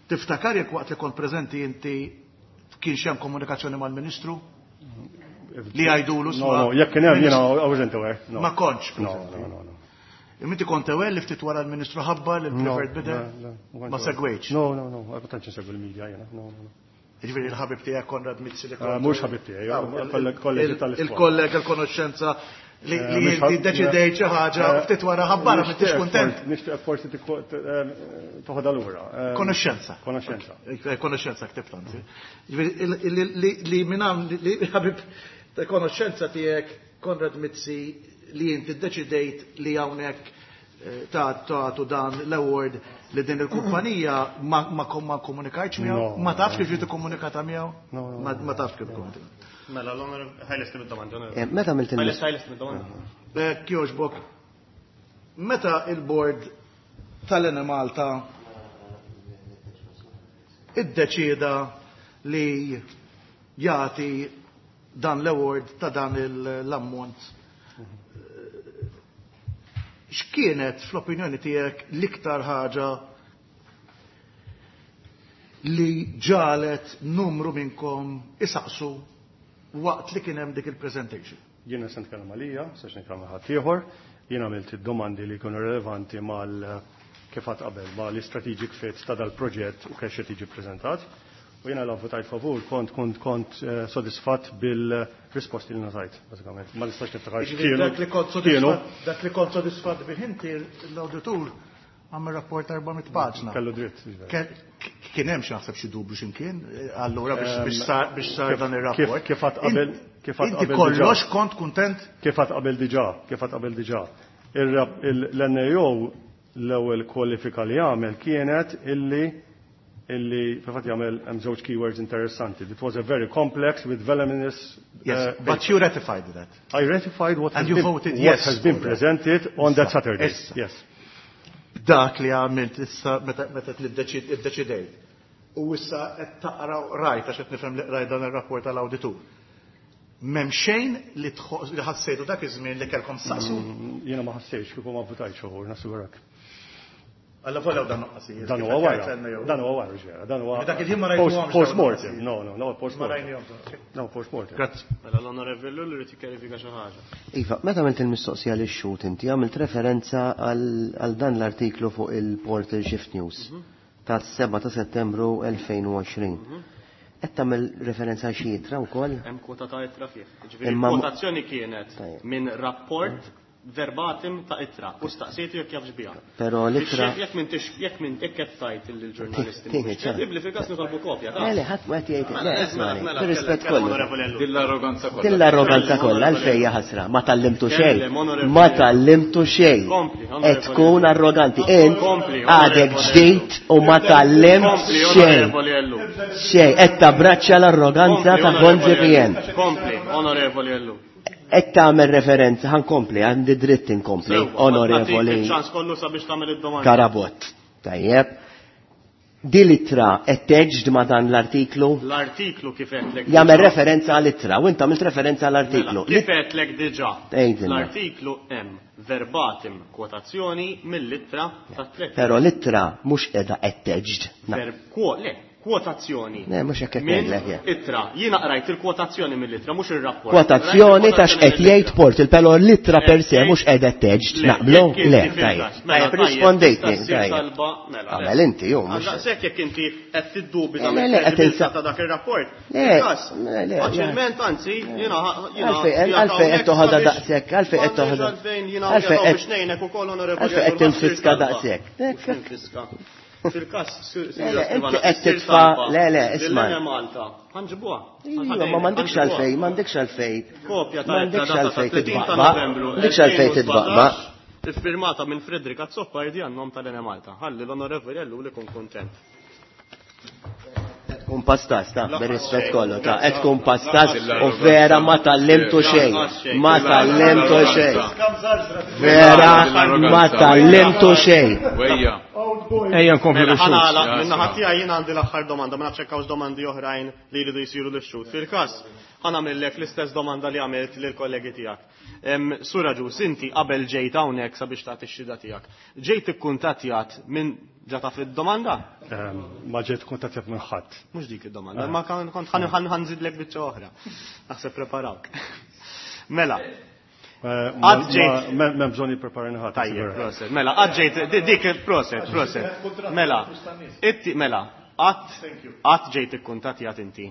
Tiftakar jekk waqt li kont preżenti inti kienx hemm komunikazzjoni mal-Ministru? Li għajdulu No, no, jekk kien hemm jiena I wasn't aware. No. Ma kontx No, no, no, no. Imma inti kont aware li ftit wara l-Ministru ħabbar li l-preferred bidder? Ma segwejtx? No, no, no, ma tantx insegwi l-media jiena. No, no, no. Jiġifieri l-ħabib tiegħek Konrad Mizzi li kont. Mhux ħabib tiegħi, kollegi tal-iskola. Il-kollega l-konoxxenza li inti ddeċidejt xi ħaġa ftit wara ħabbarha m'intix kuntent. Nixtieq forsi toħodha lura. Konoxxenza. Konoxxenza. Konoxxenza ktibt anzi. Jiġifieri li minn hawn li ħabib ta' konoxxenza tiegħek Konrad Mizzi li inti ddeċidejt li hawnhekk tagħtu dan l-award li din il-kumpanija ma komunikajtx miegħu? Ma tafx kif ġiet ikkomunikata miegħu? Ma tafx kif ikkomunikata. Mela, l-onorevoli, ħajlesti mid-domanda, onorevoli. Meta għamilt il- Ħajlesti, ħajlesti mid-domanda. Kjoġbok, meta il-board tal-Enemalta iddeċieda li jagħti dan l-award ta' dan l-ammont, x'kienet fl-opinjoni tiegħek l-iktar ħaġa li ġalet numru minnkom isaqsu waqt li kien hemm dik il-presentation? Jiena se nitkellem għalija, se nitkellem ħadd ieħor, jiena għamilt id-domandi li jkunu relevanti mal kif għad qabel ma l-strategic fit ta' dal-proġett u kif qed jiġi ppreżentat. U jiena la votajt favur, kont sodisfatt bil-risposti li ngħatajt, bażikament. Ma nistax niftakar Jiġifieri x'kienu. dak li kont sodisfatt, dak li kont sodisfatt bih inti l-awditur għamel rapport 400 paġna. Kellu dritt, jiġifieri. Kien hemm xi naħseb xi dubju x'imkien, allura biex sar dan ir-rapport. Kif għad qabel, kif għad Inti qabel kollox diġà. kont kuntent? Kif għad qabel diġà, kif għad qabel diġà. L-NAO l-ewwel kwalifika li għamel kienet illi fil-fatt jagħmel hemm żewġ keywords interessanti. It was a very complex with voluminous, Yes, but you ratified that. I ratified what And has you been, voted what yes has been for that. presented on that Issa, Saturday. issa. Yes. Dak li għamilt issa meta iddeċidejt. U issa qed taqra rajt għax qed nifhem li qrajt dan ir-rapport tal-awditur. M'hemm xejn li ħassejtu dak iż-żmien li kellkom saqsu? Jiena ma ħassejtx kieku ma votajtx favur, nassigurak. Alla volja dan noqqasijiet. Dan huwa wara. Dan huwa wara, ġera. Dan huwa Dak il-ħin ma rajtuhomx dawn post-mortem. noqqasijiet. No, no, no, post-mortem. Ma rajnihomx dawn. No, post-mortem. Grazzi. Mela l-onorevoli Ellul irid jikkjarifika xi ħaġa. Iva, meta għamilt il-mistoqsija lix xhud inti għamilt referenza għal dan l-artiklu fuq il-Portal Shift News tas-7 ta' Settembru 2020. Qed tagħmel referenza għal xi ittra wkoll? Hemm kwota ta' ittra fih. Ġifieri Imma kwotazzjoni kienet Tajjeb. minn rapport verbatim ta' ittra u staqsejtu jekk jafx biha. Però l-ittra Biex jekk m'intix, jekk m'int, jekk qed tgħid lill-ġurnalisti Tieħed mhux ċans. kredibbli, fil-każ nitolbu kopja, ta' Le, le, ħadd ma qed jgħid, le, Mela, ismani, mela, bir-rispett kellem, kollu. onorevoli Ellul. Din l-arroganza kollha. Din l-arroganza kollha, għalfejn hija ħasra, ma tallimtu xejn. Kellem, onorevoli Ma Ellul. tallimtu xejn. Kompli, Qed onorevoli tkun Ellul. arroganti. Int Kompli, għadek onorevoli ġdid u ma tallimt Kompli, xejn. onorevoli Ellul. Xejn, qed tabbraċċa l-arroganza Kompli, ta' onorevoli Gonzi PN. Ellul. Kompli, onorevoli Ellul. Qed tagħmel referenza, ħankompli, għandi dritt inkompli, Sewwa, onorevoli nagħtik iċ-ċans kollu sabiex tagħmel id-domanda. Karabott. Tajjeb. Din l-ittra qed teġd ma' dan l-artiklu? L-artiklu kif qedlek Jagħmel diġà. referenza għall-ittra u int għamilt referenza għall-artiklu. Mela, kif qedlek diġà? Tgħidilna. L-artiklu hemm verbatim kwotazzjoni mill-ittra ta' tliet. Però l-ittra mhux qiegħda qed teġd. Verb quo, le, Kwotazzjoni. Le, mhux hekk qed ngħidlek jien. Ittra. Jiena qrajt il-kwotazzjoni mill-ittra, mhux ir-rapport. Kwotazzjoni ta' x'qed jgħid Port il però l-ittra per se mhux qiegħda attached, naqblu? Le, tajjeb. Tajjeb, rispondejtni, tajjeb. Mela, Għamel inti, ju, mhux. Daqshekk jekk inti qed tiddubita mill-kredibilità ta' dak ir-rapport. Le, le, Faċilment, anzi, jiena Għalfejn għalfejn qed toħodha daqshekk, għalfejn qed toħodha. Għalfejn qed biex ngħinek ukoll onorevoli. Għalfejn qed tinfiska daqshekk. Tinfiska. Fil-kas, Le, inti qed titfa' le, le, isma'. Malta. Ħanġibuha. Iva, ma m'għandekx għalfejn, m'għandekx għalfejn. Kopja ta' M'għandekx għalfejn titbaqbaq. M'għandekx għalfejn titbaqbaq. Iffirmata minn Frederick Azzopardi għan-nom tal-Enemalta. Ħalli l-Onorevoli Ellul ikun kuntent. Tkun pastas, ta' bir-rispett kollu, ta' qed tkun pastas u vera ma tallimtu xejn. Ma tallimtu xejn. Vera ma tallimtu xejn. Ejja nkomplu Mela, bix-xhud. ħa nagħlaq, min-naħa tiegħi jien għandi l-aħħar domanda, ma nafx hekk hawnx domandi oħrajn li jridu jsiru lix-xhud. Fil-każ, ħa nagħmillek l-istess domanda li għamilt lill-kollegi tiegħek. Sur Agius, inti qabel ġejt hawnhekk sabiex tagħti x-xhieda tiegħek, ġejt ikkuntattjat minn ġa taf id-domanda? Ma ġejt ikkuntattjat minn ħadd. Mhux dik id-domanda, ma kont ħa nżidlek biċċa oħra. Naħseb preparawk. Mela. Qatt ġejt. M'hemm bżonn jippreparani ħadd. Tajjeb, proset. Mela, qatt ġejt, dik proset, proset. Mela, inti, mela, qatt qatt ġejt ikkuntattjat inti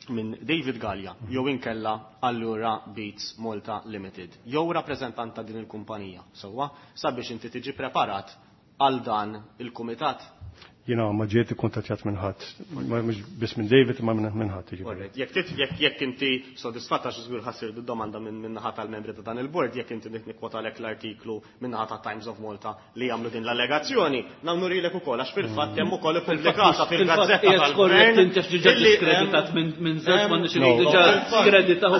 minn David Galea jew inkella Allura Beats Malta Limited jew rappreżentant ta' din il-kumpanija, sewwa, sabiex inti tiġi preparat għal dan il-kumitat? Jiena ma ġejt ikkuntattjat minn ħadd, mhux biss minn David imma minn ħadd jiġifieri. Alright, jekk tit, jekk, jekk inti sodisfatt għax żgur ħa ssir domanda minn min-naħa tal-membri ta' dan il-bord, jekk inti nrid nikkwotalek l-artiklu min-naħa ta' Times of Malta li jagħmlu din l-allegazzjoni, nurilek ukoll għax fil-fatt hemm ukoll ippubblikata fil-gazzetta Qiegħed tal-gvern skorrett inti għax diġà illi diskreditat minn żewġ hemm- m'għandniex No. diġà skreditaw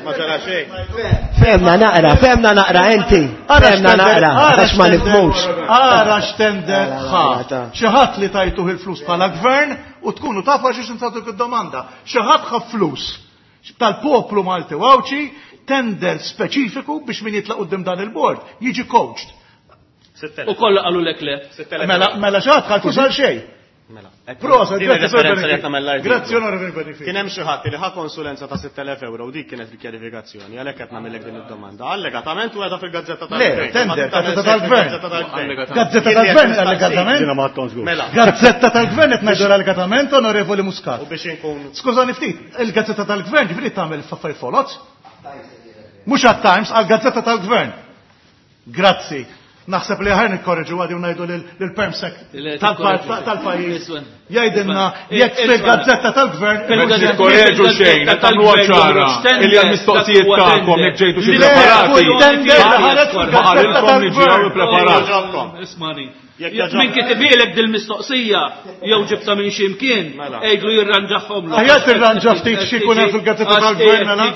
Ma ġara xejn. Femna naqra, femna naqra inti. Femna naqra, għax ma nifhmux. Ara x'tender ħa. Mela, ta. Xi ħadd li tajtuh il-flus bħala gvern u tkunu tafu għax insagħtuk id-domanda. Xi ħadd ħa flus tal-poplu Malti u Għawdxi tender speċifiku biex min jitlaq quddiem dan il-bord jiġi coached. U kollha qalu lek le. Mela mela xi ħadd ħa l-flus għal xejn. Mela. Proset, Din grazzi, ir-referenza Sir li qed nagħmel l-artiklu. Grazzi, Onorevoli Benefici. Kien hemm xi ħadd li ħa konsulenza ta' 6,000 euro u dik kienet il-kjarifikazzjoni, għalhekk qed nagħmellek din id-domanda. Allegatament u qiegħda fil-gazzetta Le, tal-Gvern. tender, Ma gazzetta tagħmel tal-Gvern. fil-gazzetta tal-Gvern. Gazzetta Jien li tal-Gvern qed nistaqsi. allegatament. Jiena ma għadthom żgur. Mela. Gazzetta tal-Gvern qed ngħidu allegatament, Onorevoli Muscat. U biex inkun Skużani ftit, il-Gazzetta tal-Gvern ġifieri tagħmel f'affarijiet foloz? Mhux għat-Times, għall-Gazzetta tal-Gvern. Grazzi. Naħseb li ħajr nikkorreġu għadi u ngħidu lil-permsec tal-pajjiż. Jgħidilna jekk fil-Gazzetta tal-Gvern. Nikkorreġu xejn, qed tagħmluha ċara illi għall-mistoqsijiet tagħkom jekk ġejtu xi Le, preparati. kull tender li ħareġ Ma fil-Gazzetta qalilkom li ġew tal-Gvern. ippreparati. Ismani. Jekk jaġobkom. Min kitibilek dil-mistoqsija jew ġibta minn xi mkien, Mela. għidlu jirranġahom. Aħjar tirranġa ftit xi jkun hemm fil-Gazzetta tal-Gvern, mela.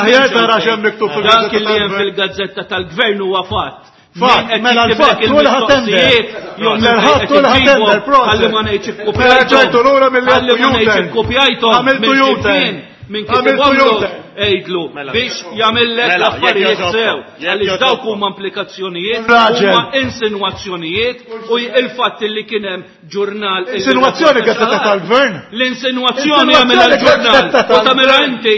Aħjar tara x'hemm miktub fil-Gazzetta Dak li hemm tal-Gvern. fil-Gazzetta tal-Gvern huwa fatt. Fatt, Min qed mela jiktibek l-fatt, hu li ħa tender. il-mistoqsijiet, jew min Mela l-ħadd qed hu li ħa iġibu, tender, proset. Ħalli ma ngħidx Mela ġejtu lura milli Ħalli ma għamiltu ngħidx U-turn. ikkupjajthom. Għamiltu minn U-turn. ximkien, Min Għamiltu kitibhomlu U-turn. għidlu Mela. biex jagħmellek Mela, jekk l-affarijiet jogħġobkom, sew. jekk Għaliex dawk jogħġobkom. huma implikazzjonijiet, Raġel. huma insinwazzjonijiet u il-fatt li kien hemm ġurnal. illi Insinwazzjoni rapporta Gazzetta xi ħadd. tal-Gvern. L-insinwazzjoni jagħmilha Insinwazzjoni l-ġurnal. Gazzetta U tagħmilha tal-Gvern. inti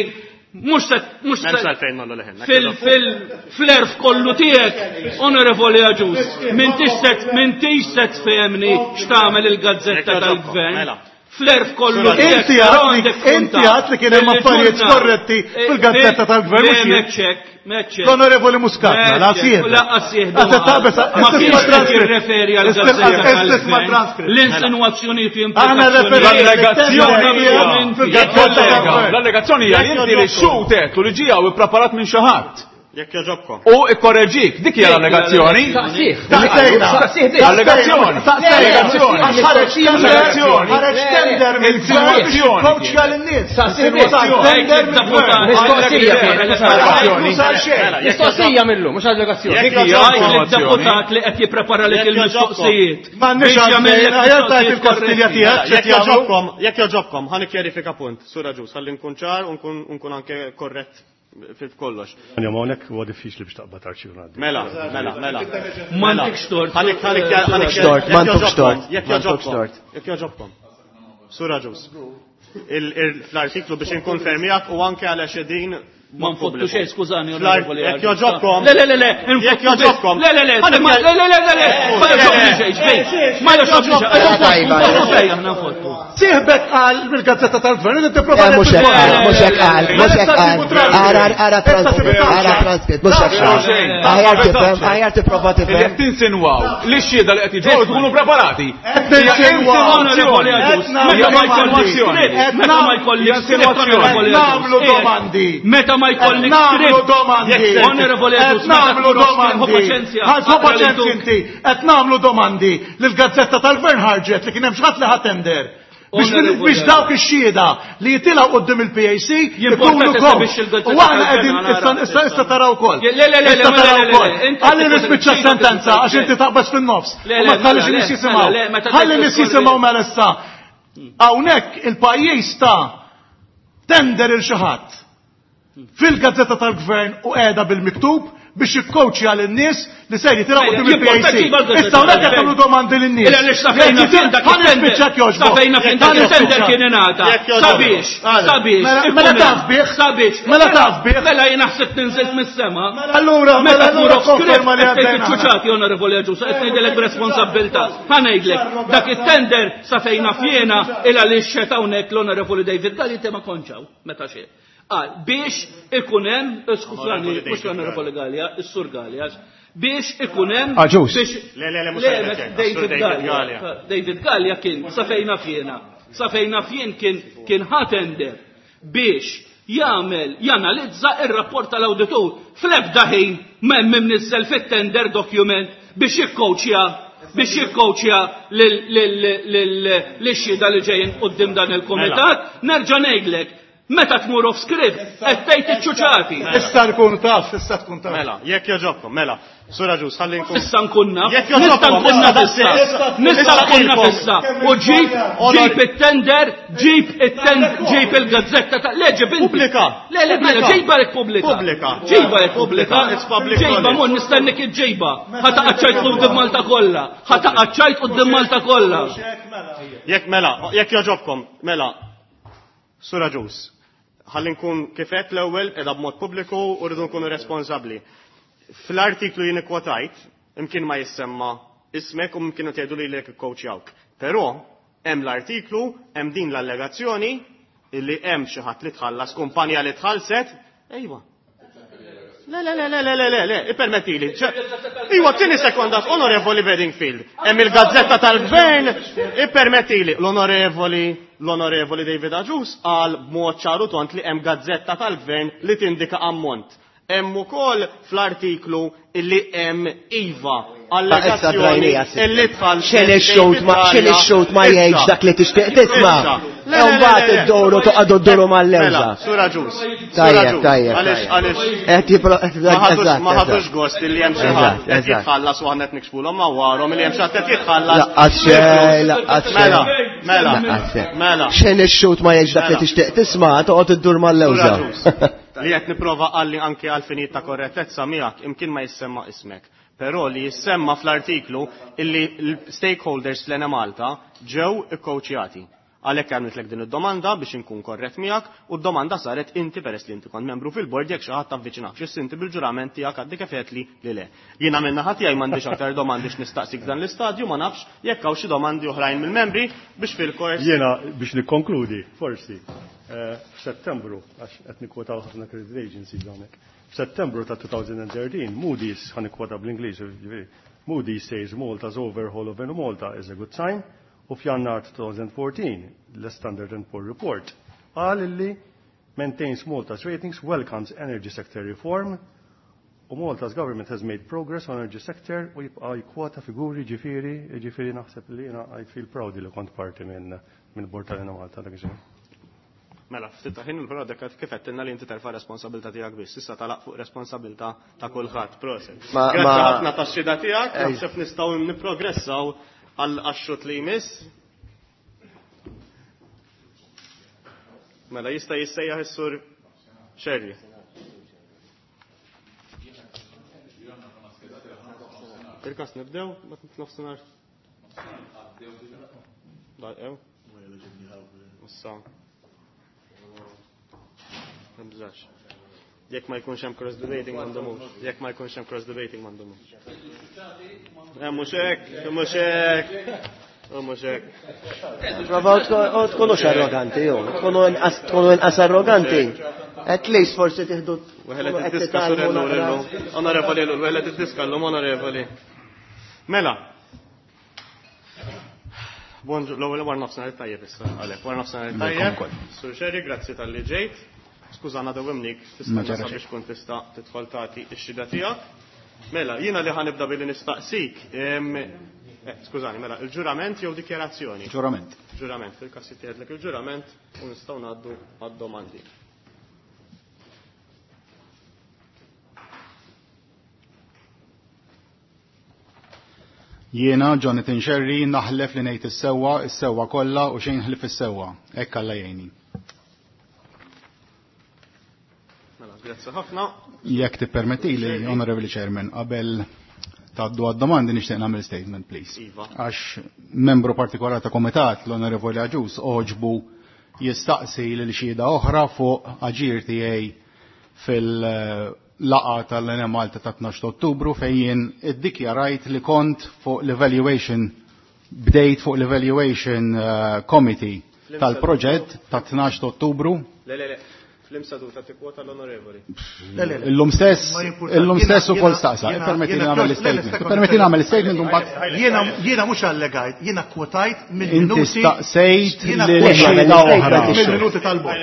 mhux se mhux se M'hemmx għalfejn nollu leħenna. fil-flerf kollu tiegħek, Onorevoli Agius, m'intix se tfehemni x'tagħmel il-gazzetta Jekk tal-Gvern. Mela. Flerf kollu tiegħek, Inti però għad li- għandek tkun inti taf għad li kien hemm illi affarijiet ġurnal- skorretti fil-gazzetta tal-Gvern, mhux Le, jien. meċċek, meċċek. L-Onorevoli Muscat, mela, Meċċek, sieħdu. u laqqas sieħdu Għad ma qal. taqbes, Ma istisma' kienx qed transcript. jirreferi għal gazzetta Istisma' tal-Gvern. transcript. L-insinwazzjonijiet u Aħna referi- L-allegazzjoni hija Fil-gazzetta tal-Gvern. L-allegazzjoni hija li inti li xutet u li ġie hawn ippreparat minn xi ħadd. Jekk jogħġobkom. U ikkorreġik, dik hija l-allegazzjoni. Saqsih. Taqsejna. Saqsih biss. Allegazzjoni. Allegazzjoni. Ħareġ tender, Allegazzjoni. ħareġ tender mill-gvern biex Insinuazzjoni. jikkoċja lin-nies. Saqsih biss. Tender mill-gvern. Mistoqsija kienet, mhux allegazzjoni. Mhux għal xejn. Mela, jekk Mistoqsija millu, mhux allegazzjoni. Jekk Dik hija Għajt insinuazzjoni. deputat li qed jipprepara lek Jekk il-mistoqsijiet. M'għandniex Biex għalfejn, jagħmellek aħjar tajt mistoqsijiet il-Kastilja korretti. tiegħek Jekk x'qed jagħmlu. jogħġobkom, jekk jogħġobkom, ħa nikkjarifika punt, Sur Agius, ħalli nkun ċar u nkun anke korrett Fil-kollox. Għanja ma hawnhekk huwa diffiċli biex taqbad arċiv ngħaddi. Mela, mela, mela. M'għandekx tort. Ħanik, ħanik, ħanik. Tort, m'għandekx tort. Jekk jogħġobkom. Jekk jogħġobkom. Sur Agius. Fl-artiklu biex inkonfermijak u anke għal din Ma nfottu xejn, skużani, onorevoli. Jekk jogħġobkom. Le, le, le, le, Jekk jogħġobkom. Le, le, le, le, le, le, le, le, ma jogħġobni xejn, xejn. Ma jogħġobni xejn. Nfottu fejn aħna nfottu. Sieħbek qal mill-gazzetta tal-gvern li tipprova. Mhux hekk qal, mhux hekk qal, mhux hekk qal. Ara ara transkript, ara transkript, mhux hekk qal. Aħjar tifhem, aħjar tipprova tifhem. Qed tinsinwaw li x-xhieda li qed jiġu tkunu preparati. Meta ma jkollix Nagħmlu domandi. Meta ma jkollix Nagħmlu domandi. Onorevoli Agius, nagħmlu domandi. Ħa paċenzja inti. Qed nagħmlu domandi li l-gazzetta tal-gvern ħarġet li kien hemm xi ħadd li ħa tender. Biex dawk ix-xhieda li jitilgħu quddiem il-PAC ikunu coach. U aħna qegħdin issa issa taraw ukoll. Le, le, le, Issa taraw ukoll. Ħalli nispiċċa sentenza għax inti taqbeż fin-nofs. U ma tħallix in-nies jisimgħu. Ħalli nies jisimgħu mela issa. Hawnhekk il-pajjiż ta' tender il xi ħadd fil-gazzetta tal-gvern u qiegħda bil-miktub biex jikkowċja lin-nies li ser jitilgħu quddiem il-PAC. Issa hawnhekk qed tagħmlu domandi lin-nies. Illa lix safejna fin dak Ħa nispiċċak jogħġbok. Safejna fin dak il-tender kien ingħata. Sabiex, sabiex. Mela taf bih. Sabiex. Mela taf bih. Mela jien naħseb ninżilt mis-sema. Allura, meta mela tmur allura off script konferma li qed tgħid għaddejna. iċ-ċuċati onorevoli Agius, qed ngħidilek b'responsabbiltà. Ħa ngħidlek, dak it-tender sa fejna fjena il għaliex xed hawnhekk l-onorevoli David Galli inti ma kontx hawn meta xejn. Qal biex ikun hemm, skużani, mhux l-onorevoli Galea, is-Sur Galea, biex ikun hemm Agius. Le, le, le, mhux David Galea. David Galea kien sa fejna fjena. Sa fejna fjen kien kien ħa tender biex jagħmel janalizza ir-rapport tal-awditur. Fl-ebda ħin m'hemm imniżżel fit-tender document biex jikkowċja biex jikkowċja lix-xhieda li ġejjin quddiem dan il-kumitat. Nerġa' ngħidlek, meta tmur off script, qed tgħid iċ-ċuċati. Issa tkun taf, issa tkun taf. Mela, jekk jogħġobkom, mela. Sur Agius, ħalli nkun. Issa nkun naf. Jekk Nista' jogħġobkom, nkun naf issa issa. Nista' nkun naf issa. U ġib, ġib it-tender, ġib it-tender, ġib il-gazzetta ta' le ġib inti. Pubblika. Le, le, mela, ġiba lek pubblika. Pubblika. Ġiba lek pubblika. It's public Ġiba, knowledge. mon nistennik iġġiba. Ħa taqaċċajt quddiem Malta kollha. Ħa taqaċċajt quddiem Malta kollha. Jekk mela, jekk jogħġobkom, mela. Sur Agius, ħalli nkun kif għedt l-ewwel qiegħda b'mod pubbliku u rridu nkunu responsabbli. Fl-artiklu jien ikkwotajt, imkien ma jissemma ismek u mkien tgħidu lilek ikkoċjawk. Però hemm l-artiklu, hemm din l-allegazzjoni illi hemm xi ħadd li tħallas, kumpanja li tħallset, ejwa. Le, le, le, le, le, le, le, le, ippermettili. Iwa, tini sekonda, onorevoli Bedingfield. Hemm il-gazzetta tal-gvern, ippermettili. L-onorevoli, l-onorevoli David Agius qal b'mod ċaru tont li hemm gazzetta tal-gvern li tindika ammont. Hemm ukoll fl-artiklu illi hemm iva allegazzjoni illi tħall. Xejn ix-xut ma xejn ix-xut ma jgħidx dak li tixtieq tisma'. Le, le, le, Mbagħad le, le. idduru toqgħodu dduru mal-lewża. Mela, Sur Agius. Sur Tajjeb, Agius. tajjeb, Għaliex, tajjeb. għaliex. Qed jipro Ma ħadux eżatt, ma ħadux eżatt. gost illi hemm xi Eżatt, ħadd qed eżatt. jitħallas u aħna qed nikxfulhom ma warhom illi hemm xi ħadd qed jitħallas. Laqqas xejn, laqqas xejn. Mela, mela, Laqqas xejn. mela. Xejn ix-xut ma jgħidx dak li Mela. tixtieq tisma' toqgħod iddur mal-lewża. Sur Agius, Li qed nipprova qalli anke għal finijiet ta' korrettezza miegħek imkien ma jissemma ismek. Però li jissemma fl-artiklu illi l-stakeholders fl-Enemalta ġew ikkowċjati. Għalhekk għamiltlek din id-domanda biex inkun korrett miegħek u d-domanda saret inti peress li inti kont membru fil-bord jekk xi ħadd avviċinak. X'issa inti bil-ġurament tiegħek għaddi kif għedtli li le. Jiena minn naħa tiegħi m'għandix aktar domandi x'nistaqsik f'dan l-istadju, ma nafx jekk hawn xi domandi oħrajn mill-membri biex fil-kors. Jiena biex nikkonkludi, forsi, f'Settembru, għax qed nikkwotaw ħafna credit agencies hawnhekk. F'Settembru ta' 2013, Moody's, ħa nikkwota bl-Ingliż, ġifieri, Moody's says Malta's overhaul of Malta is a good sign, u f'Jannar 2014, l-Standard and Poor Report qal illi maintains Malta's ratings, welcomes energy sector reform, u Malta's government has made progress on energy sector u jibqa' jkwota figuri ġifieri, ġifieri naħseb li jiena I feel proud li kont parti minn bord tal-Enemalta dak iż-żmien. Mela, ftit ta' ħin però dak kif għedtilna li inti terfa' responsabilità tiegħek biss, issa talaq fuq responsabilità ta' kulħadd, proset. Grazzi ħafna tax-xhieda tiegħek, naħseb nistgħu nipprogressaw għal għax-xut li jmiss. Mela jista' jissejjaħ is-sur Scerri. Il-każ nibdew nofsinhar. Ew. Issa. Nibżax. Jekk ma jkunx hemm cross debating m'għandhomux. Jekk ma jkunx hemm cross debating m'għandhomux. Mhux hekk, mhux hekk. Mhux hekk. Provaw tkunux arroganti, jew tkunu inqas arroganti. At least forsi tieħdu Weħlet id-diska surellu, onorevoli, weħlet id-diska l-lum onorevoli. Mela, Bonġu, l-ewwel war nofsinhar tajjeb issa għalek. War nofsinhar tajjeb. Sur Xerri, grazzi talli ġejt. Skużana dewwimnik, tista' biex tkun tista' tidħol tagħti x-xhieda tiegħek. Mela, jiena li ħanibda billi nistaqsik, skużani, mela, il-ġurament jew dikjarazzjoni? Ġurament. Ġurament, fil-każ jittieħedlek il-ġurament u nistgħu ngħaddu għad-domandi. Jiena, Jonathan Scerri, naħlef li ngħid is-sewwa, is-sewwa kollha u xejn ħlief is-sewwa. Hekk Alla jgħinni. Mela, grazzi ħafna. Jekk tippermettili, Honorable Chairman, qabel tgħaddu għad-domandi nixtieq nagħmel statement, please. Iva. Għax membru partikolari ta' komitat, l-Onorevoli Agius, oġbu jistaqsi lil xhieda oħra fuq aġir tiegħi fil-laqgħa tal-Enemalta ta' 12 Ottubru fejn jien iddikjarajt li kont fuq l-evaluation, bdejt fuq l-evaluation committee tal-proġett ta' 12 Ottubru. Le, le, le. Fl-imsaduta tikkwota l-onorevoli. Illum stess, illum stess ukoll staqsa. Permetti nagħmel l-statement. Permetti nagħmel statement u mbagħad. Jiena mhux allegajt, jiena kwotajt mill-minuti. Inti staqsejt lil xhieda oħra. Mill-minuti tal-bord.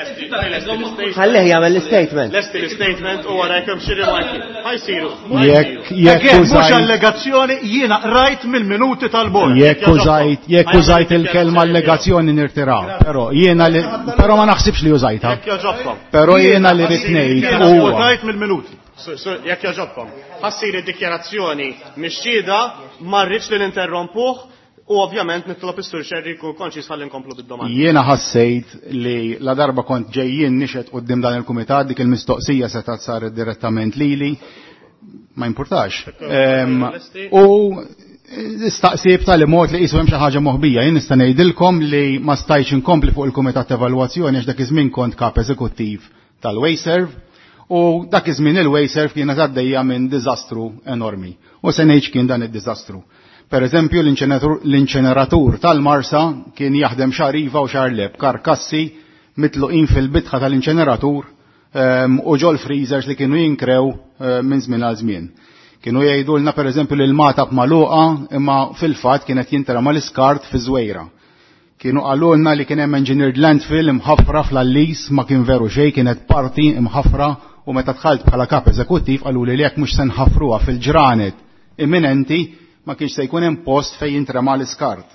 Ħallih jagħmel l-statement. Lesti l-statement u wara jekk hemm xi rimarki. Ħajsiru. Jekk jekk mhux allegazzjoni jiena qrajt mill-minuti tal-bord. Jekk użajt, jekk użajt il-kelma allegazzjoni nirtira, però jiena li però ma naħsibx li użajtha. Jekk jogħġobkom. Però jiena li rrid ngħid huwa. Kwotajt mill-minuti. Jekk jogħġobkom. Ħassir id-dikjarazzjoni mix-xhieda ma rridx li ninterrompuh u ovvjament nitlob is-Sur Scerri jkun konċis ħalli nkomplu bid-domanda. Jiena ħassejt li la darba kont ġejjin nixed quddiem dan il-kumitat dik il-mistoqsija setgħet saret direttament lili, ma jimpurtax. U istaqsi b'tali mod li qisu hemm xi ħaġa moħbija. Jien nista' ngħidilkom li ma stajtx inkompli fuq il-kumitat ta' evalwazzjoni għax dak iż-żmien kont kap eżekuttiv tal-Wasteserv u dak iż-żmien il-Wasteserv kienet għaddejja minn diżastru enormi. U se ngħid x'kien dan id-diżastru. Per eżempju, l-inċeneratur tal-Marsa kien jaħdem xahar iva u xahar le b'karkassi mitluqin fil-bitħa tal-inċeneratur u ġol freezers li kienu jinkrew minn żmien għal żmien. Kienu jgħidulna per eżempju li l-mata b'maluqa imma fil-fatt kienet jintrama l-iskart fi Żwejra. Kienu qalulna li kien hemm engineered landfill imħaffra fl-Allis, ma kien veru xejn, kienet parti imħaffra u meta dħalt bħala kap eżekuttiv qaluli li jekk mhux se nħaffruha fil-ġranet imminenti ma kienx se jkun hemm post fejn jintrema l-iskart.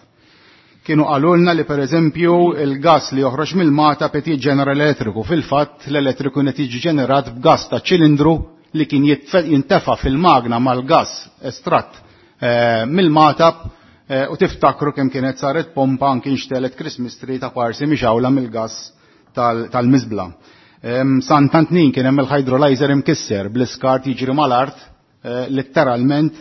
Kienu qalulna li per eżempju il-gas li joħroġ mill-mata qed jiġġenera l-elettriku. Fil-fatt l-elettriku qed jiġi ġenerat b'gas ta' ċilindru li kien jintefa' fil-magna mal-gas estratt mill-matab u tiftakru kemm kienet saret pompa anki nxtelet Christmas tree ta' parsi mixawla mill-gas tal-miżbla. Sant'Antnin kien hemm il-hydrolyzer imkisser bl-iskart jiġri mal-art letteralment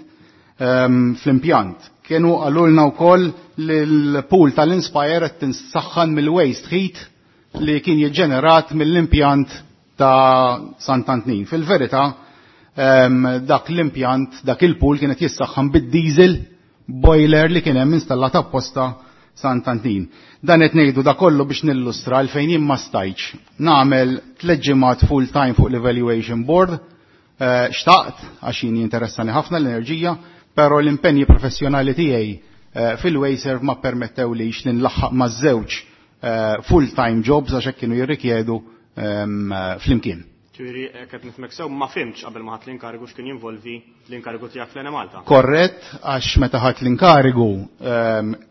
fl-impjant. Kienu qalulna wkoll li l-pool tal-Inspire qed tinsaħħan mill-waste heat li kien jiġġenerat mill-impjant ta' Sant'Antnin. Fil-verità, dak l-impjant, dak il-pool kienet jissaħħan bid-diesel boiler li kien hemm installat apposta Sant'Antnin. Dan qed ngħidu da kollu biex nillustra għalfejn jien ma stajtx nagħmel tliet ġimgħat full time fuq l-evaluation board, xtaqt għax jien jinteressani ħafna l-enerġija, però l-impenji professjonali tiegħi fil-Wasteserv ma permettewlix li nlaħħaq maż-żewġ full time jobs għax hekk kienu jirrikjedu flimkien. Ġifieri qed nifhmek sew ma fhimtx qabel ma ħadt l-inkarigu x'kien jinvolvi l-inkarigu tiegħek fl-Enemalta. Korrett, għax meta ħadt l-inkarigu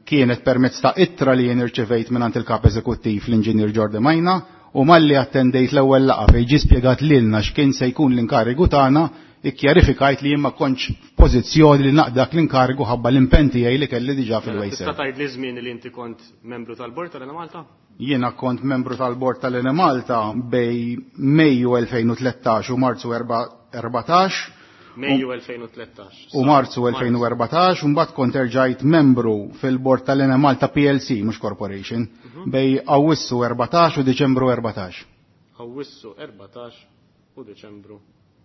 kienet permezz ta' ittra li jien irċevejt mingħand il-kap eżekuttiv l-Inġinier Jordi Majna u malli attendejt l-ewwel laqgħa fejn ġie spjegat lilna x'kien se jkun l-inkarigu tagħna, ikkjarifikajt li jien ma kontx f'pożizzjoni li naqdak l-inkarigu ħabba l-impenn tiegħi li kelli diġà fil-Wasteserv. Tista' tgħid li żmien li inti kont membru tal-bord tal-Enemalta? Jiena kont membru tal-bord tal-Enemalta bej Mejju 2013 u Marzu 14. Mejju 2013. U Marzu 2014, u mbagħad kont erġajt membru fil-bord tal-Enemalta PLC, mhux Corporation, bejn Awwissu 14 u Diċembru 14. Awwissu 14 u Diċembru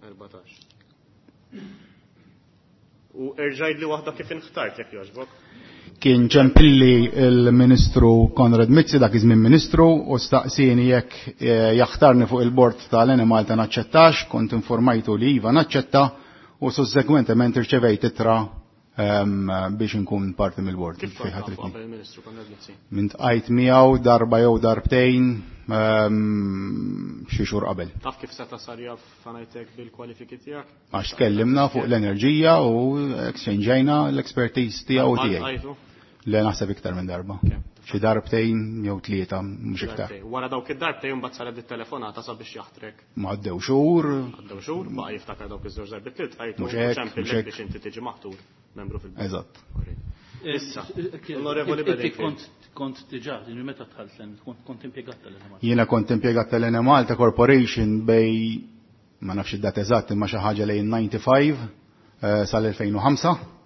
14. U erġajt li waħda kif inħtart jekk jogħġbok. Kien ċempilli il-Ministru Konrad Mizzi, dak iż-żmien Ministru, u staqsieni jekk jaħtarni fuq il-bord tal-Enemalta naċċettax, kont informajtu li iva naċċetta, u sussegwentement irċevejt ittra biex inkun parti mill-bord. Kif kont tafu qabel il-Ministru Konrad Mizzi? Min tqajt miegħu darba jew darbtejn xi xhur qabel. Taf kif seta' sar jaf ngħidlek bil-kwalifiki tiegħek? Għax tkellimna fuq l-enerġija u exchangeajna l-expertise tiegħu u tiegħi. Le naħseb iktar minn darba. Xi darbtejn jew tlieta, mhux iktar. Darbtejn. Wara dawk id-darbtejn mbagħad saret it-telefonata sabiex jaħtrek. Ma għaddew xhur. Għaddew xhur, baqa' jiftakar dawk iż-żewġ darbiet li tqajtu Mhux hekk, ċempillek mhux hekk. biex inti tiġi maħtur membru fil-bord. Eżatt. Issa, Onorevoli Inti Bedingfield. kont diġà, din meta dħalt l-, kont impjegat tal-Enemalta. Jiena kont impjegat tal-Enemalta Corporation bej, ma nafx id-dat eżatt, imma xi ħaġa lejn 95 sal-2005.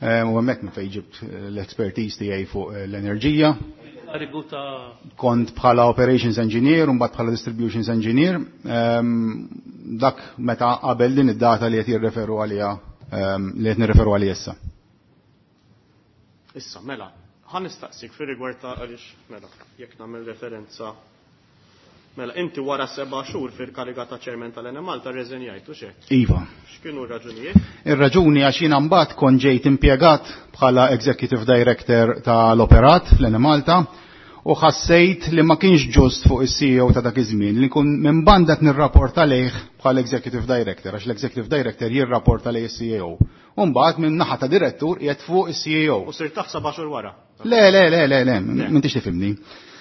U hemmhekk minn fejn ġibt l-expertise tiegħi fuq l-enerġija. Karigu ta' Kont bħala operations engineer u mbagħad bħala distributions engineer. Dak meta qabel din id-data li qed jirreferu għaliha li qed nirreferu għaliha issa. Issa, mela, ħa nistaqsik fir-rigward ta' għaliex, mela, jekk nagħmel referenza. Mela, inti wara 7 xhur fil-kariga ta' chairman tal-Enemalta rreżenjajt, u x'hekk? Iva. X'kienu r-raġunijiet? Ir-raġuni għax jiena mbagħad kont ġejt impjegat bħala executive director tal-operat fl-Enemalta u ħassejt li ma kienx ġust fuq is-CEO ta' dak iż-żmien li nkun minn banda qed nirrapporta lejh bħala executive director, għax l-executive director jirrapporta lejh is-CEO. U mbagħad minn naħa ta' direttur qiegħed fuq is-CEO. U sirt taf 7 xhur wara? Le, le, le, le, le, m'intix tifhimni.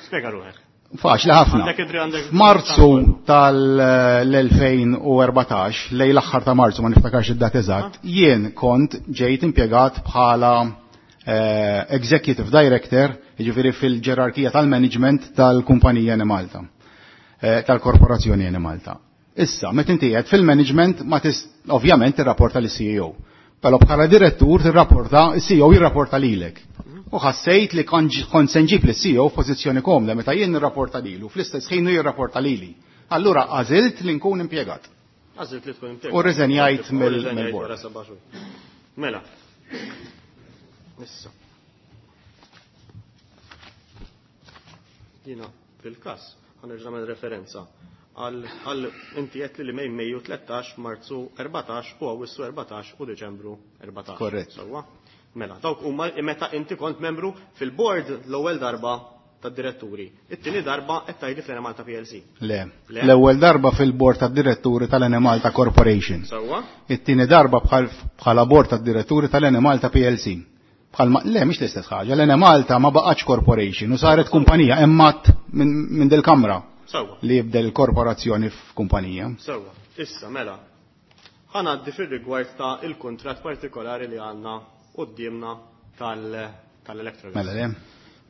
Spjega ruħek. Faċli ħafna. Għandek idri għandek F'Marzu tal-2014, lejn l-aħħar ta' Marzu, ma niftakarx id-dat eżatt, jien kont ġejt impjegat bħala executive director, jiġifieri fil-ġerarkija tal-management tal-kumpanija Enemalta, tal-korporazzjoni Enemalta. Issa, meta inti qiegħed fil-management, ma ovvjament tirrapporta lis CEO. Però bħala direttur tirrapporta, is-CEO jirrapporta lilek. U ħassejt li kont se nġib lis CEO f'pożizzjoni komda meta jien nirrapporta lilu, fl-istess ħin hu jirrapporta lili. Allura għażilt li nkun impjegat. Għażilt li tkun impjegat. U rriżenjajt U rriżenjajt mill-bord. wara 7 xhur. Mela. Issa. Jiena fil-każ ħanerġa' nagħmel referenza għal inti qed li mejn Mejju 13, Marzu 14 u Awwissu 14 u Diċembru 14. Korrett. Sewwa. Mela, dawk huma meta inti kont membru fil-board l-ewwel darba tad-diretturi. It-tieni darba qed tgħidli fl-Enemalta PLC. Le. Le. L-ewwel darba fil-board tad-diretturi tal-Enemalta Corporation. Sewwa. It-tieni darba bħala board tad-diretturi tal-Enemalta PLC. Bħalma, le, mhix l-istess ħaġa, l-Enemalta ma baqgħetx corporation u saret kumpanija immat minn dil-kamra. Sewwa. Li jibdel il-korporazzjoni f'kumpanija. Sewwa. Issa, mela, ħa ngħaddi fir-rigward ta' il-kuntratt partikolari li għandna quddiemna tal-Electrogas. Mela, le.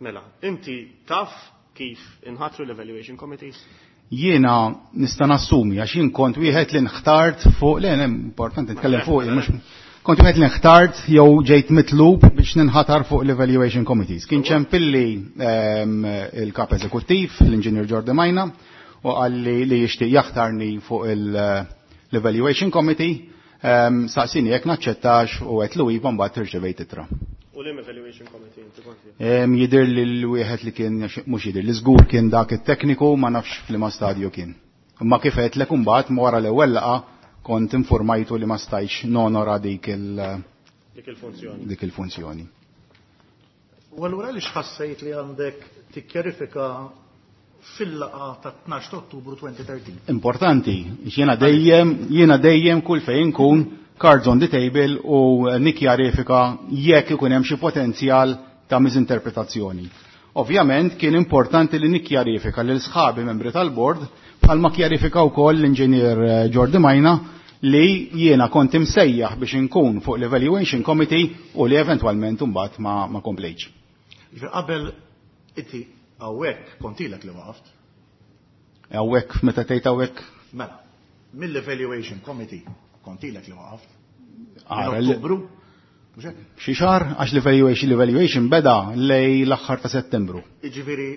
Mela, inti taf kif inħatru l-evaluation committees? Jiena nista' nassumi għax jien kont wieħed li nħtart fuq, le, le, importanti nitkellem fuq, mhux kont wieħed li nħtart jew ġejt mitlub biex ninħatar fuq l-evaluation committees. Kien ċempilli il-kap eżekuttiv, l-inġinier Jordi Majna, u qalli li jixtieq jaħtarni fuq l-evaluation committee, saqsini jekk naċċettax u għedt lu iva mbagħad irċevejt ittra. U l evaluation committee inti kont fih? Jidher li l-wieħed li kien, mhux jidher li żgur kien dak it-tekniku, ma nafx f'liema stadju kien. Imma kif għedtlek imbagħad wara l-ewwel laqgħa kont informajtu li ma stajtx nonora dik Dik il-funzjoni. Dik il-funzjoni. U allura għaliex ħassejt li għandek tikkjarifika fil-laqgħa ta' 12 ta' Ottubru 2013? Importanti, jiena dejjem kull fejn inkun cards on the table u nikkjarifika jekk ikun hemm xi potenzjal ta' misinterpretazzjoni. Ovvjament kien importanti li nikkjarifika lil sħabi membri tal-bord bħalma kjarifika wkoll l-inġinier Jordi Majna li jiena kont imsejjaħ biex inkun fuq l-Evaluation Committee u li eventwalment imbagħad ma komplejtx. Ġifieri qabel inti hawnhekk kont ilek li waqaft? Hawnhekk meta tgħid hawnhekk? Mela, mill-Evaluation Committee kont ilek li waqaft? Ara, Ottubru? Mhux hekk? Xi xahar għax l-evaluation l-evaluation beda lejn l-aħħar ta' Settembru. Jiġifieri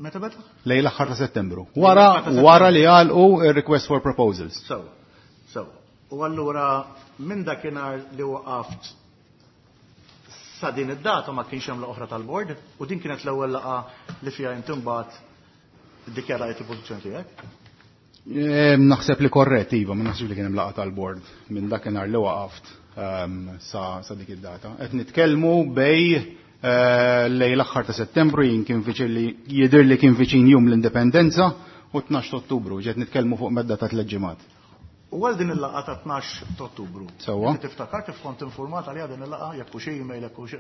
meta beda? Lejn l-aħħar ta' Settembru. Wara wara li għalqu ir-request for proposals. Sewwa. Sewwa. U allura minn dakinhar li waqaft sa din id-data ma kienx hemm laqgħa oħra tal-bord u din kienet l-ewwel laqgħa li fiha inti mbagħad iddikjarajt il-pożizzjoni tiegħek. Naħseb li korrett, iva, ma naħsibx li kien hemm laqgħa tal-bord minn dakinhar li waqaft sa dik id-data. Qed nitkellmu bej lejn l-aħħar ta' Settembru jien kien viċin li jidher li kien viċin jum l-Indipendenza u 12 ta' Ottubru, ġiet nitkellmu fuq medda ta' tliet ġimgħat. U għal din il-laqgħa ta' 12 ta' Ottubru. Sewwa. Inti tiftakar kif kont informat għaliha din il-laqgħa, jekk hux email, jekk hux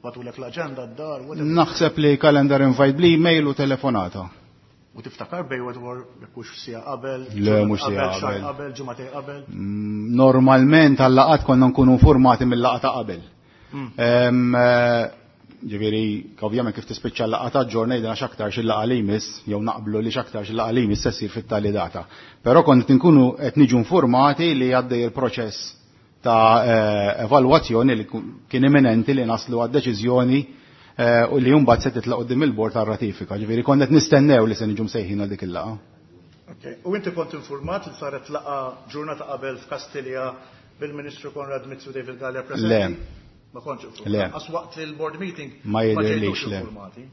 bagħtulek l-aġenda d-dar, whatever. Naħseb li calendar invite bl-email u telefonata. U tiftakar bej wetwar jekk hux siegħa qabel, Le, mhux siegħa qabel, xahar qabel. qabel, ġimagħtejn qabel. Normalment għal-laqgħat konna nkunu informati mill-laqgħa ta' qabel. Ġifieri, ovvjament kif tispiċċa l-laqgħa ta' ġorna jidna x'aktarx il-laqgħa li jmiss, jew naqblu li x'aktarx il-laqgħa li jmiss se ssir fit-tali data. Però kont inkunu qed niġu informati li għaddej il-proċess ta' evalwazzjoni li kien imminenti li naslu għad-deċiżjoni u li mbagħad se titlaq quddiem il-bord tar-ratifika. Ġifieri kont qed nistennew li se niġu msejħin għal dik il-laqgħa. Okay. U inti kont informat li saret laqgħa ġurnata qabel f'Kastilja bil-Ministru Konrad Mizzi u David Galea preżenti? Le. Ma kontx informat. Le. Għax waqt il-board meeting Ma ma jidhirlix, ġejtux le. informati.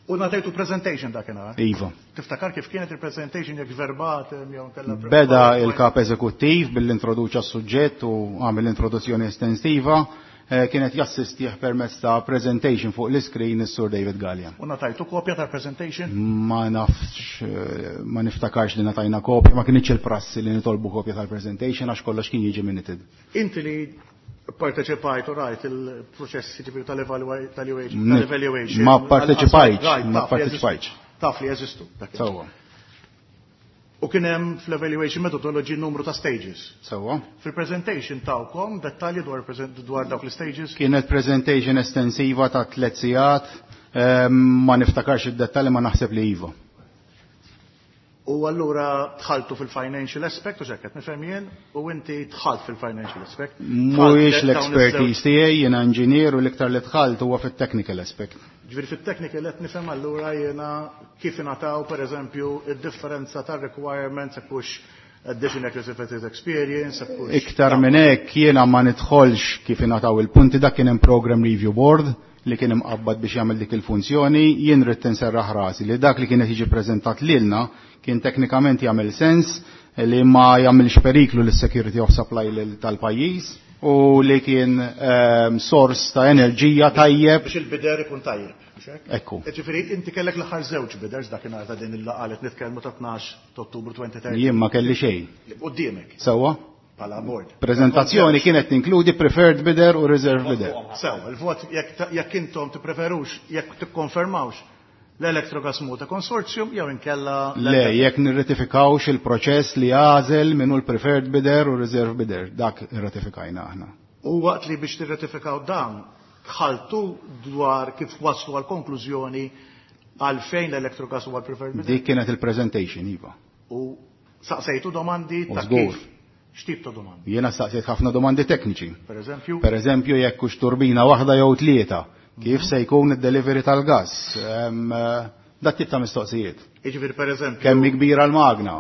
U ngħatajtu presentation dakinhar. Iva. Tiftakar kif kienet il-presentation jekk verbatim jew nkella Beda il-kap eżekuttiv billi introduċa s-suġġett u għamel introduzzjoni estensiva, kienet jassistih permezz ta' presentation fuq l-iskrin is-Sur David Galea. U ngħatajtu kopja tal-presentation? Ma nafx, ma niftakarx li ngħatajna kopja, ma kienx il-prassi li nitolbu kopja tal-presentation għax kollox kien jiġi minuted. Inti li parteċipajt u rajt il-proċess ġifieri tal-evaluation. Ma parteċipajtx, Rajt, ma taf li jeżistu. parteċipajtx. Taf li jeżistu, dak il- Sewwa. U kien hemm fl-evaluation methodology numru ta' stages. Sewwa. Fil-presentation tawkom dettalji dwar dawk l-stages? Kienet presentation estensiva ta' 3 sigħat, ma niftakarx id-dettalji ma naħseb li iva. U allura dħaltu fil-financial aspect, u xekket nifhem jien, u inti dħalt fil-financial aspect. Mhuwiex Dħalt dawn l-expertise iż-żewġ- tiegħi, jiena inġinier u l-iktar li dħalt huwa fit-technical aspect. Ġifieri fit-technical qed nifhem allura jiena kif ingħataw pereżempju id-differenza tar-requirements jekk hux additional certificate experience, jekk hux Iktar minn hekk jiena ma nidħolx kif ingħataw il-punti, dak kien hemm program review board li kien imqabbad biex jagħmel dik il-funzjoni, jien rrid inserraħ rasi li dak li kienet jiġi preżentat lilna kien teknikament jagħmel sens li ma jagħmilx periklu lis-security of supply tal-pajjiż u li kien sors ta' enerġija tajjeb. Biex il-bidder ikun tajjeb, mhux hekk? Ekku. Ġifieri inti kellek l-aħħar żewġ bidders dakinhar ta' din il-laqgħa li nitkellmu ta' 12 ta' Ottubru 2013. Jien ma kelli xejn. Quddiemek. Sewwa? Bħala board. Prezentazzjoni kienet tinkludi preferred bidder u reserve bidder. Sew, il-vot jekk intom tippreferux, jekk tikkonfermawx l-Electrogas Malta Consortium jew inkella Le, jekk nirratifikawx il-proċess li għażel minnu l-preferred bidder u reserve bidder, dak irratifikajna aħna. U waqt li biex tirratifikaw dan, dħaltu dwar kif waslu għal konklużjoni għalfejn l-Electrogas huwa l-preferred bidder? Dik kienet il-presentation, iva. U saqsejtu domandi U ta' żgur. kif? X'tip ta' domandi? Jiena staqsejt ħafna domandi tekniċi. Per eżempju? Per eżempju, jekk hux turbina waħda jew tlieta, kif se jkun id-delivery tal-gas? Dak tip ta' mistoqsijiet. Jiġifieri per eżempju. Kemm hi kbira l-magna?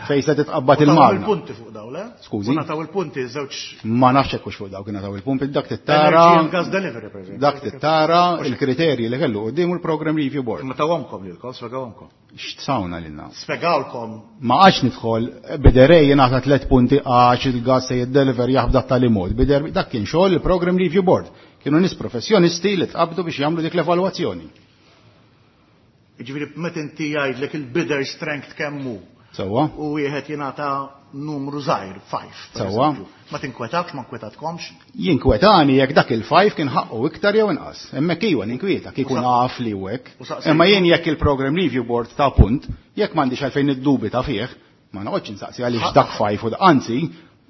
Fejn se titqabbad U taw il-magna? il-punti fuq daw, le? Skużi? U nataw il-punti żewġ Ma nafx hekk hux fuq daw kien nataw il-punti, dak tittara. Energy and gas delivery, per eżempju. Dak tittara il-kriterji li kellu qudiemu l-program review board. Ma tawhomkom lilkom, spjegawhomkom. X'tsawna lilna? Spjegawlkom. Ma għax nidħol biderej jingħata 3 punti għax il-gas se jiddeliver jaħbda tali mod. Bider dak kien xogħol il-program review board. Kienu nies professjonisti li tqabdu biex jagħmlu dik l-evalwazzjoni. Jiġifieri meta inti jgħidlek il-bidder strength kemm hu. Sewwa. U wieħed jingħata numru żgħir, 5. per Sewwa. eżempju. Ma tinkwetakx, ma nkwetatkomx. Jinkwetani jekk dak il-5 kien ħaqqu iktar jew inqas. Hemmhekk iwa ninkwieta kieku naf li hu hekk. U saqsejtu- Imma jien jekk il-program review board ta' punt, jekk m'għandix għalfejn niddubita fih, ma noqgħodx insaqsi għaliex dak 5 u anzi,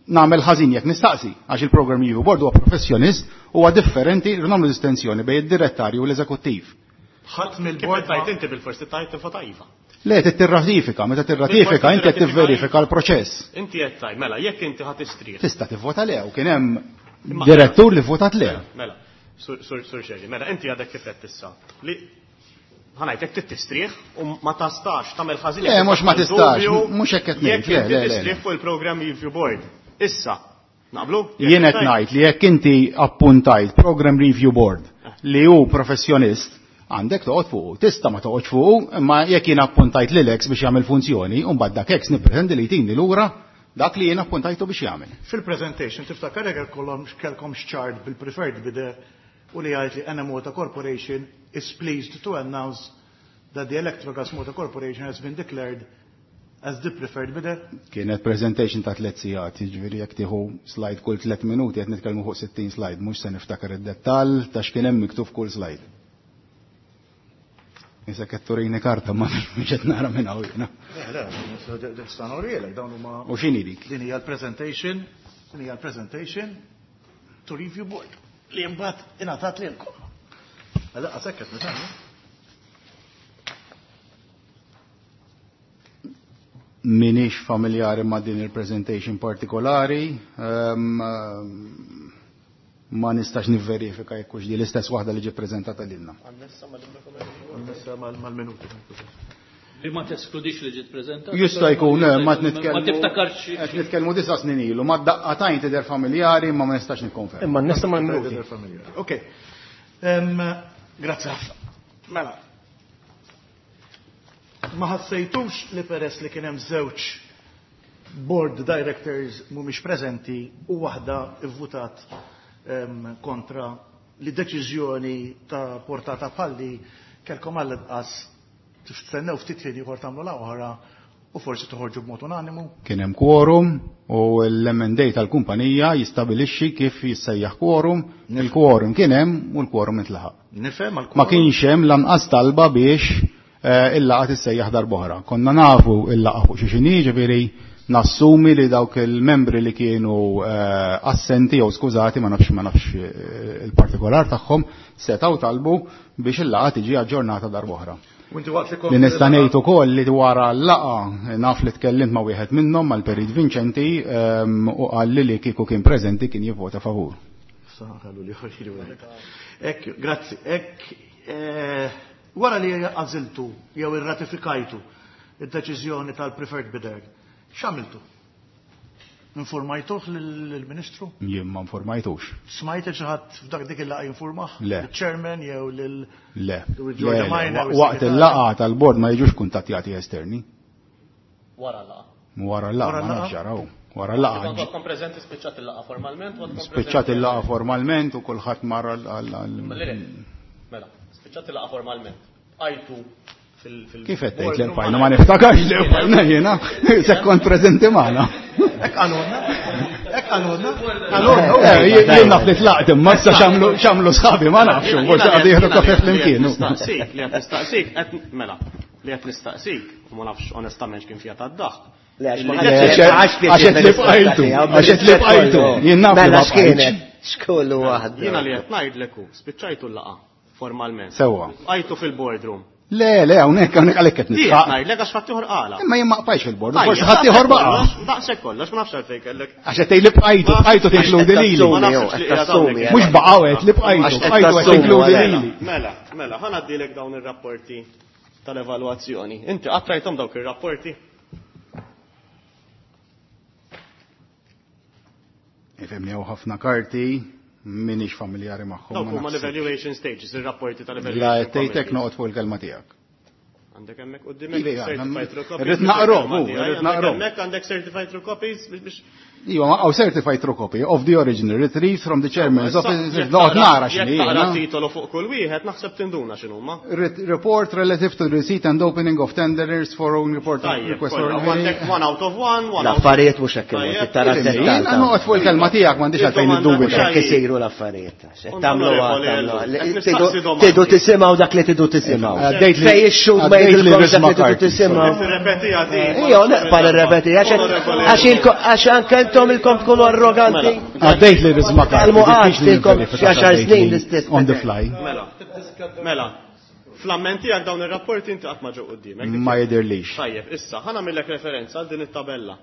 nagħmel ħażin jekk nistaqsi, għax il-program review board huwa professjonist huwa differenti rridu nagħmlu distinzjoni bejn id-direttarju u l-eżekuttiv. Ħadd mill-bord Kif tajt inti bil-forsi tajt tifota iva. Le, trid tirratifika, meta tirratifika inti qed tivverifika l-proċess. Inti qed tgħid, mela, jekk inti ħa tistrieħ. Tista' tivvota le, u kien hemm direttur li votat le. Mela, Sur Scerri, mela inti għadek kif qed issa li ħa ngħidlek trid tistrieħ u ma tastax tagħmel ħażin. Le, mhux ma tistax, mhux hekk qed ngħid. Jekk inti tistrieħ fuq il-Programme Review Board. Issa, naqblu? Jien qed ngħid li jekk inti appuntajt Programme Review Board li hu professjonist, għandek toqgħod fuqu. Tista' ma toqgħodx fuqu, imma jekk jien appuntajt lil ex biex jagħmel funzjoni, u mbagħad dak ex nippretendi li jtini lura dak li jien appuntajtu biex jagħmel. Fil-presentation tiftakar jekk kellkom chart bil-preferred bidder u li jgħid li Enemalta Corporation is pleased to announce that the Electrogas Malta Corporation has been declared as the preferred bidder? Kienet presentation ta' 3 sigħat, jiġifieri jekk tieħu slide kull 3 minuti qed nitkellmu fuq 60 slide, mhux se niftakar id-dettall ta' x'kien hemm miktub f'kull slide. Issa qed turini karta ma mhux qed nara minn hawn jiena. Le, le, nista' nurielek dawn huma. U x'inhi dik? Din hija l-presentation, din hija l-presentation to review board li mbagħad ingħatat lilkom. Għalla qasek qed nitgħallem. Minix familjari ma' din il-presentation partikolari, ma nistax nivverifika jekk hux di l-istess waħda li ġie ppreżentata lilna. Annessa mal-minuti. Li ma teskludix li ġiet preżentata. Jista' jkun, ma nitkellmu. Ma tiftakarx. Qed nitkellmu 9 snin ilu, ma daqqa tajn tidher familjari ma ma nistax nikkonferma. Imma annessa mal-minuti. Ok. Grazzi ħafna. Mela. Ma ħassejtux li peress li kien hemm żewġ board directors mhumiex preżenti u waħda ivvutat kontra li deċiżjoni ta' portata palli kelkom għall-inqas tistennew ftit ħin ieħor tagħmlu la oħra u forsi toħorġu b'mod unanimu? Kien hemm quorum u l-M&A tal-kumpanija jistabilixxi kif jissejjaħ quorum, il-quorum kien hemm u l-quorum intlaħaq. Nifhem għall-quorum. Ma kienx hemm lanqas talba biex il-laqgħa tissejjaħ darb'oħra. Konna nafu il-laqgħa fuq xi xini, ġifieri nassumi li dawk il-membri li kienu assenti jew skużati ma nafx ma nafx il-partikolar tagħhom setgħu talbu biex il-laqgħa tiġi aġġornata darb'oħra. U inti waqt li kont Li nista' ngħid ukoll li wara l-laqgħa naf li tkellimt ma' wieħed minnhom mal-Perit Vincenti u qal li li kieku kien preżenti kien jivvota favur. Saħalu li ħoġri wara. Ekk, grazzi. Ekk, wara li għażiltu jew irratifikajtu id-deċiżjoni tal-preferred bidder, x'għamiltu? Informajtuh lill-Ministru? Jien ma informajtux. Smajt xi ħadd f'dak dik il-laqgħa jinformah? Le. Il-chairman jew lil Le. George Le, le. Minor, Waqt il-segretarju? il-laqgħa tal-bord ma jiġux kuntattjati esterni. Wara l-laqgħa. Wara l-laqgħa, Wara ma l-laqgħa? nafx ġaraw. Wara l-laqgħa. Kont għadkom preżenti spiċċat il-laqgħa formalment, u għadkom Spiċċat preżenti il-laqgħa formalment u kulħadd mar għal Le, le. Mela, spiċċat il-laqgħa formalment. Għajtu fil- Kif qed tgħid li bqajna? Ma niftakarx li bqajna jiena, se kont preżenti magħna. Hekk qalulna, hekk qalulna, qalulna. Jien naf li tlaqt imma issa x'għamlu sħabi ma nafx, forsi qagħdu jieħdu kafe flimkien. Nistaqsik, li qed nistaqsik, qed mela, li qed nistaqsik, u ma nafx onestament x'kien fiha tad-daħk. Le, għax ma Li ħadd qed għax Għax qed li bqajtu, għax qed li bqajtu, jien naf li Mela ma bqajtx. x'kienet, x'kollu waħda. Jiena li qed ngħidlek hu, spiċċajtu l-laqgħa formalment. Sewwa. Bqajtu fil-boardroom. Le, le, hawnhekk, hawnhekk għalhekk qed Jien nitħaq. ngħidlek għax ħadd ieħor qala. Imma jien ma qbajx fil-board, Tajjeb, forsi ħadd ieħor baqa'. Daqshekk kollox, ma nafx għalfejn kellek. Għax qed tgħid li bqajtu, bqajtu tinkludi lili. Ma nafx li qiegħed hawnhekk. Mhux baqgħu qed li bqajtu, Għax qed bqajtu qed tassumu, tinkludi għalhekk. lili. Mela, mela, ħa ngħaddilek dawn ir-rapporti tal-evalwazzjoni. Inti qatt rajthom dawk ir-rapporti? Ifhimni hawn ħafna karti, minix familjari magħhom. Dawk ma huma naħsibx. l-evaluation stages, ir-rapporti tal-evaluation. La qed tgħidlek committee. noqgħod fuq il-kelma tiegħek. Għandek hemmhekk quddiemek Iva, certified true copies. irrid naqrom, hu, irrid naqrom. Hemmhekk għandek certified true copies biex Iva, ma hawn certified true copy of the original retrieved from the chairman's office. Jekk Noqgħod nara jekk x'inhi. taqra jiena. titolu fuq kull wieħed naħseb tinduna x'inhuma. Report relative to the receipt and opening of tenders for own report Tajjeb, request kollha. for U għandek one out of one, one out L-affarijiet mhux hekk imur, Tajjeb. tara Jien dettal. noqgħod fuq il-kelma tiegħek m'għandix għalfejn Il-domanda niddubita. mhux Hekk isiru l-affarijiet. Qed tagħmlu Onorevoli tagħmlu. Ellul, qed nistaqsi domandi. Tidu tisimgħu dak li tidu tisimgħu. Għaddejt li- Fej ix-xhud ma għaddejt li jgħidilkomx dak Risma li tidu Karti. tisimgħu. Qed nirrepetiha din. Ija, neqpa nirrepeti, Onorevoli għax ilko- għax anke intom ilkom tkunu arroganti. Għaddejt li Risma Karti. Għalmu għax diffiċli tilkom nivverifika xi għaxar x'għaddejt snin li l-istess. On the fly. Mela, mela. Fl-amment tiegħek dawn ir-rapporti inti qatt ma ġew quddiemek. Ma jidhirlix. Tajjeb, issa ħa nagħmillek referenza għal din it-tabella.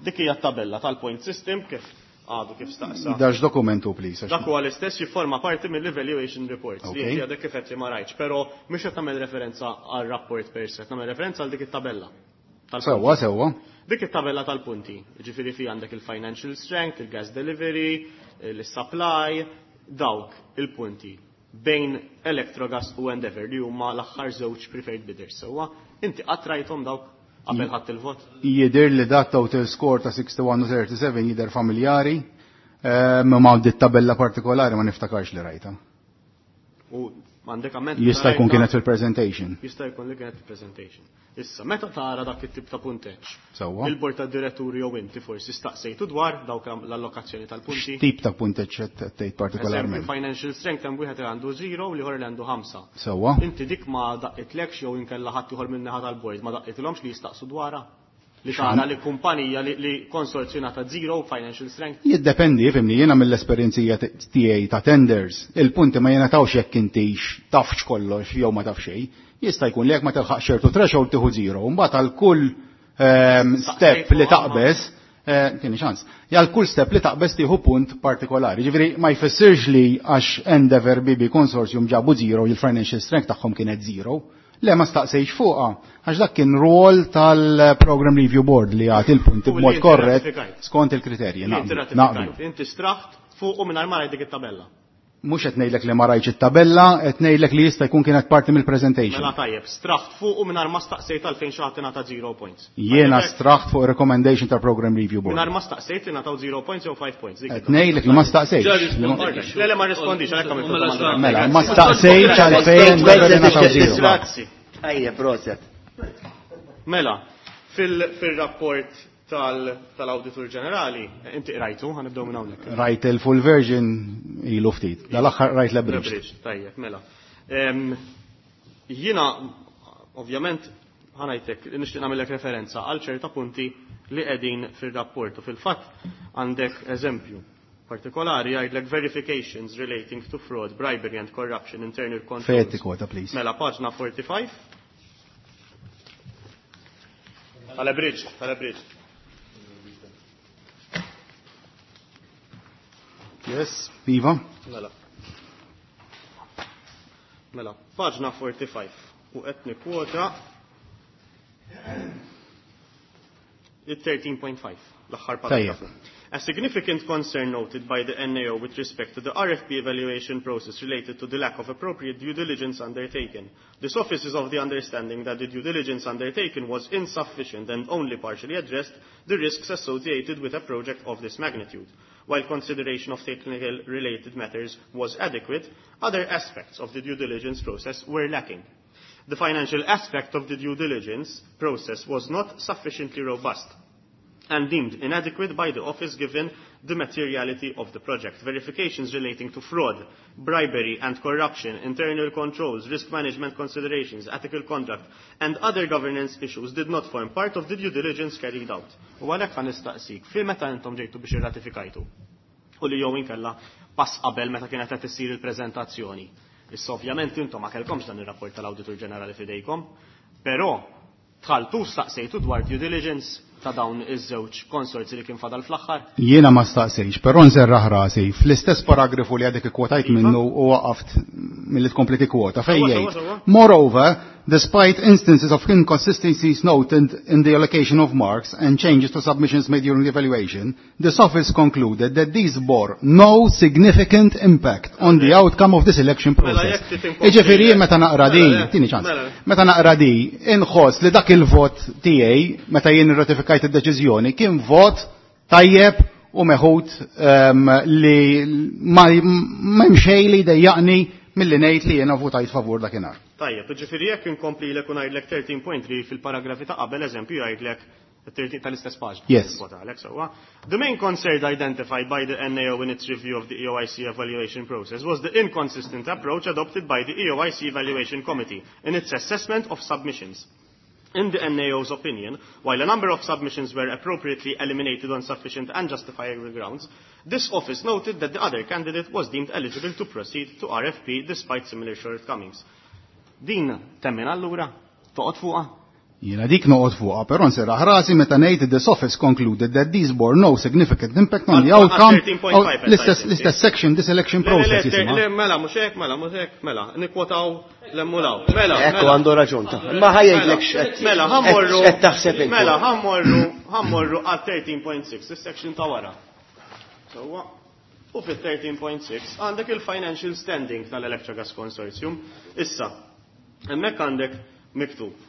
Dik hija t-tabella tal-point system kif għadu kif staqsa. Dax dokumentu, please. Dak huwa l-istess jifforma parti mill-evaluation reports li inti għadek kif qed li ma rajtx, però mhux qed nagħmel referenza għar-rapport per se, qed nagħmel referenza għal dik it-tabella. Sewwa, sewwa. Dik it-tabella tal-punti, ġifieri fi għandek il-financial strength, il-gas delivery, il-supply, dawk il-punti bejn Electrogas u Endeavour li huma l-aħħar żewġ preferred bidders. Sewwa, inti qatt rajthom dawk qabel ħadd il-vot? Jidher li dat total score ta' 61 u 37 jidher familjari, ma dit tabella partikolari ma niftakarx li rajta. U għandek amment Jista' jkun kienet fil-presentation. Jista' jkun li kienet fil-presentation. Issa, meta tara dak it-tip ta' punteġġ? Sewwa. Il-bord tad-diretturi jew inti forsi staqsejtu dwar dawk l-allokazzjoni tal-punti? X'tip ta' punteġġ qed tgħid partikolarment? Eżempju, financial strength hemm wieħed li għandu 0 u l-ieħor li għandu 5. Sewwa. Inti dik ma daqqitlekx jew inkella ħadd ieħor min-naħa tal-bord ma daqqitilhomx li jistaqsu dwarha? Li tara li kumpanija li konsorzju ngħata 0 financial strength? Jiddependi, fimni, jiena mill-esperjenzija tiegħi ta' tenders, il-punti ma jingħatawx jekk intix tafx kollox jew ma taf xejn. Jista' jkun li jekk ma tilħaq ċertu threshold tieħu 0, mbagħad għal kull step li taqbeż, tieni ċans, għal kull step li taqbeż tieħu punt partikolari. Ġifieri ma jfissirx li għax Endeavour BB Consortium ġabu 0 il-financial strength tagħhom kienet 0. Le ma staqsejx fuqha, għax dak kien rol tal-Program Review Board li jagħti il-punti U li b'mod inti korrett ratifikajt. skont il-kriterji. Li inti Naqblu, ratifikajt. naqblu. Inti straħt fuq u mingħajr ma rajt dik it-tabella. Mhux qed ngħidlek li ma rajtx it-tabella, qed ngħidlek li jista' jkun kienet parti mill-presentation. Mela tajjeb, straħt fuq u mingħajr ma staqsejt għalfejn xi ħadd ingħata 0 points. Jiena Tajjeb, straħt fuq recommendation tal-Program Review Board. Mingħajr ma staqsejt li ngħataw 0 points jew 5 points. Dik Qed ngħidlek li ma staqsejtx. Ġa rispondejt. Le, le, ma rispondix, għalhekk għamilt Mela domanda. sa- Mela, ma staqsejtx għalfejn ngħataw 0. Grazzi. Ejja, proset. Mela, fil-rapport tal-Awditur Ġenerali, inti qrajtu, ħanibdew minn hawnhekk. Rajt il-full version ilu ftit. Dal-aħħar rajt l-abridged. L-abridged, tajjeb, mela. Jiena, ovvjament, ħanajtek, nixtieq nagħmellek referenza għal ċerta punti li qegħdin fir-rapport u fil-fatt għandek eżempju partikolari jgħidlek verifications relating to fraud, bribery and corruption, internal controls. Fejn tikkwota, please. Mela, paġna 45. Tal-abridged, tal-abridged. Yes, Iva. Mela. Mela, paġna 45. U qed nikkwota il-13.5, l-aħħar paragrafu. Tajjeb. A significant concern noted by the NAO with respect to the RFP evaluation process related to the lack of appropriate due diligence undertaken. This office is of the understanding that the due diligence undertaken was insufficient and only partially addressed the risks associated with a project of this magnitude. While consideration of technical related matters was adequate, other aspects of the due diligence process were lacking. The financial aspect of the due diligence process was not sufficiently robust and deemed inadequate by the office given the materiality of the project. Verifications relating to fraud, bribery and corruption, internal controls, risk management considerations, ethical conduct and other governance issues did not form part of the due diligence carried out. U għalhekk ħa nistaqsik, fil meta intom ġejtu biex irratifikajtu u li jew inkella pass qabel meta kienet qed issir il-preżentazzjoni. Issa ovvjament intom ma kellkomx dan ir-rapport tal-Awditur Ġenerali f'idejkom, però dħaltu staqsejtu dwar due diligence ta' dawn iż-żewġ konsorzi li kien fadal fl-aħħar? Jiena ma staqsejx, però nserraħ rasi fl-istess paragrafu li għadek ikkwotajt minnu u waqaft milli tkompli tikkwota fejn Sewwa, jgħid. sewwa, sewwa. Moreover, despite instances of inconsistencies noted in the allocation of marks and changes to submissions made during the evaluation, this office concluded that these bore no significant impact on the outcome of the selection Mela, process. jekk trid inkompli- Iġifieri jien meta naqra Mela, din, le, tieni ċans. mela, le. Meta naqra di, inħoss li dak il-vot tiegħi meta jien irratifikajt id-deċiżjoni kien vot tajjeb u meħud li ma hemm xejn li jdejjaqni milli ngħid li jiena votajt favur dakinhar. Tajjeb, ġifieri jekk inkomplilek u ngħidlek 13.3 fil-paragrafi ta' qabel eżempju jgħidlek 13 tal-istess paġna. Yes. Kwota għalek sewwa. The main concern identified by the NAO in its review of the EOIC evaluation process was the inconsistent approach adopted by the EOIC Evaluation Committee in its assessment of submissions. In the NAO's opinion, while a number of submissions were appropriately eliminated on sufficient and justifiable grounds, this office noted that the other candidate was deemed eligible to proceed to RFP despite similar shortcomings. Din temmen allura? Toqgħod fuqha? Jiena dik noqgħod fuqha, però nserraħ rasi meta ngħid this office concluded that these bore no significant impact on the outcome. L-istess l-istess section, this election process jisimha. Le, mela mhux hekk, mela mhux hekk, mela nikkwotaw l-emmulaw. Mela. Ekku għandu raġun ta' Ma ħajjgħidlek x'qed. Mela ħammorru. Qed taħseb inti. Mela ħammorru ħammorru għal 13.6, is-section ta' wara. Sewwa. U fit-13.6 għandek il-financial standing tal-Electrogas Consortium. Issa, hemmhekk għandek miktub.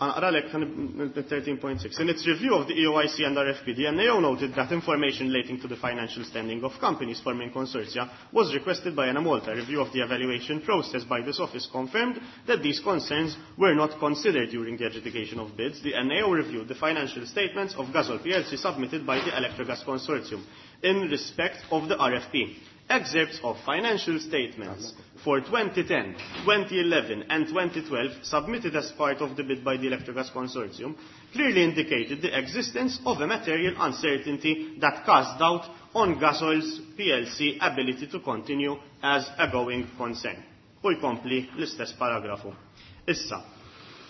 Ħanaqralek 13.6. In its review of the EOIC and RFP, the NAO noted that information relating to the financial standing of companies forming consortia was requested by Enemalta. Review of the evaluation process by this office confirmed that these concerns were not considered during the adjudication of bids. The NAO reviewed the financial statements of Gasol PLC submitted by the Electrogas Consortium in respect of the RFP. Excerpts of financial statements for 2010, 2011 and 2012 submitted as part of the bid by the Electrogas Consortium clearly indicated the existence of a material uncertainty that cast doubt on Gasoil's PLC ability to continue as a going concern. U jkompli l-istess paragrafu. Issa,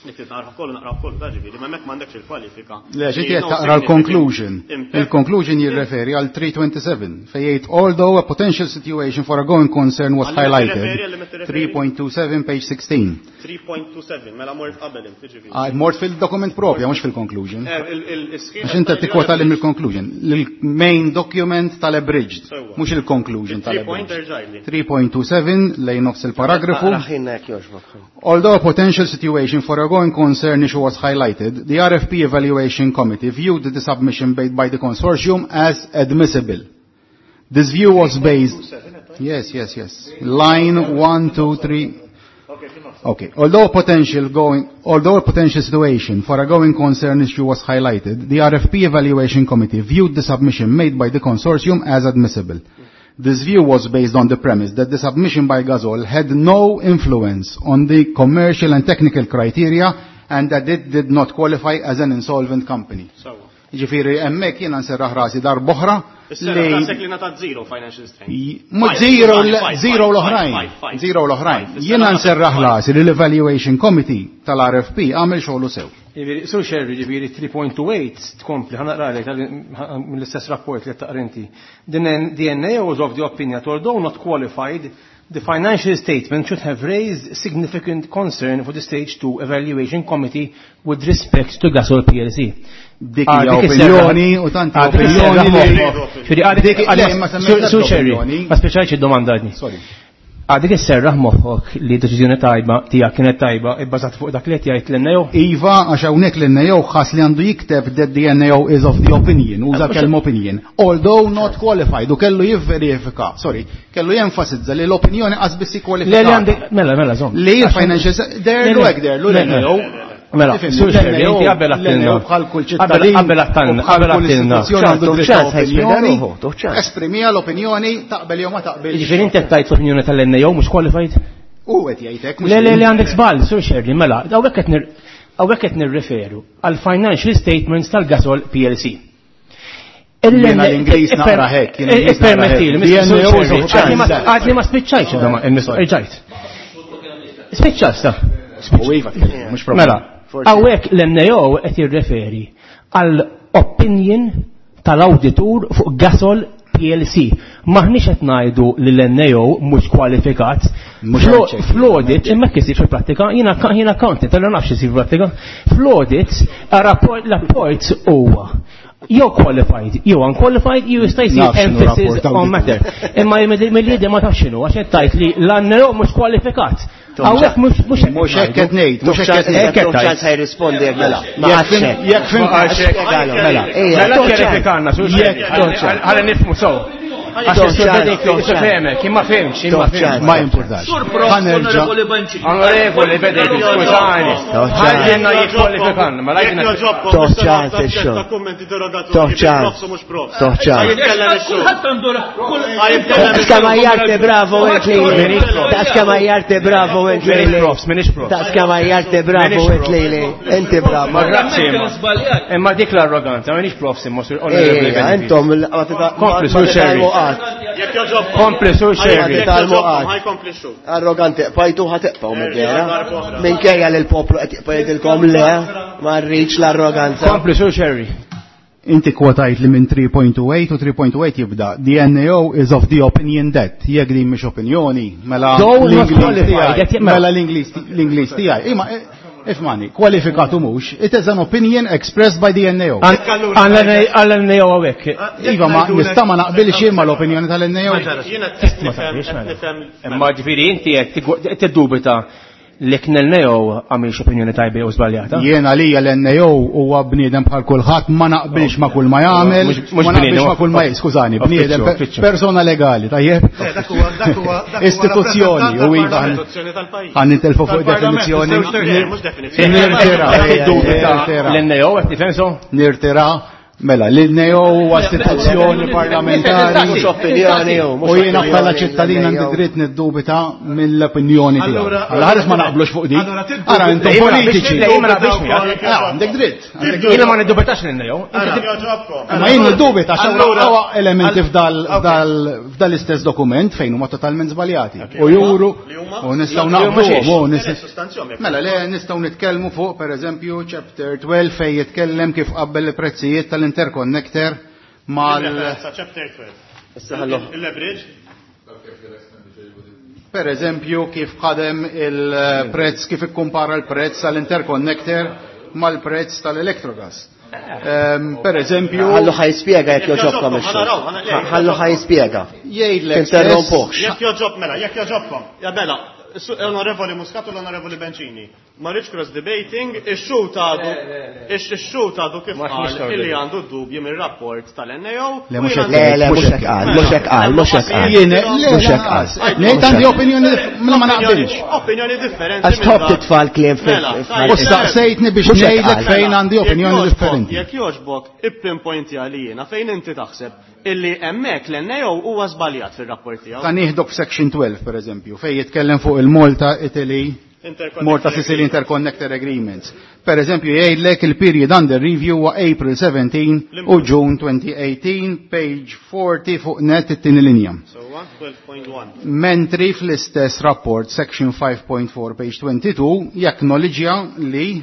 Nik naqra kollu naqra kollu da ġifieri, ma hemmhekk m'għandekx il-kwalifika. Le, xi qed taqra l-conclusion. Il-conclusion jirreferi għal 327 fejn jgħid although a potential situation for a going concern was highlighted. 3.27 page 16. 3.27 mela mort qabel inti ġifieri. Ah, mort fil-dokument propja mhux fil-conclusion. Għax inti tikkwota li mill-conclusion. Il-main document tal-abridged, mhux il-conclusion tal-abridged. 3.27 lejn nofs il-paragrafu. Although a potential situation for a going concern issue was highlighted, the RFP Evaluation Committee viewed the submission made by the consortium as admissible. This view was based... Yes, yes, yes. Line 1, 2, 3... Okay. Although potential going, although a potential situation for a going concern issue was highlighted, the RFP Evaluation Committee viewed the submission made by the consortium as admissible. This view was based on the premise that the submission by Gasol had no influence on the commercial and technical criteria and that it did not qualify as an insolvent company. Ġifiri, emmek jena nserraħ rasi dar boħra. Li li nata zero financial strength. Mux zero, zero l-oħrajn. Zero l-oħrajn. Jena nserraħ rasi li l-Evaluation Committee tal-RFP għamil xogħlu sew. Ġifieri, Sur Sherry, ġifieri 3.28 tkompli, ħa naqralek mill-istess rapport li taqrinti. The NAO was of the opinion that although not qualified, the financial statement should have raised significant concern for the Stage 2 Evaluation Committee with respect to Gasol PLC. Dik hija opinjoni u tanti opinjoni li. Sur Sherry, ma speċajx id-domanda għadni. Sorry. Għadik isserraħ moħħok li deċiżjoni tajba tiegħek kienet tajba ibbażat fuq dak li qed jgħid l-NAO? Iva, għax hawnhekk l-NAO ħass li għandu jikteb that the NAO is of the opinion, uża kelma opinion, although not qualified, u kellu jivverifika, sorry, kellu jenfasizza li l-opinjoni qas biss kwalifikata. Le li għandek, mela, mela, żomm. Li l-financial, derlu hekk derlu l-NAO. Mela, sur Sherry, inti qabel għattilna. Bħal kull ċittadin. Qabel għattilna, qabel għattilna. Esprimija l-opinjoni taqbel jew ma taqbel. Ġifieri inti qed tgħid l-opinjoni tal-NAO mhux qualified? U qed jgħidek. Le, le, le għandek żball, sur Sherry, mela, hawnhekk qed nirreferu għal financial statements tal-Gasol PLC. Jiena l-Ingliż naqra hekk. Permettili, għadni ma spiċċajx id-domanda, Spiċċa sta. Mela, hawnhekk l-NAO qed jirreferi għal opinion tal-awditur fuq Gasol PLC. Maħniex qed ngħidu li l-NAO mhux kwalifikat. Fl-audit, imma kif isir fil-prattika, jiena accountant, allura nafx isir fil-prattika. Fl-audit, l-rapport huwa jew qualified, jew unqualified, jew jista' jsir emphasis on matter. Imma mill-liedi ma tafx x'inhu għax qed tgħid li l-NAO mhux kwalifikat. Hawnhekk mhux mhux mhux hekk qed ngħid, mhux hekk qed ngħid. Ċans ħajrispondi jekk mela. Jekk fim mela. Mela kjerifikanna, ħalli nifhmu sew. Għax is-sur femek, imma fimx, imma fimx. Ma jimpurtax. Ħanerġa'. Onorevoli Bedek, skużani. Ħalli jikkwalifikanna, ma lajna. Toħċan ix-xogħol. Toħċan. Toħċan. Skamajjarte bravo ent lili. Ta' skamajjarte bravo ent lili. Ta' skamajjarte bravo ent lili. Inti bravo. Ma grazzi imma. Imma dik l-arroganza, minix profs imma sur onorevoli. Intom Kompli sur Sherry. Jekk jogħġobkom. Kompli sur Scerri. Jekk jogħġobkom, ħa jkompli x-xhud. Arroganti, qbajtu ħa tibqgħu mid-dehra. Minkejja li l-poplu qed jibqa' jgħidilkom le, ma rridx l-arroganza. Kompli sur Scerri. Inti kwotajt li minn 3.28 u 3.28 jibda. The NAO is of the opinion that. Jekk din mhix opinjoni, mela Though not l-Ingliż qualified, tiegħi- qed jibqa'. mela l-Ingliż tiegħi. Imma ifmani, kwalifikatu mhux, it is an opinion expressed by the NAO. Għall-NAO hawnhekk. Iva, ma nista' ma naqbilx imma l-opinjoni tal-NAO. Jiena qed nifhem, qed nifhem. Imma ġifieri inti qed tiddubita li kien l-NAO għamilx opinjoni tajba jew żbaljata. Jien għalija l-NAO huwa bniedem bħal kulħadd ma naqbilx ma kull ma jagħmel, Mhux- ma mhux naqbilx bniedem, ma kull ma skużani, uffiċċju, bniedem uffiċċju. persona legali, tajjeb? Le, dak huwa dak huwa dak huwa Istituzzjoni u iva Istituzzjoni tal-pajjiż. ħan nitilfu fuq Tal-Parlament, definizzjoni. żewġ mhux definizzjoni. Nirtira, Qed tiddubita nirtira. l-NAO qed tifhem so? Nirtira, mela, l-NAO huwa istituzzjoni parlamentari. Mhux opinjoni hu, mhux U jiena opinjoni bħala ċittadin għandi l-NAO. dritt niddubita mill-opinjoni tiegħu. Allura- Alla ħares ma naqblux fuq dik. Allura tiddubita- Ara intom Le, jien ma politiċi. naqbilx- le, jien ma naqbilx miegħek. Ah, Għandek dritt. għandek dritt. Jiena ma niddubitax l-NAO. Jogħġobkom. Ma jien niddubita għax Allura- hawn elementi All- f'dal f'dal-istess dokument fejn huma totalment żbaljati. U juru Li huma? u nistgħu Li huma naqblu xiex? u Le, nistgħu sostanzjom, jekk Mela le nistgħu nitkellmu fuq pereżempju chapter 12 fejn jitkellem kif qabbel il-prezzijiet tal-interconnector mal Referenza chapter 12. Issa ħallu. Il-leverage. Per eżempju, kif ħadem il-prezz, kif ikkumpara l-prezz tal-interconnector mal-prezz tal-electrogas. Per eżempju, Ħallu ħa jispjega jekk jogħġobkom Jekk ix-xhud. ħa naraw, ħa naraw. Ħallu ħa jispjega. jgħidlek Tinterrompuhx. Jekk jogħġob mela, jekk jogħġobkom. Ja mela, Onorevoli Muscat u l-Onorevoli Bencini. Ma rridx cross debating, ix-xhud għadu, ix-xhud għadu kif Ma qal nistgħu illi nibdew. għandu dubji mir-rapport tal-NAO. Le, u mhux jiena hekk Le, le, mhux hekk qal, mhux hekk qal, mhux hekk qal. Jien, le, Mhux hekk qal. lanqas. Ngħid għandi opinjoni, mela ma naqbilx. Opinjoni differenti. Għax minn tħobb dak. titfa' l-kliem fil- Mela, fil- tajjeb. U staqsejtni biex Mhux hekk ngħidlek qal. fejn għandi Jekk opinjoni jogħġbok- differenti. Jekk jogħġbok, ippinpointi għalina fejn inti taħseb illi hemmhekk l-NAO huwa żbaljat fir-rapport tiegħu. Ta' nieħdok f'section 12, per eżempju, fejn jitkellem fuq il-Malta, Italy, Interconnector Malta Sicily Interconnector Agreements. Per eżempju, jgħidlek il-period under review huwa April 17 u June 2018, page 40 fuq net it-tieni linja. So 12.1. Mentri fl-istess rapport, section 5.4, page 22, jacknowledġja li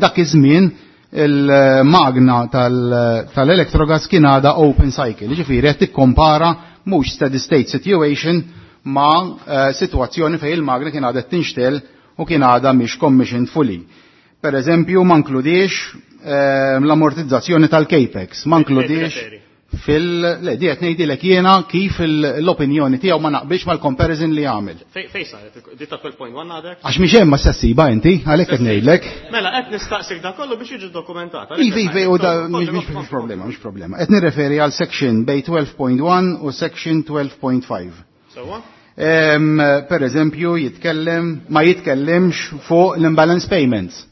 dak iż-żmien il-magna tal-electrogas kien għadha open cycle, ġifieri qed tikkompara mhux steady state situation ma' situazzjoni fejn il-magna kien għadha tinxtel u kien għadha mhix commissioned fully. Per eżempju, ma nkludiex l-ammortizzazzjoni tal-CAPEX, ma nkludiex Referi. fil... Le, di qed ngħidilek jiena kif l-opinjoni tiegħu ma naqbilx mal-comparison li għamel. Fej saret, di ta' 12.1 għadek? Għax mhix hemm ma ssibha inti, għalhekk qed ngħidlek. Mela, qed nistaqsik da kollu biex jiġi dokumentat. Ivi, ivi, u da mhix mhix problema, mhix problema. Qed nirreferi għal section bej 12.1 u section 12.5. Sewwa? Per eżempju, jitkellem, ma jitkellimx fuq l-imbalance payments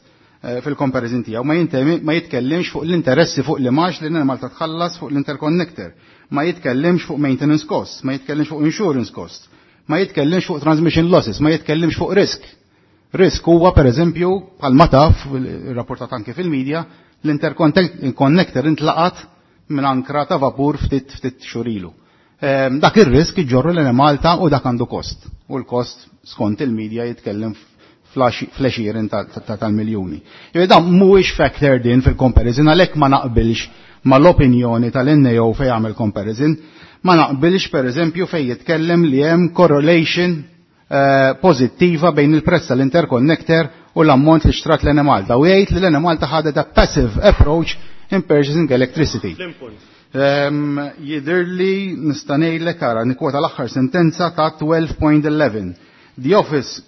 fil-comparison tiegħu, ma jitkellimx fuq l-interessi fuq l-imax li Malta tħallas fuq l-interconnector, ma jitkellimx fuq maintenance costs, ma jitkellimx fuq insurance costs, ma jitkellimx fuq transmission losses, ma jitkellimx fuq risk. Risk huwa per eżempju, bħalma taf, rapportat anke fil-medja, l-interconnector intlaqat minn ankra ta' vapur ftit ftit xurilu. Dak ir-risk iġorru l Malta u dak għandu kost. U l-kost skont il-medja jitkellem fl-għexieren tal-miljuni. Jew dan mhuwiex factored in fil-comparison għalhekk ma naqbilx mal-opinjoni tal-NAO fejn jagħmel comparison, ma naqbilx per eżempju fejn jitkellem li hemm correlation pożittiva bejn il-prezz tal-interconnector u l-ammont li xtrat l-Enemalta. U jgħid li l-Enemalta ħadet a passive approach in purchasing electricity. Jidhirli nista' ngħidlek ara nikwota l-aħħar sentenza ta' 12.11. The office,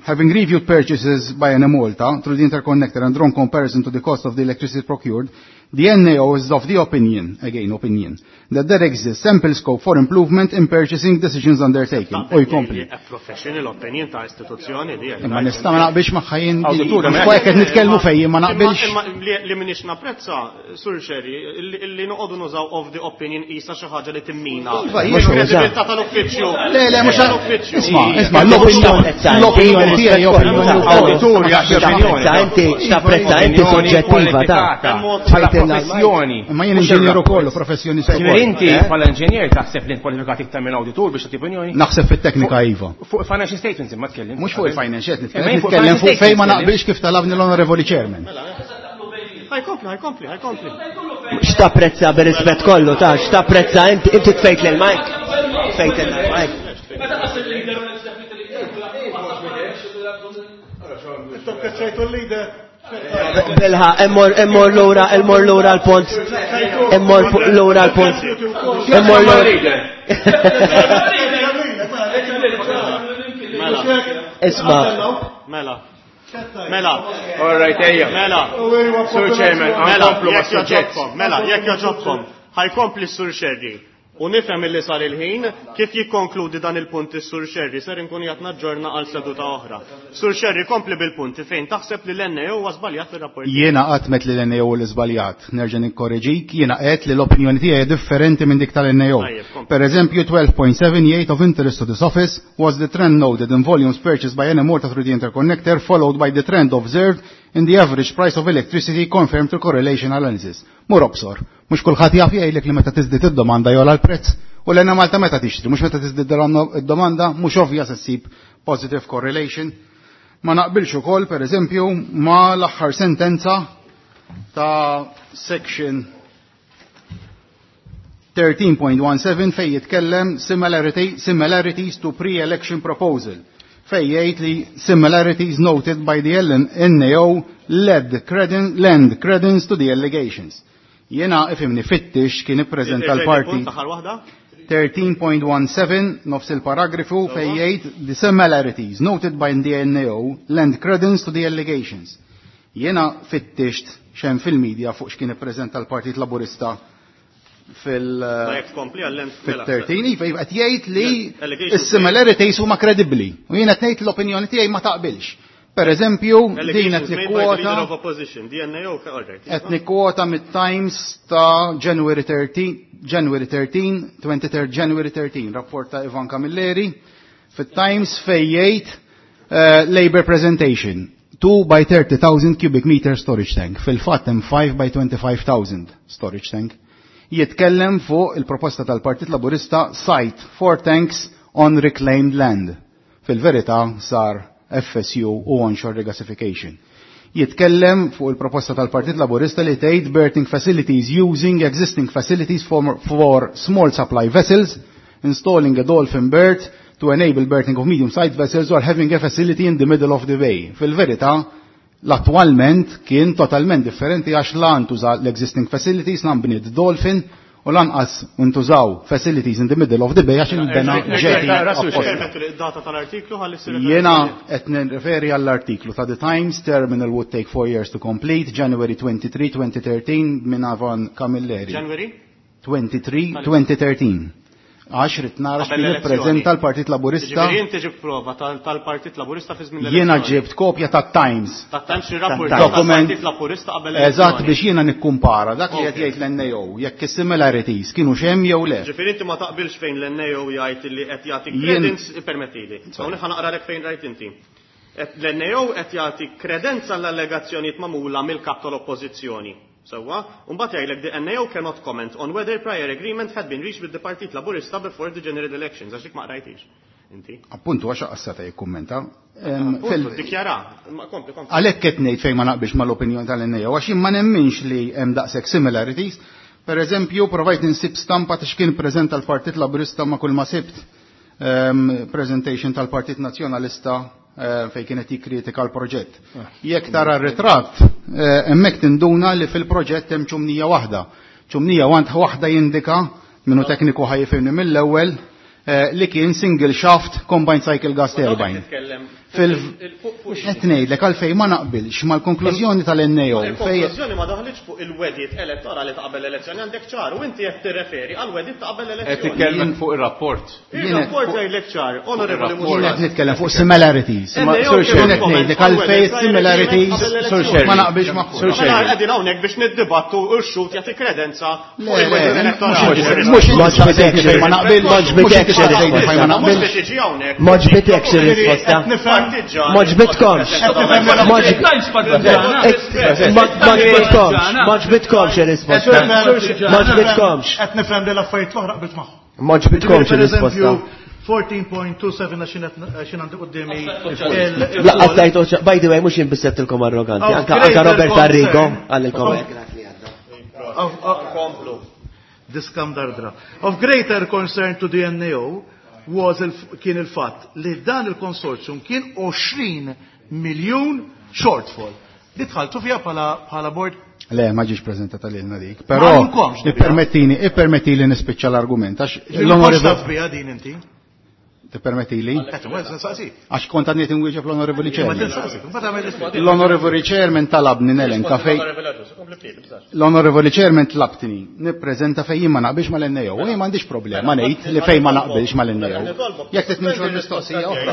having reviewed purchases by Enemalta through the interconnector and drawn comparison to the cost of the electricity procured, the NAO is of the opinion, again opinion, that there exists ample scope for improvement in purchasing decisions undertaken. U jkompli. A professional opinion ta' istituzzjoni di. Imma nista' ma naqbilx magħha jien. Awditur, Mhux qed nitkellmu fejn ma naqbilx. Imma li minix napprezza, Sur Scerri, li noqogħdu nużaw of the opinion isa xi ħaġa li timmina. Iva, mhux Il-kredibilità tal-uffiċċju. Le, le, mhux tal-uffiċċju. Isma', isma', l-opinjoni l-opinjoni tiegħi opinjoni Awditur jagħti opinjoni. Tapprezza inti, tapprezza inti Opinjoni soġġettiva ta' kwalifikata. professjoni. Imma jien inġinier ukoll u professjonista Ġifieri ukoll. inti bħala inġinier taħseb li kwalifikat iktar minn awditur biex tagħti opinjoni? Naħseb fit-teknika iva. Fuq financial statements imma tkellim. Mhux fuq il-financial, Imma jien nitkellem fuq financial fejn ma statements naqbilx kif talabni l-Onorevoli Chairman. Ħajkompli, ħajkompli, ħajkompli. X'tapprezza bir-rispett kollu ta' x'tapprezza inti inti tfejt lil Mike. Tfejt lil Mike. Tokkeċċajtu l-lider. Bilħa, immur immur lura, immur lura l-punt. Immur lura l-punt. Immur lura. Isma. Mela. Mela. All right, ejja. Mela. Sur Chairman, Mela, nkomplu ma' jekk suġġett. joġobkom, mela, jekk joġobkom, ħajkompli s-Sur Sherry. U nifhem illi sar il-ħin kif jikkonkludi dan il-punt is-Sur Sherry ser inkun qed naġġorna għal seduta oħra. Sur Sherry kompli bil-punti fejn taħseb li l-NAO huwa żbaljat fir-rapport. Jiena qatt met li l-NAO li żbaljat, nerġa' nikkoreġik, jiena qed li l-opinjoni tiegħi differenti minn dik tal-NAO. Tajjeb, kompli. Per eżempju, 12.78 of interest to this office was the trend noted in volumes purchased by Enemalta through the interconnector followed by the trend observed in the average price of electricity confirmed through correlation analysis. Mur obsor, mhux kulħadd jaf jgħidlek li meta tiżdied id-domanda jola l-prezz. U l Malta meta tixtri, mhux meta tiżdied id-domanda, mhux ovvja se ssib positive correlation. Ma naqbilx ukoll, per eżempju, ma l-aħħar sentenza ta' section 13.17 fej jitkellem similarity, similarities to pre-election proposal fej jgħid li similarities noted by the LNAO led creden, lend credence to the allegations. Jena ifimni fittix kien ippreżenta l-partit Aħħar waħda? 13.17 nofs il-paragrafu fej jgħid the similarities noted by the NAO lend credence to the allegations. Jena fittixt xem fil-medja fuq x'kien ippreżenta l-Partit Laburista fil- Ma jekk tkompli għall mela. fil-13 iva iva, qed jgħid li Allegations is-similarities huma kredibbli u jiena qed ngħid l-opinjoni tiegħi ma taqbilx. Per eżempju, din qed Allegations made by the leader nikkwota of opposition, DNAO, all right. qed nikkwota mit-Times ta' January 13, January 13, 23 January 13, rapport ta' Ivan Camilleri, fit-Times fej jgħid Labour presentation 2 by 30,000 cubic meter storage tank. Fil-fatt hemm 5 by 25,000 storage tank. Jitkellem fuq il-proposta tal-Partit Laburista site four tanks on reclaimed land. Fil-verità sar FSU u onshore regasification. Jitkellem fuq il-proposta tal-Partit Laburista li tgħid berthing facilities using existing facilities for small supply vessels, installing a dolphin berth to enable berthing of medium-sized vessels or having a facility in the middle of the bay. Fil-verità, l-attualment kien totalment differenti għax la ntuża l-existing facilities, la nbniet dolphin u lanqas ntużaw facilities in the middle of the bay għax inbena jetty apposta. Permettu li d-data tal-artiklu ħalli ssir Jena qed nirreferi għall-artiklu ta' The Times, Terminal would take four years to complete, January 23, 2013, minn Ivan Camilleri. January? 23, 2013. Għax rid nara Qabel x'kien l-elezzjoni. ippreżenta l-Partit Laburista. Ġifieri inti ġibt prova tal-Partit Laburista fi żmien Jiena l-elezzjoni. ġibt kopja ta' Times. Ta' Times ir-rapport Dokument. tal-Partit Laburista qabel Eżatt l-elezzjoni. biex jiena nikkumpara dak li qed Ok. jgħid l-NAO, jekk is-similarities kienu xem jew le. Ġifieri inti ma taqbilx fejn l-NAO jgħid li qed jagħti Jien- credence permettili. Hawnhekk ħa naqralek fejn rajt inti. L-NAO qed jagħti kredenza l-allegazzjonijiet magħmula mill-kap tal-Oppożizzjoni. Sewwa, u mbagħad jgħidlek the NAO cannot comment on whether prior agreement had been reached with the Partit Laburista before the general elections. Għax dik ma qrajtix. Inti. Appuntu għax aqas seta' jikkummenta. Appuntu, Dikjara. Ma kompli, kompli. Għalhekk qed ngħid fejn ma naqbilx mal-opinjoni tal-NAO għax jien ma nemminx li hemm daqshekk similarities. Per eżempju, provajt insib stampa ta' x'kien preżenta l-Partit Laburista ma' kull ma sibt presentation tal-Partit Nazzjonalista fejn kienet jikkritika l-proġett. Jekk tara r-ritratt, hemmhekk tinduna li fil-proġett hemm ċumnija waħda. Ċumnija waħda jindika minnu tekniku ħa jifhimni mill-ewwel li kien single shaft combined cycle gas turbine. Titkellem Fil- Qed ngħidlek għalfejn ma naqbilx mal-konklużjoni tal-NAO fej Il-konklużjoni ma daħlitx fuq il-wedit elettorali ta' qabel l-elezzjoni għandek ċar u inti qed tirreferi għal wedit ta' qabel Qed l-elezzjoni. titkellem fuq ir-rapport. Il-rapport jgħidlek ċar, onorevoli Jien Muscat. qed nitkellem fuq similarities. NAO Sur kien qed ngħidlek għalfejn similarities ma naqbilx magħhom. Mela qegħdin hawnhekk biex niddibattu u x-xut jagħti kredenza fuq Le, le, il-wedit elettorali. mhux inti staqsejtni fejn ma naqbilx, mhux inti staqsejtni fejn ma Mhux naqbilx. biex tiġi hawnhekk. Ma ġbitekx ir-risposta. Qed nifhem M'għoġbitkomx. M'għoġbitkomx. M'għoġbitkomx ir-risposta. M'għoġbitkomx. Qed nifhem li l-affarijiet l-oħra qbilt magħhom. M'għoġbitkomx ir-risposta. 14.27 għax għandi quddiemi. Laqqas tajtu, by the way, mhux jien biss għedtilkom arroganti, anka Robert Arrigo qalilkom hekk. Komplu. Diskam dardra. Of greater concern to the NAO was kien il-fatt li dan il-konsorzjum kien 20 miljun shortfall. Li dħaltu fiha bħala board? Le, ma ġiex preżentata lilna dik. Però ippermettini, ippermettili nispiċċa l-argument għax l-onorevoli biha din inti. Tippermettili? Għax kont għadni tinwieġeb l-Onorevoli Chairman. L-Onorevoli Chairman talabni nelenka fej. L-Onorevoli Chairman tlabtni nippreżenta fej jien ma naqbilx mal-NAO. U jien m'għandix problema ngħid li fej ma naqbilx mal-NAO. Jekk trid nimxu l-mistoqsija oħra.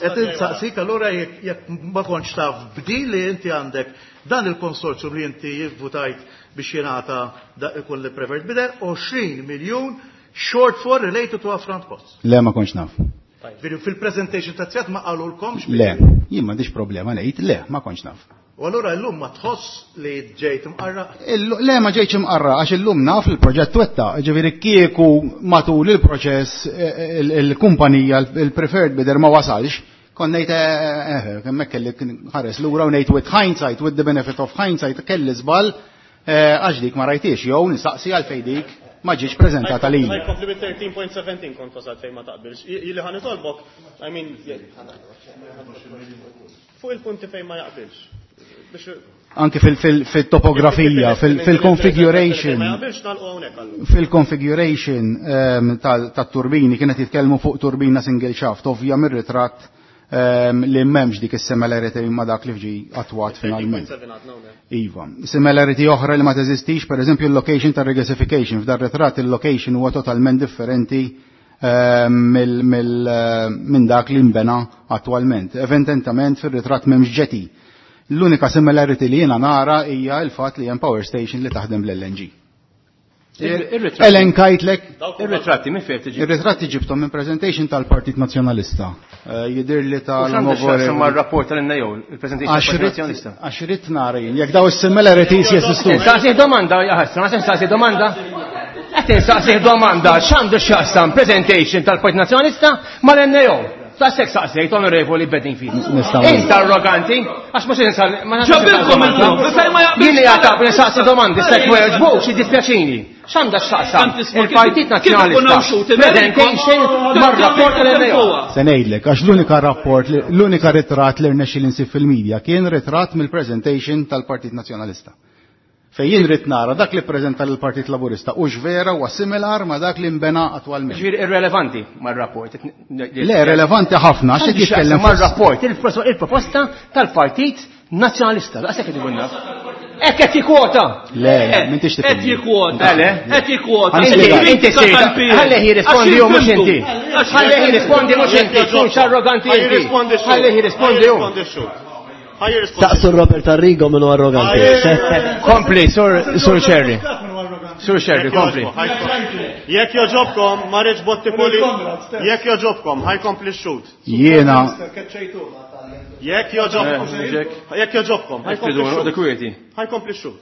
Qed insaqsik allura jekk ma kontx taf b'din li inti għandek dan il-konsorzjum li inti votajt biex jingħata ikun li preferred bidder 20 miljun shortfall related to upfront costs. Le, ma kontx naf. Fil-presentation ta' Zjat ma qalulkomx? Le, jien m'għandix problema ngħid, le, ma kontx naf. U allura llum ma tħoss li ġejt imqarraq? Le, ma ġejtx imqarraq għax illum naf li l-proġett twettaq, ġifieri kieku matul il-proċess il-kumpanija il-preferred bidder ma wasalx, kont ngħid hemmhekk kelli ħares lura u ngħid with hindsight, with the benefit of hindsight, kelli żball għax dik ma rajtiex, jew nistaqsi għalfejn dik ma ġietx preżentata lili. Ħa jkompli bit-13.17 kont wasalt fejn ma taqbilx. Ili ħa nitolbok, I mean, fuq il-punti fejn ma jaqbilx. Biex Anki fil-topografija, fil-configuration, Ma jaqbilx nagħlqu hawnhekk allura. Fil-configuration tat-turbini kienet jitkellmu fuq turbina single shaft, ovvja mir-ritratt li m'hemmx dik is-similarity ma' dak li ġie attwat finalment. Iva. Similarity oħra li ma teżistix, per eżempju, il-location ta' regasification. F'dar ritratt il-location huwa totalment differenti minn dak li nbena attwalment. Evidentament fir-ritratt m'hemmx jetty. L-unika similarity li jiena nara hija l-fatt li hemm power station li taħdem bl-LNG. Elenkajtlek. Ir-ritratti minn fejn tiġi? Ir-ritratti ġibthom minn presentation tal-Partit Nazzjonalista. Jidher li tal- U x'għandu x'jaqsam mar-rapport tal-NAO, il-presentation tal-Partit Nazzjonalista? Għax irrid nara jien, jekk daw is-similarities jeżistux. Saqsih domanda, jaħasra, ma se nsaqsih domanda? Qed insaqsih domanda, x'għandu x'jaqsam presentation tal-Partit Nazzjonalista mal-NAO? Saqsek saqsejt, Onorevoli Bedingfield. Nistgħu. Int arroganti, għax mhux insal, ma nafx Ġabilkom insal- illum, fejn ma jaqbilx Jien li għatab, nisaqsi domandi, sekk ma jogħġbux, jiddispjaċini. X'għandha x'taqsam? Tant isma' Il-Partit kif Nazzjonalista. ikun hawn xut, Presentation mar-rapport tal-NAO. Se ngħidlek, għax l-unika rapport, l-unika ritratt li rnexxi li nsib fil-medja kien ritratt mill-presentation tal-Partit Nazzjonalista. Fejn jien rrid nara dak li ppreżenta lill-Partit Laburista u x'vera huwa similar ma' dak li nbena attwalment. Ġifieri irrelevanti mar-rapport. Le, relevanti ħafna, għax qed jitkellem fuq mar-rapport, il-proposta tal-Partit Nazzjonalista. Daqshekk qed ikun naf. Hekk qed jikkwota. Le, le, m'intix tifhem. Qed jikkwota. Le, le. Qed jikkwota. Inti, Inti inti kritika sejta. tal-PN. Ħallih jirrispondi hu mhux inti. Għax Ħallih jirrispondi mhux inti, tkunx arroganti Ħaj inti. jirrispondi x-xhur. Ħallih jirrispondi hu. Ħaj jirrispondi x-xhur. Ħaj jirrispondi. Saqsu Robert Arrigo minnu arroganti. Kompli, Sur Scerri. Sur Scerri, kompli. Jekk joġobkom, ma rridx botti poli. Jekk joġobkom, ħaj kompli x-xhur. Jiena. Jekk joġobkom. Jekk joġobkom, ħaj kompli x-xhur. Kwieti. Ħaj kompli x-xhur.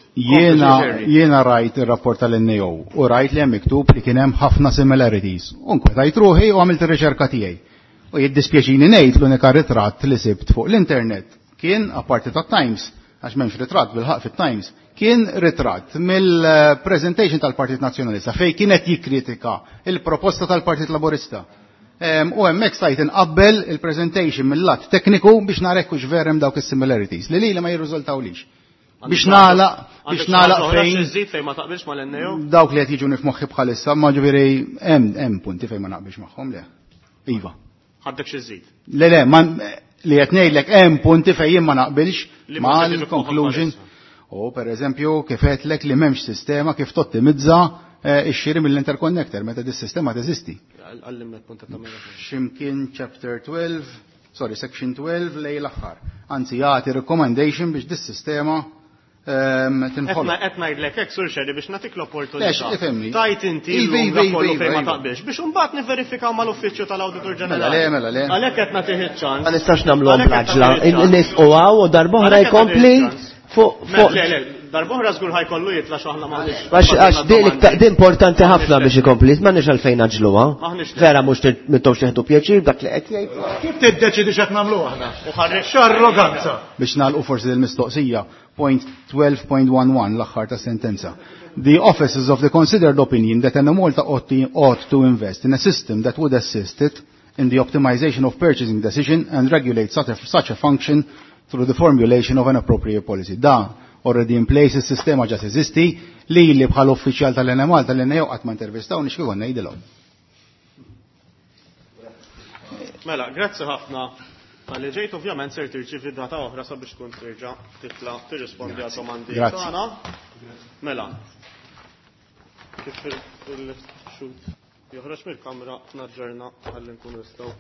Jiena rajt ir-rapport tal-NAO u rajt li hemm miktub li kien hemm ħafna similarities. U nkwetajt ruħi u għamilt ir-riċerka tiegħi. U jiddispjaċini ngħid l-unika ritratt li sibt fuq l-internet kien apparti tat-Times, għax m'hemmx ritratt bil-ħaq fit-Times, kien ritratt mill-presentation tal-Partit Nazzjonalista fejn kien qed jikkritika il-proposta tal-Partit Laburista. U hemmhekk stajt inqabbel il-presentation mill-lat tekniku biex nara hekk hux vera hemm dawk is-similarities li lili ma jirriżultawlix. Biex nagħlaq, biex nagħlaq fejn Iżid fejn ma taqbilx mal-NAO? Dawk li qed jiġuni f'moħħi bħalissa, ma ġifieri hemm punti fejn ma naqbilx magħhom, le. Iva. Ħaddek xi żid. Le, le, ma li qed ngħidlek hemm punti fejn jien ma naqbilx Li ma mal tiġi f'moħħok conclusion. bħalissa. U per eżempju kif qedlek li m'hemmx sistema kif tottimizza ix-xiri mill-interconnector meta dis-sistema teżisti. Għallimna l-punta ta' mela. X'imkien chapter 12, sorry, section 12 lej l-aħħar. Anzi jagħti recommendation biex dis-sistema tinħoloq. Qed ngħidlek hekk Sur Scerri biex nagħtik l-opportunità. Lex, ifhimni. Tajt inti Iva, llum iva, dak iva, kollu iva, fejn ma iva. taqbilx biex imbagħad nivverifikaw mal-Uffiċċju tal-Awditur Mela le, Ġenerali. mela le. Għalhekk qed nagħtih iċ-ċans. Ma nistax nagħmluhom Għalhekk qed bl-għaġla. nagħtih iċ-ċans. Nisqu hawn u darb'oħra Għalhekk qed jkompli nagħtih iċ-ċans. fuq Mela, fuq le, le, darb'oħra żgur ħajkollu jitla' x'aħna m'aħniex. Għax għax din iktar- din importanti ħafna biex ikompli, m'għandniex għalfejn naġluha. M'aħniex le. Vera mhux m'intomx tieħdu pjaċir b'dak li qed jgħid. Kif tiddeċidi x'qed nagħmlu aħna? U ħarri- X'arroganza! Biex nagħlqu forsi l-mistoqsija, point 12.11 l-aħħar ta' sentenza. The office is of the considered opinion that Enemalta ought to invest in a system that would assist it in the optimization of purchasing decision and regulate such a function through the formulation of an appropriate policy. Da already in place, il-sistema ġa teżisti, li bħal uffiċjal tal-Enemalta l-NAO qatt ma intervistaw nix kif ngħidilhom. Mela, grazzi ħafna tal-li ġejt, ovvjament ser tirċivi data oħra sabiex tkun terġa' titla' tirrispondi għad domandi Grazzi. tagħna. Mela, kif il-xut joħroġ mill-kamra naġġorna ħalli nkunu nistgħu.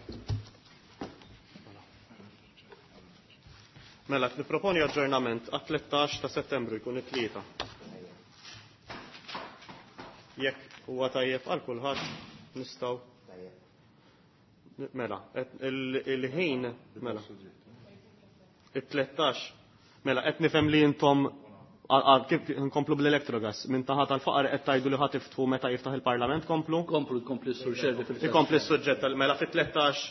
Mela, qed nipproponi aġġornament għat-13 ta' Settembru jkun it-tlieta. Jekk huwa tajjeb għal kulħadd nistgħu. Mela, qed il-ħin, mela. It-13. Mela, qed nifhem li intom kif nkomplu bl-Electrogas, minn taħat tal-faqar qed tgħidu li ħa tiftħu meta jiftaħ il-Parlament, komplu? Komplu, jkompli s-sur Scerri fil-fatt. Ikompli s-suġġett, mela fit-13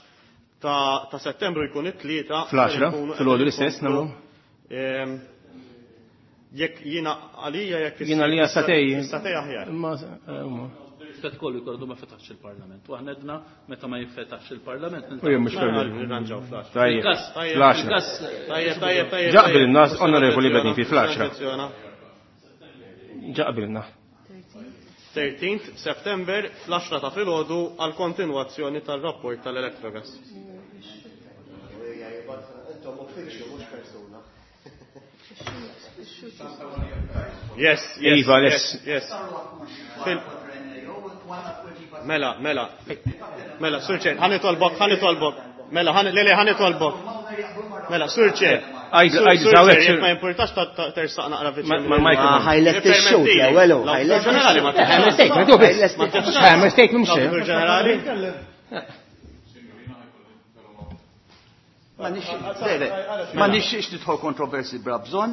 ta' Settembru jkun it-tlieta. Fl-10, Nkunu fil-għodu l-istess nagħmlu. Jekk jiena għalija jekk Jiena għalija satej. Satej aħjar. Imma, huma. Rispett kollu jkollu ma fetaħx il-Parlament. U aħna edna meta ma jinfetaħx il-Parlament. U jien mhux Mela, fil- nirranġaw fl-10. Tajjeb, Il-kas, fl-10. il-kas, Tajjeb, tajjeb, tajjeb, Ġaqbil tajjeb. in-nas, onorevoli Bedin, fi fl-10. Oġġezzjona. Ġaqbilna. 13 September fl-10 ta' filgħodu għal kontinwazzjoni tal-rapport tal-Electrogas. Yes, yes, Iva, yes, yes. yes. Mela, mela, mela, Sur Chair, ħa nitolbok, ħa nitolbok. Mela, ħa, le, le, ħa nitolbok. Mela, Sur Chair. Għajdu, Sur għajdu, Sur zawek, Chair, Sur- jekk ma jimpurtax ta' tersaq naqra viċin. Ma' mikrofon. Ma ħajlek tix-xut l-ewwel hu, ħajlek Ġenerali, ma Eh, mistake, ma tu biss. Eh, mistake, mhux xejn. L-Awditur Ġenerali. Ma nixtieq, le, le, ma nixtieqx nidħol kontroversi bla bżonn,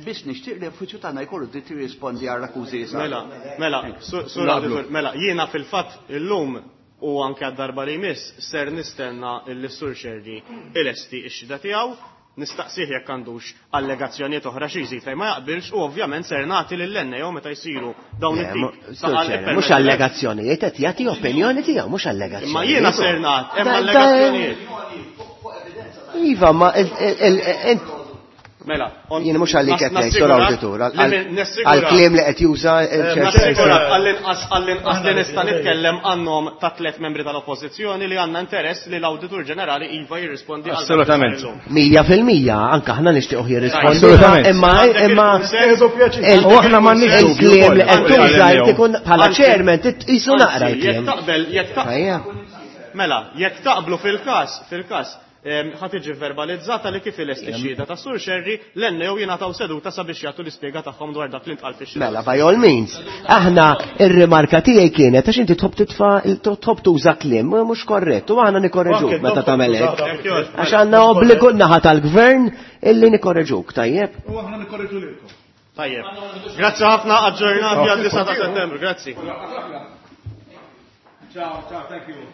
biss nixtieq li l-uffiċċju tagħna jkollu dritt jirrispondi għal akkużi li saru. Mela, mela, sur Naqblu. Auditor, mela, jiena fil-fatt illum u anke għad-darba li jmiss ser nistenna l-Sur Scerri ilesti x-xida tiegħu, nistaqsih jekk għandux allegazzjonijiet oħra xi jżid fejn ma jaqbilx u ovvjament ser nagħti lill-NAO meta jsiru dawn Le, it-tip ta' Sur Chair, ippermezz- mhux allegazzjonijiet, qed jagħti opinjoni tiegħu, mhux allegazzjonijiet. Imma jiena ser nagħti, hemm allegazzjonijiet. Iva, ma il- Mela, Jien mhux għalik qed ngħid, Sur nassigurak Awditur, li nassigura- għall-kliem li qed juża il-Chair Nassigurak għall-inqas li nista' nitkellem għan-nom ta' tliet membri tal-Oppożizzjoni li għandna interess li l-Awditur Ġenerali iva jirrispondi għal dak li sar Assolutament. illum. 100%, anke aħna nixtiequ jirrispondi, Assolutament. imma imma U aħna m'għandniex dubju il-kliem wkoll. li qed tuża Għal- jrid ikun bħala Anzi- chairman tqisu naqra Anzi, jekk l-kliem. taqbel, jekk taqbel. Ejja. Mela, jekk taqblu fil-każ, fil-każ, ħa tiġi verbalizzata li kif ilesti x-xhieda ta' Sur Scerri, l-NAO jingħataw seduta sabiex jagħtu l-ispjega tagħhom dwar dak li ntqal fix-xhieda. Mela, by all means. Aħna ir-rimarka tiegħi kienet għax inti tħobb titfa' tħobb tuża kliem mhux korrett u aħna nikorreġuk meta tagħmel hekk. Għax għandna obbligu naħa tal-gvern illi nikorreġuk, tajjeb? U aħna nikorreġu lilkom. Tajjeb. Grazzi ħafna, aġġornati għal 9 ta' Settembru, grazzi. Ciao, ciao, thank you.